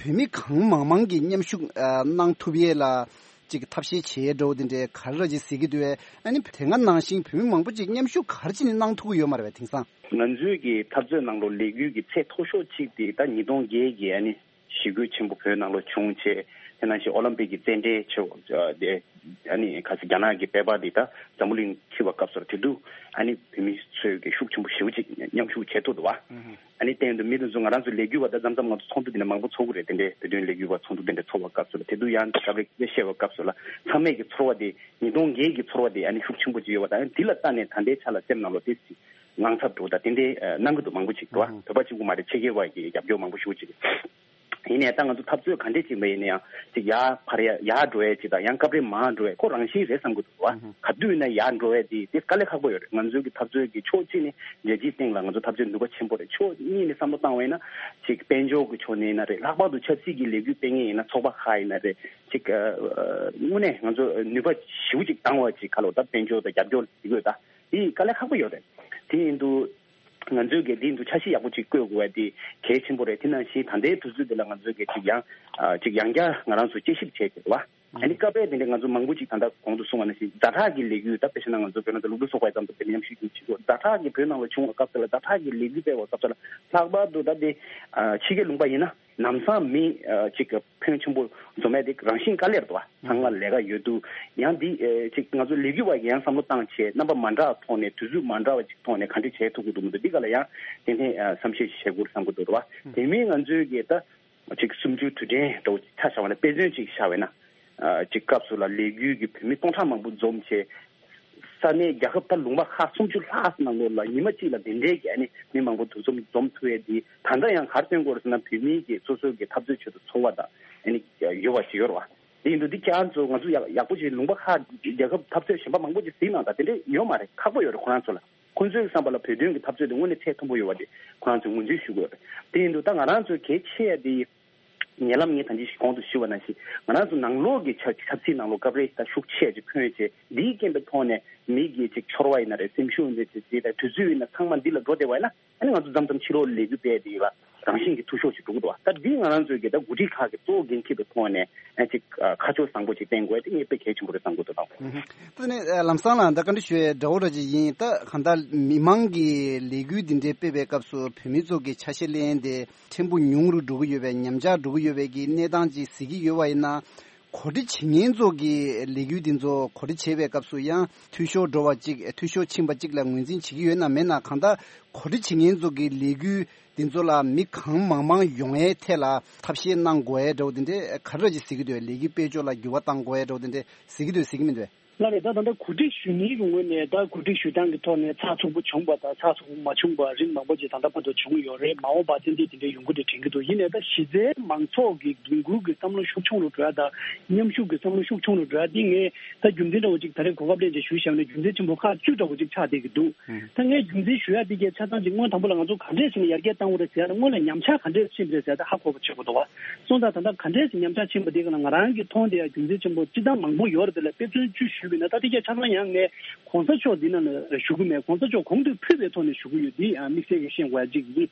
བོད་མི་གང་མང་མང་གིས་མཉམ་ཞུགས་ཨ་གནང་ཐུབ་ཡས་ལ་ ཅིག་ཐབས་ཤེས་བྱེད་འགྲོ་དེ་འདྲའི་ག་རེ་ར་ཅིག་ཟེར་གྱི་འདུག་བས། ཨ་ནི་དེ་སྔ་ནང་བཞིན་བོད་མི་མང་པོ་ཅིག་མཉམ་ཞུགས་ག་རེ་བྱས་ནས་གནང་ཐུབ་ཀྱི་ཡོད་མ་རེད་བས་དེང་སང་། ང་ཚོའི་གི་འཐབ་རྩོད་ནང་ལོགས་ལས་འགུལ་གྱི་ཚད་མཐོ་ཤོས་གཅིག་དེ་ད་ཉིས་སྟོང་བརྒྱད་ཀྱི་ཨ་ནི་ཞི་རྒོལ་ཆེན་པོ་བོད་ནང་ལོགས་བྱུང་བྱས། དེ་ནང་བཞིན་ཨོ་ལམ་པིག་གི་རྩེད་འགྲན་ཆེ་བ་དེ་ཨ་ནི་ག་ཚོད་རྒྱ་ནག་གི་དཔེ་པར་འདི་ད་འཛམ་བུ་གླིང་འཁྱིད་པའི་སྐབས་སུ་དེ་དུས་ཨ་ནི་བོད་མི་ཚོས་གི་ཤུགས་ཆེན་པོ་ཞེ་པོ་ཅིག་མཉམ་ཞུགས་བྱེད་ཐུབ་འདུག་བ། ཨ་ནི་སྟེང་དུ་མི་དེ་ཚོ་ང་རང་ཚོ་ལས་འགུལ་བ་དང་མཚམས་མཚམས་ང་ཚོ་ཚོགས་འདུ་དེ་འདྲ་མང་པོ་ཚོགས་ཀྱི་རེད། དེ་འདྲའི་བོད་དོན་ལས་འགུལ་བ་ཚོགས་འདུ་དེ་འདྲ་ཚོགས་པའི་སྐབས་སུ་ལ་དེ་དུས་ཡང་སྐབས་རེ་སྐད་ཆ་བཤད་པའི་སྐབས་སུ་ལ་ཚང་མས་ཀྱི་ཚོར་བ་དེ་ཉིས་སྟོང་བརྒྱད་ཀྱི་ཚོར་བ་དེ་ཨ་ནི་ཤུགས་ཆེན་པོ་ཅིག་ཡོད་པ་དང་། འདི་ལ་ལྟ་ནས་ད་ལྟའི་ཆ་ལ་སེམས་ནང་ལོགས་དེ་ཅིག་དངངས་འཚབ་འདུག་ད་དེ་འདྲའི་གནང་གི་འདུག་མང་པོ་ཅིག་འདུག་བ། བོད་པ་གཅིག་པུ་མ་རེད། ཕྱི་རྒྱལ་བ་གི་རྒྱབ་སྐྱོར་མང་པོ་ཞེ་པོ་ཅིག་ཡིན་ནའི་ད་ང་ཚོ་འཐབ་རྩོད་ག་འདྲས་ཅིག་མ་ཡིན་ན་ཡང་ཅིག་ཡར་འཕར་ཡ་ཡར་འགྲོ་ཡ་ཅིག་དང་ཡང་སྐབས་རེ་མར་འགྲོ་ཡ་ཁོ་རང་བཞིན་རེད་བསམ་གི་འདུག་བ། ག་དུས་ཡིན་ན་ཡར་འགྲོ་ཡ་དེ་དེ་དཀའ་ལས་ཁག་པོ་ཡོད་རེད། ང་ཚོའི་གི་འཐབ་རྩོད་ཀྱི་ཕྱོགས་གཅིག་ནས་རྒྱལ་སྤྱིའི་སྟེང་ལ་ང་ཚོ་འཐབ་རྩོད་ནུས་པ་ཆེན་པོ་རེད། ཕྱོགས་གཉིས་ནས་བསམ་བློ་བཏང་བ་ཡིན་ན་ཅིག་དཔལ་འབྱོར་གྱི་ཕྱོགས་ནས་ཡིན་ན་རེད། ལྷག་པར་དུ་ཆབ་སྲིད་ཀྱི་ལས་འགུལ་སྤེལ་མཁན་ཡིན་ན་ཚོགས་པ་ཁག་ཡིན་ན་རེད། ཅིག་དངོས་གནས་ང་ཚོ་ནུས་པ་ཞེ་པོ་ཅིག་འདང་བ་ཅིག་ག་ལོ་ད་དཔལ་འབྱོར་དང་རྒྱབ་སྐྱོར་ཞིག་དགོས། ད་དེ་དཀའ་ལས་ཁག་པོ་ཡོད་རེད། དེ་ཡིན་དུས། ང་ཚོས་གལ་ཏེ་འདུ་ཆ་ཤས་ཡག་པོ་ཅིག་བཀོད་དགོས་པ་དེ་གལ་ཆེན་པོ་རེད། དེ་ནང་བཞིན་ད་ལྟའི་དུས་ཚོད་འདི་ལ་ང་ཚོས་གལ་ཅིག་ཡང་ཅིག་ཡང་བསྐྱར་ང་རང་ཚོ་དཔྱད་ཞིབ་བྱས་ཀྱི་རེད་བ། ཨ་ནི་སྐབས་རེ་དེ་འདྲའི་ང་ཚོ་མང་པོ་ཅིག་ད་ལྟ་གོང་དུ་གསུངས་པ་ནང་བཞིན་ཛ་དྲག་གི་ལས་འགུལ་ད་དཔེ་བཞག་ན་ང་ཚོ་བོད་ནང་དུ་སློབ་ཕྲུག་ཚོགས་པ་ཙམ་དུ་དེ་མཉམ་ཞུགས་ཀྱི་བྱེད་དགོས། ཛ་དྲག་གི་བོད་ནང་ལ་བྱུང་བ་སྐབས་དེ་ལ་ཛ་དྲག་གི་ལས་འགུལ་སྤེལ་བ་སྐབས་དེ་ལ་ལྷག་པར་དུ་ད་དེ་ཕྱི་རྒྱལ་ལུང་པ་ཡིན་ན། ལམ་སང་མི་ཨ་གཅིག་གི་ཕོན་ཆེན་པོ་འཛོམས་ཡ་དེ་རང་བཞིན་དཀའ་ལས་རེད་བ། ཚང་མ་ལས་ཀ་ཡོད་དུས་ཡང་འདི་ཨ་གཅིག་ང་ཚོ་ལས་འགུལ་བ་ཡིས་ཡང་བསམ་བློ་བཏང་བྱས་རྣམ་པ་མ་འདྲ་བ་ཐོག་ནས་དུས་ཚོད་མ་འདྲ་བ་ཅིག་ཐོག་ནས་ག་འདྲ་བྱེད་ཐུབ་ཀྱི་འདུག་མི་འདུག་འདི་ག་ལ་ཡང་ཏན་ཏན་ཨ་བསམ་ཤེས་བྱེད་དགོས་བསམ་གྱི་འདུག་རེད་བ། དེ་མིན་ང་ཚོའི་གི་ད་གཅིག་གསུམ་བཅུའི་དུས་དྲན་འདྲ་བོ་ཆ་བཞག་པ་ན་དཔེ་མཚོན་ཅིག་བཞག་པ་ན། ཨ་གཅིག་སྐབས་སུ་ལ་ལས་འགུལ་གྱི་བོད་མི་སྟོང་ཕྲག་མང་པོ་འཛོམས་བྱས། ས་གནས་རྒྱལ་ཁབ་ད་ལུང་པ་ཁག་སུམ་ཅུ་ལྷག་ནང་ལོགས་ལ་ཉི་མ་གཅིག་ལ་དེ་འདྲའི་གི་ཨ་ནི་མི་མང་པོ་འདུ་འཛོམས་འཛོམས་ཐུབ་ཡས་འདི་ད་ལྟ་ཡང་ག་རེ་སྟོན་དགོས་རེད་ཟེར་ན། བོད་མིའི་གི་སོ་སོའི་གི་འཐབ་རྩོད་ཆེད་དུ་ཚོར་བ་དང་ཨ་ནི་ཡོད་པ་ཞིག་ཡོད་རེད་བ། དེ་ཡིན་དུས་འདི་ཁྱེད་རང་ཚོ་ང་ཚོ་ཡག་ཡག་པོ་ཞིག་ལུང་པ་ཁག་རྒྱལ་ཁབ་འཐབ་རྩོད་གཞན་པ་མང་པོ་ཞིག་གཟིགས་གནང་དང་། དེ་འདྲ་ཡོད་མ་རེད། ཁག་པོ་ཡོད་རེད་ཁོ་རང་ཚོ་ལ། ཁོང་ཚོའི་བསམ་པ་ལ་བོད་དོན་གྱི་འཐབ་རྩོད་དེ་དངོས་གནས་ཚད་མཐོན་པོ་ཡོད་པ་དེ་ཁོ་རང་ཚོས་ངོས་འཛིན་ཞུ་དགོས་རེད། དེ་ཡིན་དུས་ད་ང་རང་ཚོའི་གལ་ཆེ་ཡ་དེ་ཉེ་ལམ་ངས་ད་ཅི་ཞིག་གོང་དུ་ཞུས་པ་ནང་བཞིན་ང་རང་ཚོ་ནང་ལོགས་ཀྱི་ཆབ་ཆབ་སྲིད་ནང་ལོགས་སྐབས་རེ་ད་ཤུགས་ཆེ་ཅིག་འཁོན་བྱས། འདིའི་རྐྱེན་པའི་ཐོག་ནས་མི་གི་ཅིག་ཚོར་བ་ཡིན་ན་རེད། སེམས་ཤུགས་ཡིན་ན་ཅིག་ཅིག་ད་དུས་ཚོད་ཡིན་ན་ཚང་མ་འདི་ལ་འགྲོ་བསྡད་པ་ཡིན་ན། ཨ་ནི་ང་ཚོ་མཚམས་མཚམས་ཕྱི་ལོགས་ལས་འགུལ་སྤེལ་དེ་ལ་རང་བཞིན་གྱི་འཐུས་ཤོར་ཞིག་འགྲོ་གི་འདུག་བ། ད་འདི་ང་རང་ཚོའི་གི་ད་འགོ་ཁྲིད་ཁག་གི་གཙོ་བོ་འགན་འཁྱེར་བའི་ཐོག་ནས་ཨ་ཅིག་ཁ་ཕྱོགས་བཟང་པོ་ཅིག་བསྟན་དགོས་དེ་ངས་དཔེ་གལ་ཆེན་པོ་རེད་བསམ་གྱི་འདུག་ད། ད་ནི་ལམ་སང་ལ་ད་བཀའ་འདྲི་ཞུ་ཡས་འདྲ་བོ་འདྲ་ཅིག་ཡིན། ད་གང་ལྟར་མི་མང་གི་ལས་འགུལ་འདི་འདྲའི་སྤེལ་བའི་སྐབས་སུ་བོད་མི་ཚོ་གི་ཆ་ཤས་ལེན་དེ་ཕྲན་བུ་ཉུང་རུ་འགྲོ་གི་ཡོད་པའི་ཉམས་ཆག་འགྲོ་གི་ཡོད་པའི་གི་གནས་སྟངས་ཅིག་གཟིགས་ཀྱི་ཡོད་པ་ཡིན་ན། གོ་སྒྲིག་བྱེད་མཁན་ཚོ་གི་ལས་འགུལ་འདི་ཚོ་གོ་སྒྲིག་བྱེད་པའི་སྐབས་སུ་ཡང་འཐུས་ཤོར་འགྲོ་བ་གཅིག་འཐུས་ཤོར་ཕྱིན་པ་གཅིག་ལ་ངོས་འཛིན་བྱེད་ཀྱི་ཡོད་ན་མེད་ན། གང་ལྟར་གོ་སྒྲིག་བྱེད་མཁན་ཚོ་གི་ལས་འགུལ་འདི་ཚོ་ལ་མི་གང་མང་མང་ཡོང་ཡའི་ཐད་ལ་ཐབས་ཤེས་གནང་དགོས་ཡའི་འདྲ་བོ་འདི་འདྲའི་ག་རེ་ཅིག་གཟིགས་ཀྱི་འདུག་ལས་འགུལ་སྤེལ་ཕྱོགས་ལ་འགྱུར་བ་གཏང་དགོས་ཡའི་འདྲ་བོ་འདི་འདྲ་གཟིགས་ཀྱི་འདུག་གཟིགས་ཀྱི་མི་འདུག་ལགས་རེད། ད་ད་ལྟ་གོ་སྒྲིག་ཞུ་མཁན་གྱི་ངོས་ནས་ད་གོ་སྒྲིག་ཞུ་སྟངས་ཀྱི་ཐོག་ནས་ཚགས་ཚུད་པོ་བྱུང་བ་དང་ཚགས་ཚུད་པོ་མ་བྱུང་བ་རིགས་མང་པོ་ཅིག་ད་ལྟ་བར་དུ་བྱུང་ཡོད་རེད། མ་འོངས་པ་ཏན་ཏན་དེ་འདྲའི་ཡོང་གི་རེད་དྲན་གྱི་འདུག་ཡིན་ནའི་ད་གཞི་རྩའི་མང་ཚོགས་ཀྱི་འགན་འཁུར་གྱི་བསམ་བློ་ཤུགས་ཆུང་རུ་འགྲོ་ཡ་དང་མཉམ་ཞུགས་ཀྱི་བསམ་བློ་ཤུགས་ཆུང་རུ་འགྲོ་ཡ་འདི་ངས་ད་རྒྱུ་མཚན་འདྲ་བོ་ཅིག་ད་རེས་གོ་སྐབས་ལེན་བྱས་ཞུས་བཞག་ན་རྒྱུ་མཚན་ཆེན་པོ་ཁག་བཅུ་འདྲ་བོ་ཅིག་ཆགས་བསྡད་ཀྱི་འདུག་ད་ངས་རྒྱུ་མཚན་ཞུ་ཡ་འདི་གའི་ཆ་ཚང་ཅིག་སྔོན་དང་པོ་ལ་ང་ཚོ་ག་འདྲས་བྱས་ནས་ཡར་རྒྱས་བཏང་དགོས་རེད་ཟེར་ཡ་ལ་སྔོན་ལ་ཉམས་ཆག་ག་འདྲས་ཕྱིན་པ་རེད་ཟེར་ཡ་ད་ཧ་གོ་བ་བྱེད་དགོས་འདུག་བ། སོང་ཙང་ད་ལྟ་ག་འདྲས་སེ་ཉམས་ཆག་ཕྱིན་པ་དེ་ག་ལ་ང་རང་གི་མཐོང་དེ་ཡང་རྒྱུ་མཚན་ཆེན་པོ་སྤྱི་བཏང་མང་པོ་ཡོད་རེད། དེ་ལ་དཔེ་མཚོན་བཅུ་ཞུས་པ་ཡིན་ན་ད་དེ་གས་ཆ་ཚང་ཡང་ངས་གོང་ས་མཆོག་འདི་ནང་ལ་ཞུ་གི་མེད། གོང་ས་མཆོག་གོང་དུ་ཕུད་པའི་ཐོག་ནས་ཞུ་གི་ཡོད། འདི་ཡང་དམིགས་བསལ་གྱི་ཤེས་དགོས་ཡ་གཅིག་ཡིན།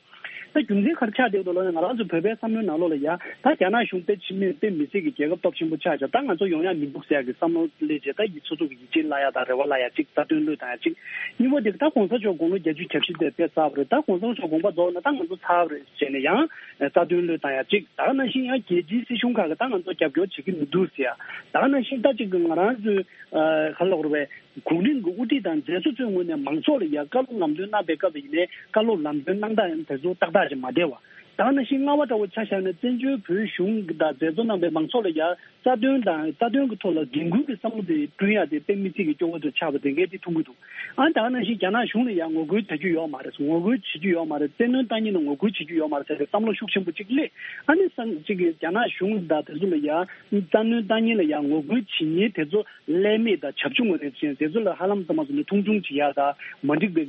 ད་རྒྱུ་མཚན་ག་རེ་ཆགས་བསྡད་འདུག་ལབ་ན་ང་རང་ཚོ་བོད་པའི་བསམ་བློའི་ནང་ལོགས་ལ་ཡ་ད་རྒྱ་ནག་གཞུང་དཔེ་ཕྱི་མི་དཔེ་མི་སྲིད་ཀྱི་རྒྱལ་ཁབ་སྟོབས་ཆེན་པོ་ཆགས་ཀྱང་ད་ང་ཚོ་ཡོང་ཡ་མི་འདུག་ཟེར་ཡ་གི་བསམ་བློ་སླེབས་རྗེས་ད་ཡིད་སོ་སོ་གི་ཡིད་ཆེས་བརླག་ཡ་དང་རེ་བ་བརླག་ཡ་གཅིག་རྩ་དོན་བློས་བཏང་ཡ་གཅིག་གཉིས་པ་དེ་ད་གོང་ས་མཆོག་དགུང་ལོ་བརྒྱད་ཅུ་གྱ་བཞི་དེ་དཔེ་ཚར་བ་རེད། ད་གོང་ས་མཆོག་དགོངས་པ་རྫོགས་ན་ད་ང་ཚོ་ཚར་བ་རེད་ཟེར་ནས་ཡང་རྩ་དོན་བློས་བཏང་ཡ་གཅིག་ད་ག་ནང་བཞིན་ཡང་རྒྱལ་སྤྱིའི་སྲིད་གཞུང་ཁག་གི་ད་ང་ཚོ་རྒྱབ་སྐྱོར་བྱེད་ཀྱི་མི་འདུག་ཟེར་ཡ། ད་ག་ནང་བཞིན་ད་གཅིག་གི་ང་རང་ཚོའི་ག་ལབ་དགོས་རེད་པས། གོང་རིམ་གྱི་དབུ་ཁྲིད་དང་མཛད་གཙོ་ཚོའི་ངོས་ནས་མང་ཚོགས་ལ་ཡ་བཀའ་སློབ་ལམ་སྟོན་གནང་པའི་སྐབས་ཡིན་ནའི་བཀའ་སློབ་ལམ་སྟོན་གནང་སྟངས་དེ་ཚོ་ཏག་ཏག་ཅིག་མ་བསྡད་པ། ད་ག་ནང་བཞིན་ལྔ་པ་འདྲ་བོ་ཆ་བཞག་ན་བཙན་བྱོལ་བོད་གཞུང་གི་དང་མཛད་གཙོ་རྣམ་པས་མང་ཚོགས་ལ་ཡ་རྩ་དོན་དང་རྩ་དོན་གྱི་ཐོག་ལ་འགན་འཁུར་གྱི་བསམ་བློ་དེ་བསྐྲུན་ཡ་དེ་དཔེ་མི་སྲིད་ཀྱི་སྐྱོ་བོ་དུ་ཆགས་པ་དེ་འགས་དེ་མཐོང་གི་འདུག་ཨ་ད་ག་ནང་བཞིན་རྒྱ་ནག་གཞུང་ལ་ཡང་ངོ་རྒོལ་བྱ་རྒྱུ་ཡོད་མ་རེད། ངོ་རྒོལ་བྱེད་རྒྱུ་ཡོད་མ་རེད། བཙན་གནོན་བཏང་མཁན་ལ་ངོ་རྒོལ་བྱེད་རྒྱུ་ཡོད་མ་རེད་ཟེར་ཏེ་བསམ་བློ་ཤུགས་ཆེན་པོ་གཅིག་སླེབས། ཨ་ནི་སང་གཅིག་གི་རྒྱ་ནག་གཞུང་དང་དེ་ཚོ་ལ་ཡང་རྩ་གནོན་བཏང་མཁན་ལ་ཡང་ངོ་རྒོལ་བྱེད་མཁན་དེ་ཚོ་ཀླད་མེད་དང་བྱབ་ཆུང་བ་རེད་ཅེས་དེ་ཚོ་ལ་ཧ་ལམ་ཙམ་མ་སོང་ནས་མཐོང་ཆུང་བྱེད་ཡ་དང་མ་འགྲིག་པའི་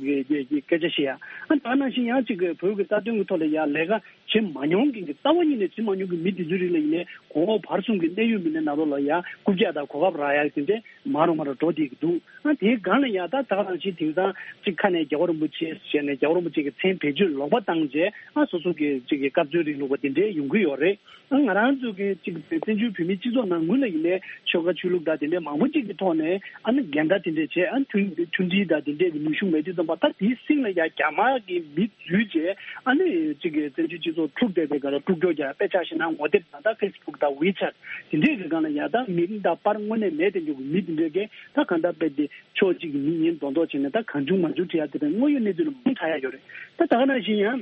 སྐད་ཆ་བཤད་ཡ། ཨ་ད་ག་ནང་བཞིན་ཡང་གཅིག་གི་བོད་ཀྱི་རྩ་དོན་གྱི་ཐོག་ལ་ཡང་ལས་ཀ་བྱེད་མ་མྱོང་མཁན་གྱི་རྩ་བ་ཉིད་ནས་བྱེད་མ་མྱོང་གི་མི་དེ་ཚོའི་རིགས་ལ་ཡིན་ནའི་གོང་འོག་བར་གསུམ་གྱི་གནད་ཡོད་མི་སྣའི་ནང་ལོགས་ལ་ཡང་རྐུབ་བཀྱག་དང་གོ་སྐབས་རག་ཡག་དེ་འདྲའི་མ་རུ་མ་རུ་འགྲོ་བསྡད་ཀྱི་འདུག་ཨ་དེའི་སྒང་ལ་ཡང་ད་ད་ག་རང་བཞིན་དེང་སང་གཅིག་ཁ་ནས་རྒྱལ་བ་རིན་པོ་ཆེ་ཟེར་ནས་རྒྱལ་བ་རིན་པོ་ཆེ་གི་མཚན་བེད་སྤྱོད་ལོག་པ་བཏང་རྗེས་ཨ་སོ་སོ་གི་གཅིག་གི་སྐབས་འཚོལ་རིང་ལུགས་པ་དེ་འདྲའི་ཡོང་གི་ཡོད་རེད། ཨ་ང་རང་ཚོ་གི་གཅིག་བཙན་བྱོལ་བོད་མིའི་སྤྱི་ཚོགས་ནང་ངོས་ལ་ཡིན་ནའི་ཆོལ་ཁ་ཆོས་ལུགས་དང་དེ་འདྲའི་མང་པོ་གཅིག་གི་ཐོག་ནས་ཨ་ནི་འགལ་ཟླ་དེ་འདྲས་བྱས་ཨ་མཐུན་མཐུན་སྒྲིལ་དང་དེ་འདྲས་ཀྱི་ནུས་ཤུགས་མེད་དུས་ཙམ་པ་ད་དེའི་སྟེང་ལ་ཡང་རྒྱ་དམར་གྱི་མི་འཛུལ་རྗེས་ཨ་ནི་གཅིག་གི་བཙན་བྱོལ་སྤྱི་ཚོགས་འཁྲུག་བསྡད་པའི་སྒང་ལ་དཀྲུག་ཀྱོག་རྒྱག་དཔེ་ཆ་བཞག་ན་ངོ་དེབ་དང་ད་ཕེ་སི་བུག་དང་ཝི་ཆེ་ཊི་དེ་འདྲས་ཀྱི་སྒང་ལ་ཡང་ད་མི་རིགས་དང་པར་དངོས་གནས་མེད་དེ་འཇོག་གི་མི་དེ་འདྲས་ཀྱིས་ད་གང་ལྟར་དཔེ་དེ་ཕྱོགས་གཅིག་གི་མི་ཉེན་རྡོག་རྡོག་བྱས་ནས་ད་གང་བྱུང་མང་བྱུང་བྲིས་ཡ་དེ་འདྲ་དངོས་ཡོད་གནས་ཚུལ་ལ་མང་དྲགས་ཡ་ཡོད་རེད། ད་ད་ག་ནང་བཞིན་ཡང་།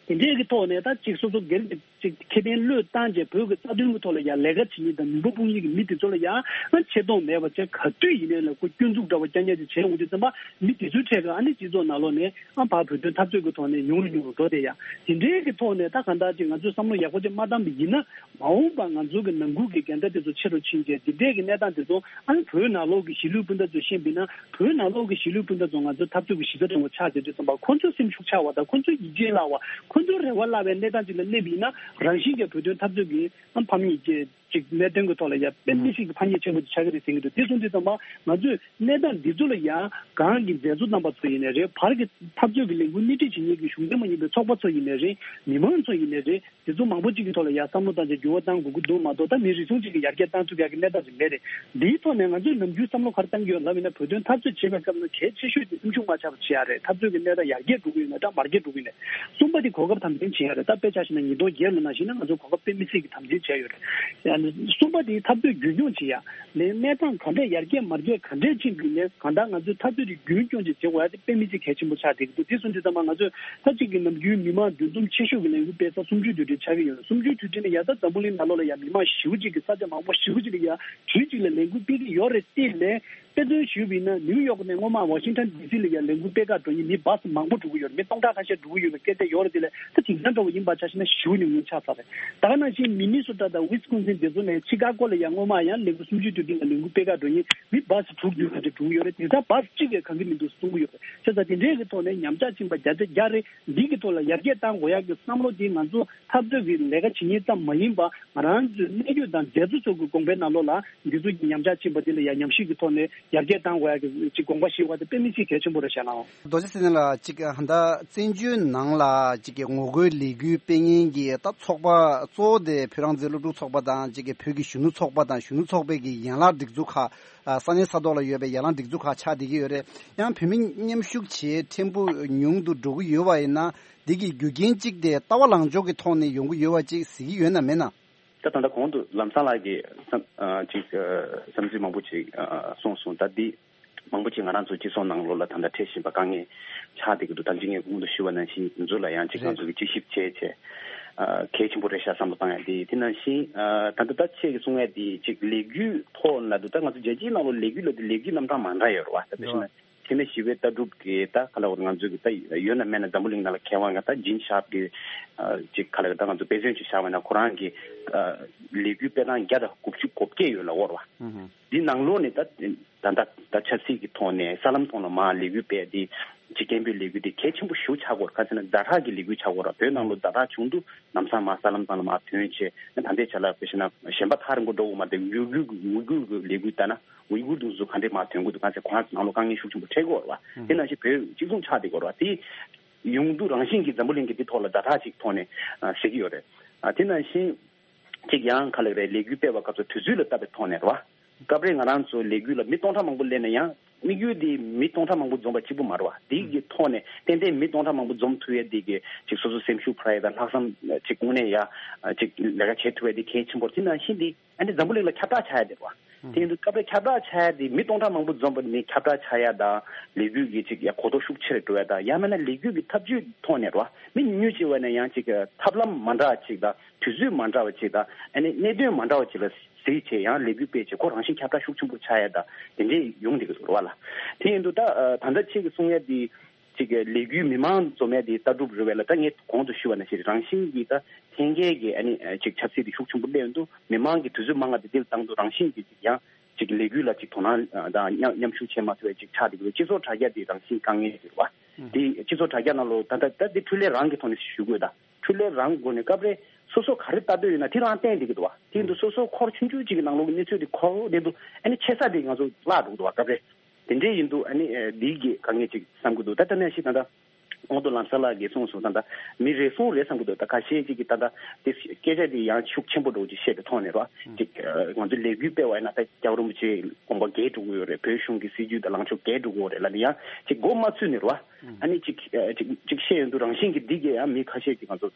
དེ་འདྲའི་གི་ཐོག་ནས་ད་ཅིག་སོ་སོ་སྒེར་གྱི་ཅིག་ཁེ་ཕན་བློས་བཏང་བྱས་བོད་ཀྱི་རྩ་དོན་གྱི་ཐོག་ལ་ཡང་ལས་ཀ་བྱེད་མཁན་དང་མི་འབོར་དཔུང་ཡིན་གྱི་མི་དེ་ཚོ་ལ་ཡང་ཨ་ཆེ་མཐོང་མེད་པ་བྱས་ག་དུས་ཡིན་ནའི་ལ་ཁོ་སྐྱོན་འཛུགས་འདྲ་བ་རྐྱང་རྐྱང་ཅིག་བྱས་འོང་དུས་ཙམ་པ་མི་དེ་ཚོའི་གྲས་ཀ་ཨ་ནི་སྤྱི་ཚོགས་ནང་ལོགས་ནས་ཨ་ཕར་བོད་དོན་འཐབ་རྩོད་ཀྱི་ཐོག་ནས་ཉུང་རུ་ཉུང་རུ་འགྲོ་བསྡད་ཡ། དེ་འདྲའི་གི་ཐོག་ནས་ད་གང་ལྟར་ཅིག་ང་ཚོས་བསམ་བློ་ཡག་པོ་ཅིག་མ་བཏང་བ་ཡིན་ན། མ་འོངས་པ་ང་ཚོ་གི་ནང་ཁུལ་གྱི་འགལ་ཟླ་དེ་ཚོ་ཆེ་རུ་ཕྱིན་རྗེས་འདི་འདྲས་ཀྱི་གནས་སྟངས་དེ་ཚོ་ཨ་ནི་བོད་ནང་ལོགས་ཀྱི་གཞིས་ལུས་སྤུན་ཟླ་ཚོ་ཤེས་པ་ཡིན་ན་བོད་ནང་ལོགས་ཀྱི་གཞིས་ལུས་སྤུན་ཟླ་ཚོ་ང་ཚོ་འཐབ་རྩོད་ཀྱི་གཞི་རྩ་འདྲ་བོ་ཆགས་བསྡད་དུས་ཙམ་པ་ཁོ་ཚོའི་སེམས་ཤུགས་ཆག་པ་དང་ཁོ་ཚོའི་ཡིད་ཆེས་བརླག་པ་ཁོ་ཚོའི་རེ་བ་བརླག་པའི་གནས་སྟངས་ཅིག་ལ་སླེབས་ཡིན་ན་རང་བཞིན་གྱིས་བོད་དོན་འཐབ་རྩོད་ཀྱི་ཨ་ཕམ་ཉེས་ཀྱི་ཅིག་གནད་དོན་གྱི་ཐོག་ལ་ཡ་དཔེ་མི་སྲིད་ཀྱི་ཕམ་ཉེས་ཆེན་པོ་ཅིག་ཆགས་ཀྱི་རེད་ཟེར་གྱི་འདུག་དེ་སོང་དུས་ཙམ་པ་ང་ཚོས་གནས་སྟངས་འདི་ཚོ་ལ་ཡ་གང་གི་མཛད་གཙོ་རྣམ་པ་ཚོ་ཡིན་ནའི་རེད། བར་གྱི་འཐབ་རྩོད་ཀྱི་ལས་འགུལ་སྣེ་ཁྲིད་བྱེད་མཁན་གྱི་གཞུང་འབྲེལ་མ་ཡིན་པའི་ཚོགས་པ་ཚོ་ཡིན་ནའི་རེད། མི་མང་ཚོ་ཡིན་ནའི་རེད། དེ་ཚོ་མང་པོ་གཅིག་གི་ཐོག་ལ་ཡ་བསམ་བློ་བཏང་བྱས་འགྱུར་བ་གཏང་དགོས་ཀྱི་འདུག་མ་གཏོགས་ད་མི་རེ་ཟུང་གཅིག་གིས་ཡར་རྒྱས་གཏང་ཐུབ་ཡག་གི་གནས་སྟངས་ཅིག་མེད་རེད། འདིའི་ཐོག་ནས་ང་ཚོས་ནམ་རྒྱུན་བསམ་བློ་ག་རེ་གཏང་གི་ཡོད་ལབ་ཡིན་ན་བོད་དོན་འཐབ་རྩོད་བྱེད་པའི་སྐབས་ལ་གལ་ཆེ་ཤོས་དེ་སེམས་ཤུགས་མ་ཆག་པ་བྱེད་ཡག་རེད། འཐབ་རྩོད་ཀྱི་གནས་སྟངས་ཡར་རྒྱས་འགྲོ་གི་ཡོད་ན་འདྲ་མར་རྒྱས་འགྲོ་གི་ཡོད་ན། གསུམ་པ་དེ་གོ་སྐབས་དམ་འཛིན་བྱེད་ཡག་རེད། ད་དཔེ་ཆ་བཞག་ན་ཉིས་སྟོང་བརྒྱད་ལོ་ནང་བཞིན་ན་ང་ཚོ་གོ་སྐབས་དཔེ་མི་སྲིད་ཀྱི་དམ་འཛིན་བྱས་ཡོད་རེད། ཡང་ན་གསུམ་པ་དེ་འཐབ་རྩོད་རྒྱུན་སྐྱོང་བྱེད་ཡག་ལས་གནས་སྟངས་ག་འདྲས་ཡར་རྒྱས་མར་རྒྱས་ག་འདྲས་ཕྱིན་པ་ཡིན་ནའི་གང་ལྟར་ང་ཚོས་འཐབ་རྩོད་དེ་རྒྱུན་སྐྱོང་བྱེད་བྱེད་དགོས་ཡག་དེ་དཔེ་མི་སྲིད་གལ་ཆེན་པོ་ཆགས་བསྡད་ཀྱི་འདུག་དེ་སོང་དུས་ཙམ་པ་ང་ཚོས་ད་གཅིག་གི་ནམ་རྒྱུན་མི་མང་འདུ་འཛོམས་ཆེ་ཤོས་ཀྱི་ལས་འགུལ་སྤེལ་ས་གསུམ་བཅུའི་དུས་དྲན་ཆགས་ཀྱི་ཡོད་རེད། གསུམ་བཅུའི་དུས་དྲན་ནས་ཡར་ད་འཛམ་བུ་གླིང་ནང་ལོགས་ལ་ཡང་མི་མང་ཞེ་པོ་ཅིག་གིས་ས་ཆ་མང་པོ་ཞེ་པོ་ཅིག་ལ་ཡང་དུས་གཅིག་ལ་ལས་འགུལ་སྤེལ་གྱི་ཡོད་རེད་དེ་ལས། དཔེ་མཚོན་ཞུས་པ་ཡིན་ན་ནིའུ་ཡོག་ནས་སྔོན་མ་ཝ་ཤིང་ཊོན་ཌི་སི་ལ་ཡང་ལས་འགུལ་སྤེལ་ག་འགྲོ་མཁན་མི་བྷ་སི་མང་པོ་འགྲོ་གི་ཡོད་རེད། མི་སྟོང་ཕྲག་ཁ་ཤས་འགྲོ་གི་ཡོད་པའི་སྐད་ཆ་ཡོད་རེད། དེ་ལས་ད་དེང་སང་འདྲ་བོ་ཡིན་པ་ཆ་བཞག་ན་ཞེ་པོ་ཉུང་ཉུང་ཆགས་ཚར་རེད། ད་ག་ནང་བཞིན་མི་ནི་སོ་ཊ་དང་ཝི་སི་ཀོན་སིན་དེ་ཚོ་ནས་ཆི་ཀ་གོ་ལ་ཡང་སྔོན་མ་ཡང་ལས་འགུལ་གསུམ་བཅུའི་དུས་དྲན་ལ་ལས་འགུལ་སྤེལ་ག་འགྲོ་མཁན་མི་བྷ་སི་དྲུག་བདུན་ལྔ་དེ་འགྲོ་གི་ཡོད་རེད། དེང་སང་བྷ་སི་གཅིག་ལས་གང་གི་མི་འདུག་གསུང་གི་ཡོད་རེད། བྱས་ཙང་དེ་འདྲའི་གི་ཐོག་ནས་ཉམས་ཆག་ཕྱིན་པ་བརྒྱ་ཆ་བརྒྱ་རེད། འདི་གི་ཐོག་ལ་ཡར་རྒྱས་གཏང་དགོས་ཡག་གི་བསམ་བློ་དེ་ང་ཚོ་འཐབ་རྩོད་ཀྱི་ལས་ཀ་བྱེད་མཁན་ཙམ་མ་ཡིན་པ་ང་རང་ཚོའི་གནད་ཡོད་དང་མཛད་གཙོ་ཚོ་གི་དགོངས་པའི་ནང་ལོགས་ལ་འདི་ཚོ་གི་ཉམས་ཆག་ཕྱིན་པ་དེ་ལ་ཡང་ཉམས་ཞིབ་ཀྱི་ཐོག་ནས་ཡར་རྒྱས་གཏང་དགོས་ཡག་གི་ཅིག་དགོངས་པ་བཞེས་པ་དེ་དཔེ་མི་སྲིད་གལ་ཆེན་པོ་རེད་བྱས་ན། རྡོ་རྗེ་ཚེ་བརྟན་ལགས་ཅིག་ཧ་ད་བཙན་བྱོལ་ནང་ལ་ཅིག་གི་ངོ་རྒོལ་ལས་འགུལ་སྤེལ་མཁན་གྱི་ད་ཚོགས་པ་གཙོ་བོ་དེ་བོད་རང་བཙན་སློབ་ཕྲུག་ཚོགས་པ་དང་ཅིག་གི་བོད་ཀྱི་གཞོན་ནུ་ཚོགས་པ་དང་གཞོན་ནུ་ཚོགས་པའི་གི་ཡན་ལག་སྒྲིག་འཛུགས་ཁག་ས་གནས་ས་ཐོག་ལ་ཡོད་པའི་ཡན་ལག་སྒྲིག་འཛུགས་ཁག་ཆགས་བསྡད་ཀྱི་ཡོད་རེད། ཡང་བོད་མི་མཉམ་ཞུགས་བྱེད་ཕྲན་བུ་ཉུང་དུ་འགྲོ་གི་ཡོད་པ་ཡིན་ན། འདི་གི་རྒྱུ་རྐྱེན་གཅིག་དེ་ལྟ་བ་ལངས་ཕྱོགས་ཀྱི་ཐོག་ནས་ཡོང་གི་ཡོད་པ་ཅིག་གཟིགས་ཀྱི་ཡོད་ན་མེད་ན། ད་ད་ལྟ་གོང་དུ་ལམ་སང་ལགས་ཀྱིས་བསམ་ཨ་ཅིག་ཨ་བསམ་ཚུལ་མང་པོ་ཅིག་ཨ་གསུངས་སོང་། ད་འདི་མང་པོ་ཅིག་ང་རང་ཚོ་སྤྱི་ཚོགས་ནང་ལོགས་ལ་ད་ལྟ་འཕྲད་བཞིན་པ་དཀའ་ངལ་ཆགས་བསྡད་ཀྱི་འདུག་ད་ཅི་ངས་གོང་དུ་ཞུས་པ་ནང་བཞིན་དེ་ཚོ་ལ་ཡང་ཅིག་ང་ཚོ་གིས་དཔྱད་ཞིབ་བྱས་བྱས་ཨ་གལ་ཆེན་པོ་རེད་ཤག་བསམ་བློ་བཏང་ཡ་དེ། དེ་ནང་བཞིན་ཨ་ད་ལྟ་ད་ཁྱེད་ཀྱིས་གསུང་ཡ་དེ་ཅིག་ལས་འགུལ་ཐོག་ལ་འདུག་ད་ང་ཚོ་རྒྱལ་སྤྱིའི་ནང་ལོགས་ལས་འགུལ་ལབ་དུས་ལས་འགུལ་རྣམ་གྲངས་མ་འདྲ་ཡོད་རེད་བ། ད་དཔེ་བཞག་ན། དེ་ནས་ཞི་བའི་ལྟ་གྲུབ་ཀྱི་ད་ག་ལ་བར་ང་ཚོའི་གི་ད་ཡོད་ན་མེད་ན་འཛམ་བུ་གླིང་ནང་ལ་མཁས་དབང་གི་ད་ཇིན་ཤར་པ་གི་ཅིག་ག་ལ་གི་ད་ང་ཚོ་དཔེ་མཚོན་ཅིག་བཞག་པ་ན་ཁོ་རང་གི་ལས་འགུལ་སྤེལ་སྟངས་བརྒྱ་དང་དགུ་བཅུ་གོ་བརྒྱད་ཡོད་ལབ་ཡོད་རེད་བ། འདི་ནང་ལོགས་ནས་ད་ད་ད་ད་ཆབ་སྲིད་ཀྱི་ཐོག་ནས་གསར་ལམ་ཐོག་ལ་མར་ལས་འགུལ་སྤེལ་དེ་ཅིག་སྐད་འབོད་ལས་འགུལ་དེ་གལ་ཆེན་པོ་ཞེ་པོ་ཆགས་ཀྱི་ཡོད་རེད། ག་ཟེར་ན་ཛ་དྲག་གི་ལས་འགུལ་ཆགས་ཀྱི་ཡོད་རེད། བོད་ནང་ལོགས་ཛ་དྲག་བྱུང་དུས་ལམ་སང་མར་གསར་ལམ་ཐོག་ལ་མར་ཐོན་བྱས་ད་ལྟའི་ཆ་ལ་དཔེ་བཞག་ན་གཞན་པ་ཐག་རིང་པོ་འགྲོ་དགོས་མ་རེད། ཡུ་གུར་གི་ཡུ་གུར་གི་ལས་འགུལ་ལྟ་ན། ཝི་གུར་དེ་ཚོ་ག་འདྲས་མར་ཐོན་གྱི་འདུག་ག་ཟེར་ཁོ་རང་ཚོ་ནང་ལོགས་དཀའ་ངལ་ཤུགས་ཆེན་པོ་འཕྲད་ཀྱི་ཡོད་རེད་བ། དེ་ནང་བཞིན་བོད་གཅིག་མཚུངས་ཆགས་བསྡད་ཀྱི་ཡོད་རེད་བ། དེ་ཡོང་དུས་རང་བཞིན་གྱིས་འཛམ་བུ་གླིང་གི་འདི་ཐོག་ལ་ཛ་དྲག་ཅིག་ཐོག་ནས་ཨ་ཟེར་གྱི་ཡོད་རེད། ཨ་དེ་ནང་བཞིན་གཅིག་ཡང་ག་ལ་རེད། ལས་འགུལ་སྤེལ་བའི་སྐབས་སུ་དུས་ཚོད་ལ་བལྟས་པའི་ཐོག་ནས་རེད་བ། སྐབས་རེ་ང་རང་ཚོ་ལས་འགུལ་ལ་མི་སྟོང་ཕྲག་མང་པོ་སླེབས་ན་ཡང་དམིགས་ཡུལ་དེ་མི་སྟོང་ཕྲག་མང་པོ་འཛོམས་པ་གཅིག་པུ་མ་རེད་བ། དེ་གི་ཐོག་ནས་ཏན་ཏན་མི་སྟོང་ཕྲག་མང་པོ་འཛོམས་ཐུབ་ཡས་དེ་གི་ཅིག་སོ་སོ་སེམས་ཤུགས་འཕར་ཡས་དང་ལྷག་བསམ་ཅིག་དངོས་གནས་ཡ་ཅིག་ལས་ཀ་བྱེད་ཐུབ་ཡས་དེ་གལ་ཆེན་པོ་རེད། དེ་ནང་བཞིན་དེ། ཨ་ནི་འཛམ་བུ་གླིང་ལ་ཁྱབ་བསྒྲགས་ཆགས་ཡ་དེ་རེད་བ། དེ་ཡིན་དུས་སྐབས་རེ་ཁྱབ་བསྒྲགས་ཆགས་ཡ་དེ་མི་སྟོང་ཕྲག་མང་པོ་འཛོམས་པ་ནི་ཁྱབ་བསྒྲགས་ཆགས་ཡ་དང་ལས་འགུལ་གྱི་ཅིག་ཡ་གོ་རྟོགས་ཤུགས་ཆེ་རུ་འགྲོ་ཡ་དང་ཡང་མིན་ན་ལས་འགུལ་གྱི་ཐབས་ཇུས་ཐོག་ནས་རེད་བ། མི་ཉུང་ཉུང་ཅིག་བས་ན་ཡང་ཅིག་ཐབས་ལམ་མ་འདྲ་བ་ཅིག་དང་དུས་ཚོད་མ་འདྲ་བ་ཅིག་དང་ཨ་ནི་གནད་དོན་མ་འདྲ་བ་ཅིག་ལ་གཟིགས་བྱས་ཡང་ལས་འགུལ་སྤེལ་བྱས་ཁོ་རང་བཞིན་ཁྱབ་བསྒྲགས་ཤུགས་ཆེན་པོ་ཆགས་ཡ་དང་དེ་འདྲས་ཡོང་བསྡད་ཀྱི་འདུག་རེད་བ་ལ། དེ་ཡིན་དུས་ད་ད་ལྟ་ཁྱེད་ཀྱིས་གསུང་ཡ་དེ། ཅིག་ལས་འགུལ་མི་མང་འཛོམས་ཡ་དེ་ལྟ་གྲུབ་རེད་བས་ལ། ད་ངས་གོང་དུ་ཞུས་པ་ནང་བཞིན་རང་བཞིན་གྱིས་ད་འཐེན་འཁྱེར་གྱི་ཨ་ནི་ཅིག་ཆབ་སྲིད་དེ་ཤུགས་ཆེན་པོ་སླེབས་འདུག་མི་མང་གི་དུས་ཚོད་མང་བ་དེ་འདིར་བཏང་འདུག་རང་བཞིན་གྱིས་ཅིག་ཡང་ཅིག་ལས་འགུལ་ལ་ཅིག་དོ་སྣང་དང་མཉམ་མཉམ་ཞུགས་བྱེད་མ་ཐུབ་པའི་ཅིག་ཆགས་འདུག་སྤྱི་ཚོགས་དྲ་རྒྱ་དེ་རང་བཞིན་དཀའ་ངལ་ཡོད་རེད་བ། དེ་སྤྱི་ཚོགས་དྲ་རྒྱ་ནང་ལོ་ད་ལྟ་ད་དེ་འཕྲུལ་ལས་རང་གི་ཐོག་ནས་ཞུ་དགོས་ད། འཕྲུལ་ལས་རང་སྒོ་ནས་སྐབས་རེ་སོ་སོ་ག་རེ་ལྟ་འདོད་ཡོད་ན་དེ་རང་བསྟན་བསྡད་ཀྱི་འདུག་བ། དེ་འདུག་སོ་སོ་འཁོར་ཆུང་ཆུང་ཅིག་གི་ནང་ལོགས་ཀྱི་གནས་ཚུལ་དེ་འཁོར་བསྡད་འདུག་ཨ་ནི་ཆེ་ས་དེ་ང་ཚོ་བརླག་འགྲོ་གི་འདུག་བ། སྐབས་རེ་དེ་འདྲས་ཡིན་འདུག་ཨ་ནི་ཨེ་འདི་གི་དཀའ་ངལ་ཅིག་བསམ་གྱི་འདུག་ད་ལྟ་ནས་ཤི་ད་ལྟ་ཨོང་དུ་ལམ་ས་ལགས་ཀྱིས་གསུངས་སོང་། ད་ལྟ་མི་རེ་ཟུང་རེད་བསམ་གྱི་འདུག་ད་ཁ་ཤས་ཅིག་གིས་ད་ལྟ་དེ་སྐད་ཆ་དེ་ཡང་ཤུགས་ཆེན་པོ་འགྲོ་ཅིག་བཤད་པའི་ཐོག་ནས་རོ། ཅིག་ང་ཚོ་ལས་འགུལ་སྤེལ་བ་ཡིན་ན་ད་རྒྱལ་བ་རིན་པོ་ཆེ་དགོངས་པ་འགལ་འགྲོ་གི་ཡོད་རེད། བོད་གཞུང་གི་སྲིད་ཇུས་དང་ལངས་ཕྱོགས་འགལ་འགྲོ་གི་ཡོད་རེད་ལབ་ནས་ཡང་ཅིག་མགོ་མ་ཚོས་ནས་རོ། ཨ་ནི་ཅིག་ཅིག་ཅིག་བཤད་ཡོང་དུས་རང་བཞིན་གྱི་འདི་གས་ཡང་མི་ཁ་ཤས་ཀྱིས་ང་ཚོ་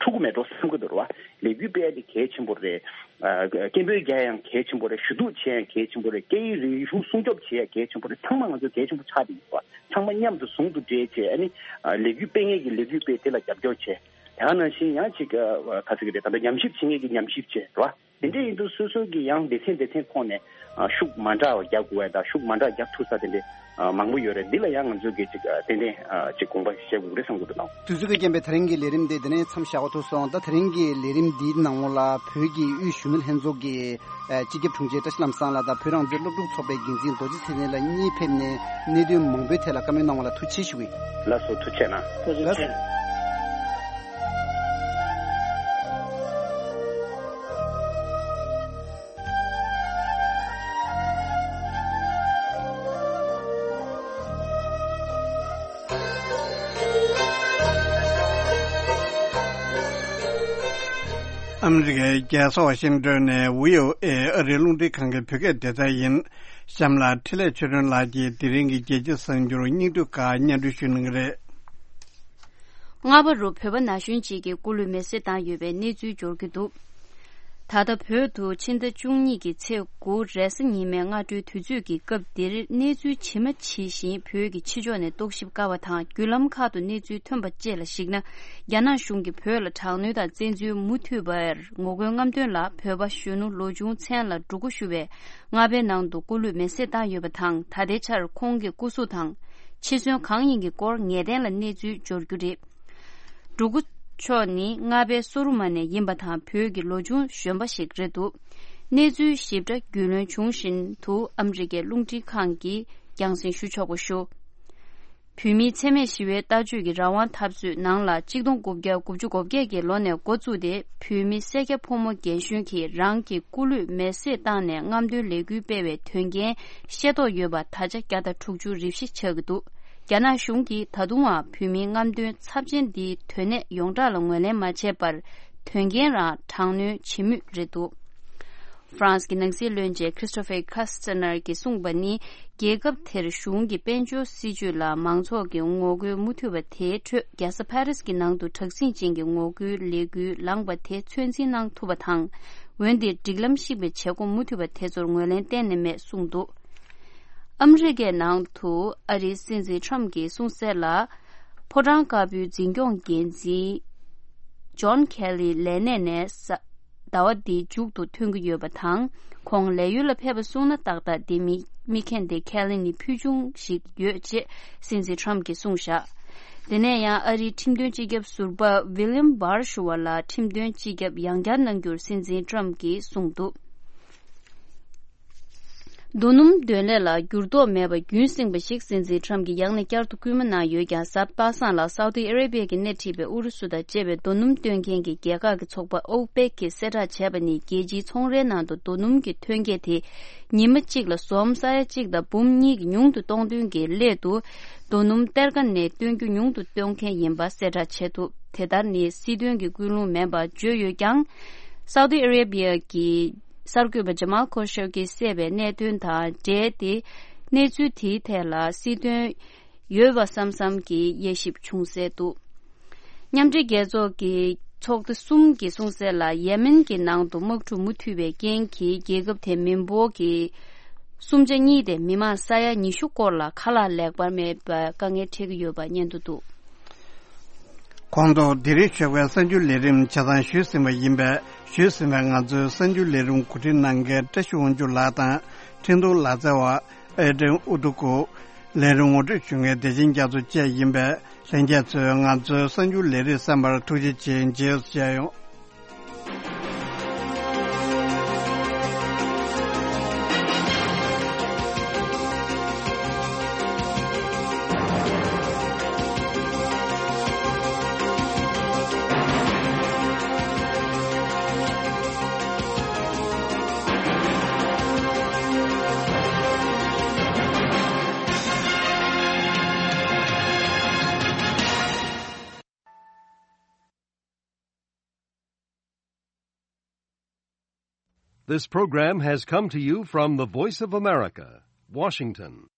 འཁྲུག་གི་མེད་འགྲོ་བསམ་གྱི་འདུག་རེད་བ། ལས་འགུལ་སྤེལ་ཡ་དེ་གལ་ཆེན་པོ་རེད། ཨ་སྐད་འབོད་རྒྱག་ཡ་ཡང་གལ་ཆེན་པོ་རེད། ཞུ་གཏུག་བྱེད་ཡ་ཡང་གལ་ཆེན་པོ་རེད། སྐད་ཡིག་རིག་གཞུང་སྲུང་སྐྱོབ་བྱེད་ཡ་གལ་ཆེན་པོ་རེད། ཚང་མ་ང་ཚོ་གལ་ཆེན་པོ་ཆགས་བསྡད་ཡོད་པ། ཚང་མ་མཉམ་དུ་ཟུང་དུ་འབྲེལ་བྱས་ཨ་ནི་ཨ་ལས་འགུལ་སྤེལ་མཁན་གྱིས་ལས་འགུལ་སྤེལ་དེ་ལ་རྒྱབ་སྐྱོར་བྱས། དེ་ནང་བཞིན་ཡང་ཅིག་ཨ་ག་ཟེར་གྱི་རེད། ད་ལྟ་ཉམས་ཞིབ་བྱེད་མཁན་གྱིས་ཉམས་ཞིབ་བྱས་རེད་བ། དེ་འདྲ་ཡིན་དུས་སོ་སོ་གི་ཡང་སྡེ་ཚན་སྡེ་ཚན་ཐོག་ནས་ཨ་ཤུགས་མ་འདྲ་བ་རྒྱག་དགོས་པ་དང་ཤུགས་མ་འདྲ་རྒྱག་ཐུབ་ས་དེ་འདྲ་ཨ་མང་པོ་ཡོད་རེད། འདི་ལ་ཡང་ང་ཚོས་གི་ཅིག་ཨ་ཏན་ཏན་ཨ་ཅིག་དགོངས་པ་བཞེས་དགོས་རེད་བསམ་གྱི་འདུག་ལགས། དུས་ཚོད་ཀྱི་རྐྱེན་པས་ད་རིང་གི་ལས་རིམ་འདི་འདི་ནས་མཚམས་བཞག་པ་ཐུག་སོང་། ད་ད་རིང་གི་ལས་རིམ་འདིའི་ནང་ལོགས་ལ་བོད་ཀྱི་དབུས་གཞོན་ནུ་ལྷན་ཚོགས་ཀྱི་ཨ་སྤྱི་ཁྱབ་དྲུང་ཆེ་བཀྲ་ཤིས་ལྷ་མོ་བཟང་ལགས་དང་བོད་རང་བཙན་སློབ་ཕྲུག་ཚོགས་པའི་འགན་འཛིན་རྡོ་རྗེ་ཚེ་བརྟན་ལགས་གཉིས་ཕེབས་ནས་གནད་དོན་མང་པོའི་ཐད་ལ་བཀའ་མོལ་གནང་བ་ལ་ཐུགས་རྗེ་ཆེ་ཞུ་གི་ཡིན། ལགས་སོ། ཐུགས་རྗེ་གནང་། ཐུགས་རྗེ་ཆེ། ཨ་མི་རི་ཀའི་རྒྱལ་ས་ཝ་ཤིང་ཏོན་ནས་བྷི་ཨོ་ཨེ་ཨ་རིའི་རླུང་འཕྲིན་ཁང་གི་བོད་སྐད་སྡེ་ཚན་ཡིན། གཤམ་ལ་འཕྲིན་ལས་ཆོས་སྒྲོན་ལགས་ཀྱིས་དེ་རིང་གི་རྒྱལ་སྤྱིའི་གསར་འགྱུར་སྙིང་བསྡུས་ཁག་སྙན་སྒྲོན་ཞུ་གནང་གི་རེད། སྔ་བར་རུ་བོད་པ་ན་གཞོན་གཅིག་གིས་སྐུ་ལུས་མེར་སྲེག་བཏང་ཡོད་པའི་གནས་ཚུལ་འབྱོར་གྱི་འདུག་ད་ལྟ་བོད་དུ་ཕྱི་ཟླ་བཅུ་གཉིས་ཀྱི་ཚེས་དགུ་རེས་གཟའ་ཉི་མའི་སྔ་དྲོའི་དུས་ཚོད་ཀྱི་སྐབས་འདིར་གནས་ཚུལ་ཇི་མ་ཇི་བཞིན་བོད་ཀྱི་ཕྱི་ཕྱོགས་ནས་རྟོག་ཞིབ་དཀའ་བ་དང་བརྒྱུད་ལམ་ཁག་ཏུ་གནས་ཚུལ་ཐོན་པ་བཅས་ལ་གཞིགས་ན། རྒྱ་ནག་གཞུང་གིས་བོད་ལ་དྲག་གནོན་དང་བཙན་འཛུལ་མུ་མཐུད་པར་ངོ་རྒོལ་རྔམ་སྟོན་ལ་བོད་པ་གཞོན་ནུ་ལོ་ཆུང་མཚན་ལ་འབྲུ་གུ་ཞུ་བའི་རྔ་པའི་ནང་དུ་སྐུ་ལུས་མེར་སྲེག་བཏང་ཡོད་པ་དང་། ད་ལྟའི་ཆར་ཁོང་གི་སྐུ་གཟུགས་དང་འཆི་གསོན་གང་ཡིན་གྱི་སྐོར་ངེས་གཏན་ལ་གནས་ཚུལ་འབྱོར་རྒྱུ་རེད། འབྲུ་གུ་མཆོག་ནི་རྔ་པའི་སོ་རུ་མ་ནས་ཡིན་པ་དང་། བོད་ཀྱི་ལོ་ཆུང་གཞོན་པ་ཞིག་རེད་འདུག་གནས་ཚུལ་ཞིབ་ཕྲ་རྒྱུས་ལོན་བྱུང་བཞིན་དུ་ཨ་མི་རི་ཀའི་རླུང་འཕྲིན་ཁང་གིས་རྒྱང་སྲིང་ཞུ་ཆོག་པ་ཞུ། བོད་མིའི་འཚེ་མེད་ཞི་བའི་ལྟ་སྤྱོད་ཀྱི་རང་དབང་འཐབ་རྩོད་ནང་ལ་གཅིག་སྟོང་དགུ་བརྒྱ་དགུ་བཅུ་གོ་བརྒྱད་ཀྱི་ལོ་ནས་འགོ་བཙུགས་ཏེ། བོད་མི་སེར་སྐྱ་ཕོ་མོ་རྒན་གཞོན་གྱིས་རང་གི་སྐུ་ལུས་མེར་སྲེག་བཏང་ནས་རྔམ་སྟོན་ལས་འགུལ་སྤེལ་བའི་དོན་རྐྱེན་ཤེས་རྟོགས་ཡོད་པ་ད་ཆ་བརྒྱ་དང་དྲུག་ཅུ་རེ་བཞི་ཆགས་ཀྱི་འདུག་རྒྱ་ནག་གཞུང་གིས་ད་དུང་ཡང་བོད་མིའི་རྔམ་སྟོན་ཚབས་ཆེན་འདིའི་དོན་གནད་ཡོངས་གྲགས་ལ་ངོས་ལེན་མ་བྱས་པར། དོན་རྐྱེན་རང་དྲག་གནོན་བྱེད་མུས་རེད་འདུག་ཧྥ་རན་སི་གི་ནང་སྲིད་བློན་ཆེན་ཁྲི་སྟོ་ཕེ་ཁ་སི་ཏི་ནར་གྱིས་གསུངས་པ་ནི། རྒྱལ་ཁབ་དེར་གཞུང་གི་དཔལ་འབྱོར་སྲིད་ཇུས་ལ་མང་ཚོགས་ཀྱི་ངོ་རྒོལ་མུ་མཐུད་པ་དེའི་ཁྲོད། རྒྱལ་ས་ཕ་རི་སི་གི་ནང་དུ་དྲག་ཟིང་ཅན་གྱི་ངོ་རྒོལ་ལས་འགུལ་ལངས་པ་དེ་ཚོད་འཛིན་གནང་ཐུབ་པ་དང་། འོན་ཏེ་སྒྲིག་ལམ་བཤིག་པའི་བྱེད་སྒོ་མུ་མཐུད་པ་དེ་ཚོར་ངོས་ལེན་གཏན་ནས་མེད་གསུངས་འདུག་ཨ་མི་རི་ཀའི་ནང་དུ་ཨ་རིའི་སྲིད་འཛིན་ཁྲམ་གྱིས་གསུངས་གསལ་ལ། ཕོ་བྲང་དཀར་པོའི་འཛིན་སྐྱོང་འགན་འཛིན་ཇོན་ཁེ་ལི་ལས་གནས་ནས་ཟླ་བ་འདིའི་མཇུག་ཏུ་ཐོན་གྱི་ཡོད་པ་དང་། ཁོང་ལས་ཡུལ་ལ་ཕེབས་པ་སོང་ན་ཏག་ཏག་འདི་མི་མི་ཁེན་ཏེ་ཁེ་ལི་ནི་ཕུལ་བྱུང་ཞིག་ཡོད་ཅེས་སྲིད་འཛིན་ཁྲམ་གྱིས་གསུངས་བཞག་དེ་ནས་ཡང་ཨ་རིའི་ཁྲིམས་དོན་སྤྱི་ཁྱབ་ཟུར་པ་ཝི་ལི་ཡམ་བྷར་ཞུ་བ་ལ་ཁྲིམས་དོན་སྤྱི་ཁྱབ་ཡང་བསྐྱར་གནང་རྒྱུར་སྲིད་འཛིན་ཁྲམ་གྱིས་གསུངས་འདུག་རྡོ་སྣུམ་འདོན་ལས་ལ་འགྱུར་ལྡོག་མེད་པ་རྒྱུན་བསྲིངས་པ་ཞིག་སྲིད་འཛིན་ཁྲམ་གྱིས་ཡང་ནས་བསྐྱར་དུ་སྐུལ་མ་གནང་ཡོད་ཀྱང་། གཟའ་པ་སངས་ལ་སའུ་ཏི་ཨ་རེ་བྷི་ཡ་གིས་སྣེ་ཁྲིད་པའི་ཨུ་རུ་སུ་དང་བཅས་པའི་རྡོ་སྣུམ་སྟོན་མཁན་གྱི་རྒྱལ་ཁག་གི་ཚོགས་པ་ཨོ་པེག་གིས་གསལ་བསྒྲགས་བྱས་པ་ནི། རྒྱལ་སྤྱིའི་ཚོང་རའི་ནང་དུ་རྡོ་སྣུམ་གྱི་ཐོན་སྐྱེད་དེ་ཉི་མ་གཅིག་ལ་ཟོམ་ས་ཡ་གཅིག་དང་འབུམ་གཉིས་ཀྱིས་ཉུང་དུ་གཏོང་དོན་གྱི་སླད་དུ། རྡོ་སྣུམ་གཏེར་ཁ་ནས་བཏོན་རྒྱུ་ཉུང་དུ་གཏོང་མཁན་ཡིན་པ་གསལ་བསྒྲགས་བྱས་འདུག་དེ་ལྟར་ནི་སྲིད་དོན་གྱི་ཀུན་སློང་མིན་པ་བརྗོད་ཡོད་ཀྱང་། སའུ་ཏི་ཨ་རེ་བྷི་ཡ་གི་གསར་འགོད་པ་ཇ་མལ་ཁོ་ཤོ་གིས་གསལ་བའི་གནད་དོན་དང་འབྲེལ་ཏེ། གནས་ཚུལ་དེའི་ཐད་ལ་སྲིད་དོན་ཡོད་པ་བསམ་བསམ་གྱི་དབྱེ་ཞིབ་བྱུང་གསལ་འདུག་མཉམ་འབྲེལ་རྒྱལ་ཚོགས་ཀྱི་ཚོགས་སྡེ་གསུམ་གྱིས་གསུངས་གསལ་ལ། ཡེ་མེན་གྱི་ནང་དུ་དམག་འཁྲུག་མུ་མཐུད་པའི་རྐྱེན་གྱིས་རྒྱལ་ཁབ་དེའི་མི་འབོར་གྱི་སུམ་ཆ་གཉིས་དེ་མི་མང་ས་ཡ་ཉི་ཤུ་སྐོར་ལ་ཁ་ལག་ལེགས་པར་མེད་པའི་དཀའ་ངལ་འཕྲད་ཀྱི་ཡོད་པ་སྙན་ཐོ་འདུག་གོང་དུ་དེ་རིང་ཞོགས་པའི་གསར་འགྱུར་ལས་རིམ་ཆ་ཚང་ཞུས་ཟིན་པ་ཡིན་པས། ཞུས་ཟིན་པའི་ང་ཚོའི་གསར་འགྱུར་ལས་རིམ་གོ་སྒྲིག་གནང་མཁན་བཀྲ་ཤིས་དབང་ཕྱུག་ལགས་དང་། འཕྲིན་གཏོང་ལག་རྩལ་བ་ཨེ་ཏྲེན་ཨུ་ཏུ་ཀུ། ལས་རིམ་ངོ་སྤྲོད་ཞུ་མཁན་བདེ་ཆེན་རྒྱ་མཚོ་བཅས་ཡིན་པས། ལྷན་རྒྱས་ཚོས་ང་ཚོའི་གསར་འགྱུར་ལས་རིམ་གསན་པར་ཐུགས་རྗེ་ཆེ། མཇལ་བྱས་ཡོང་། This program has come to you from the Voice of America, Washington.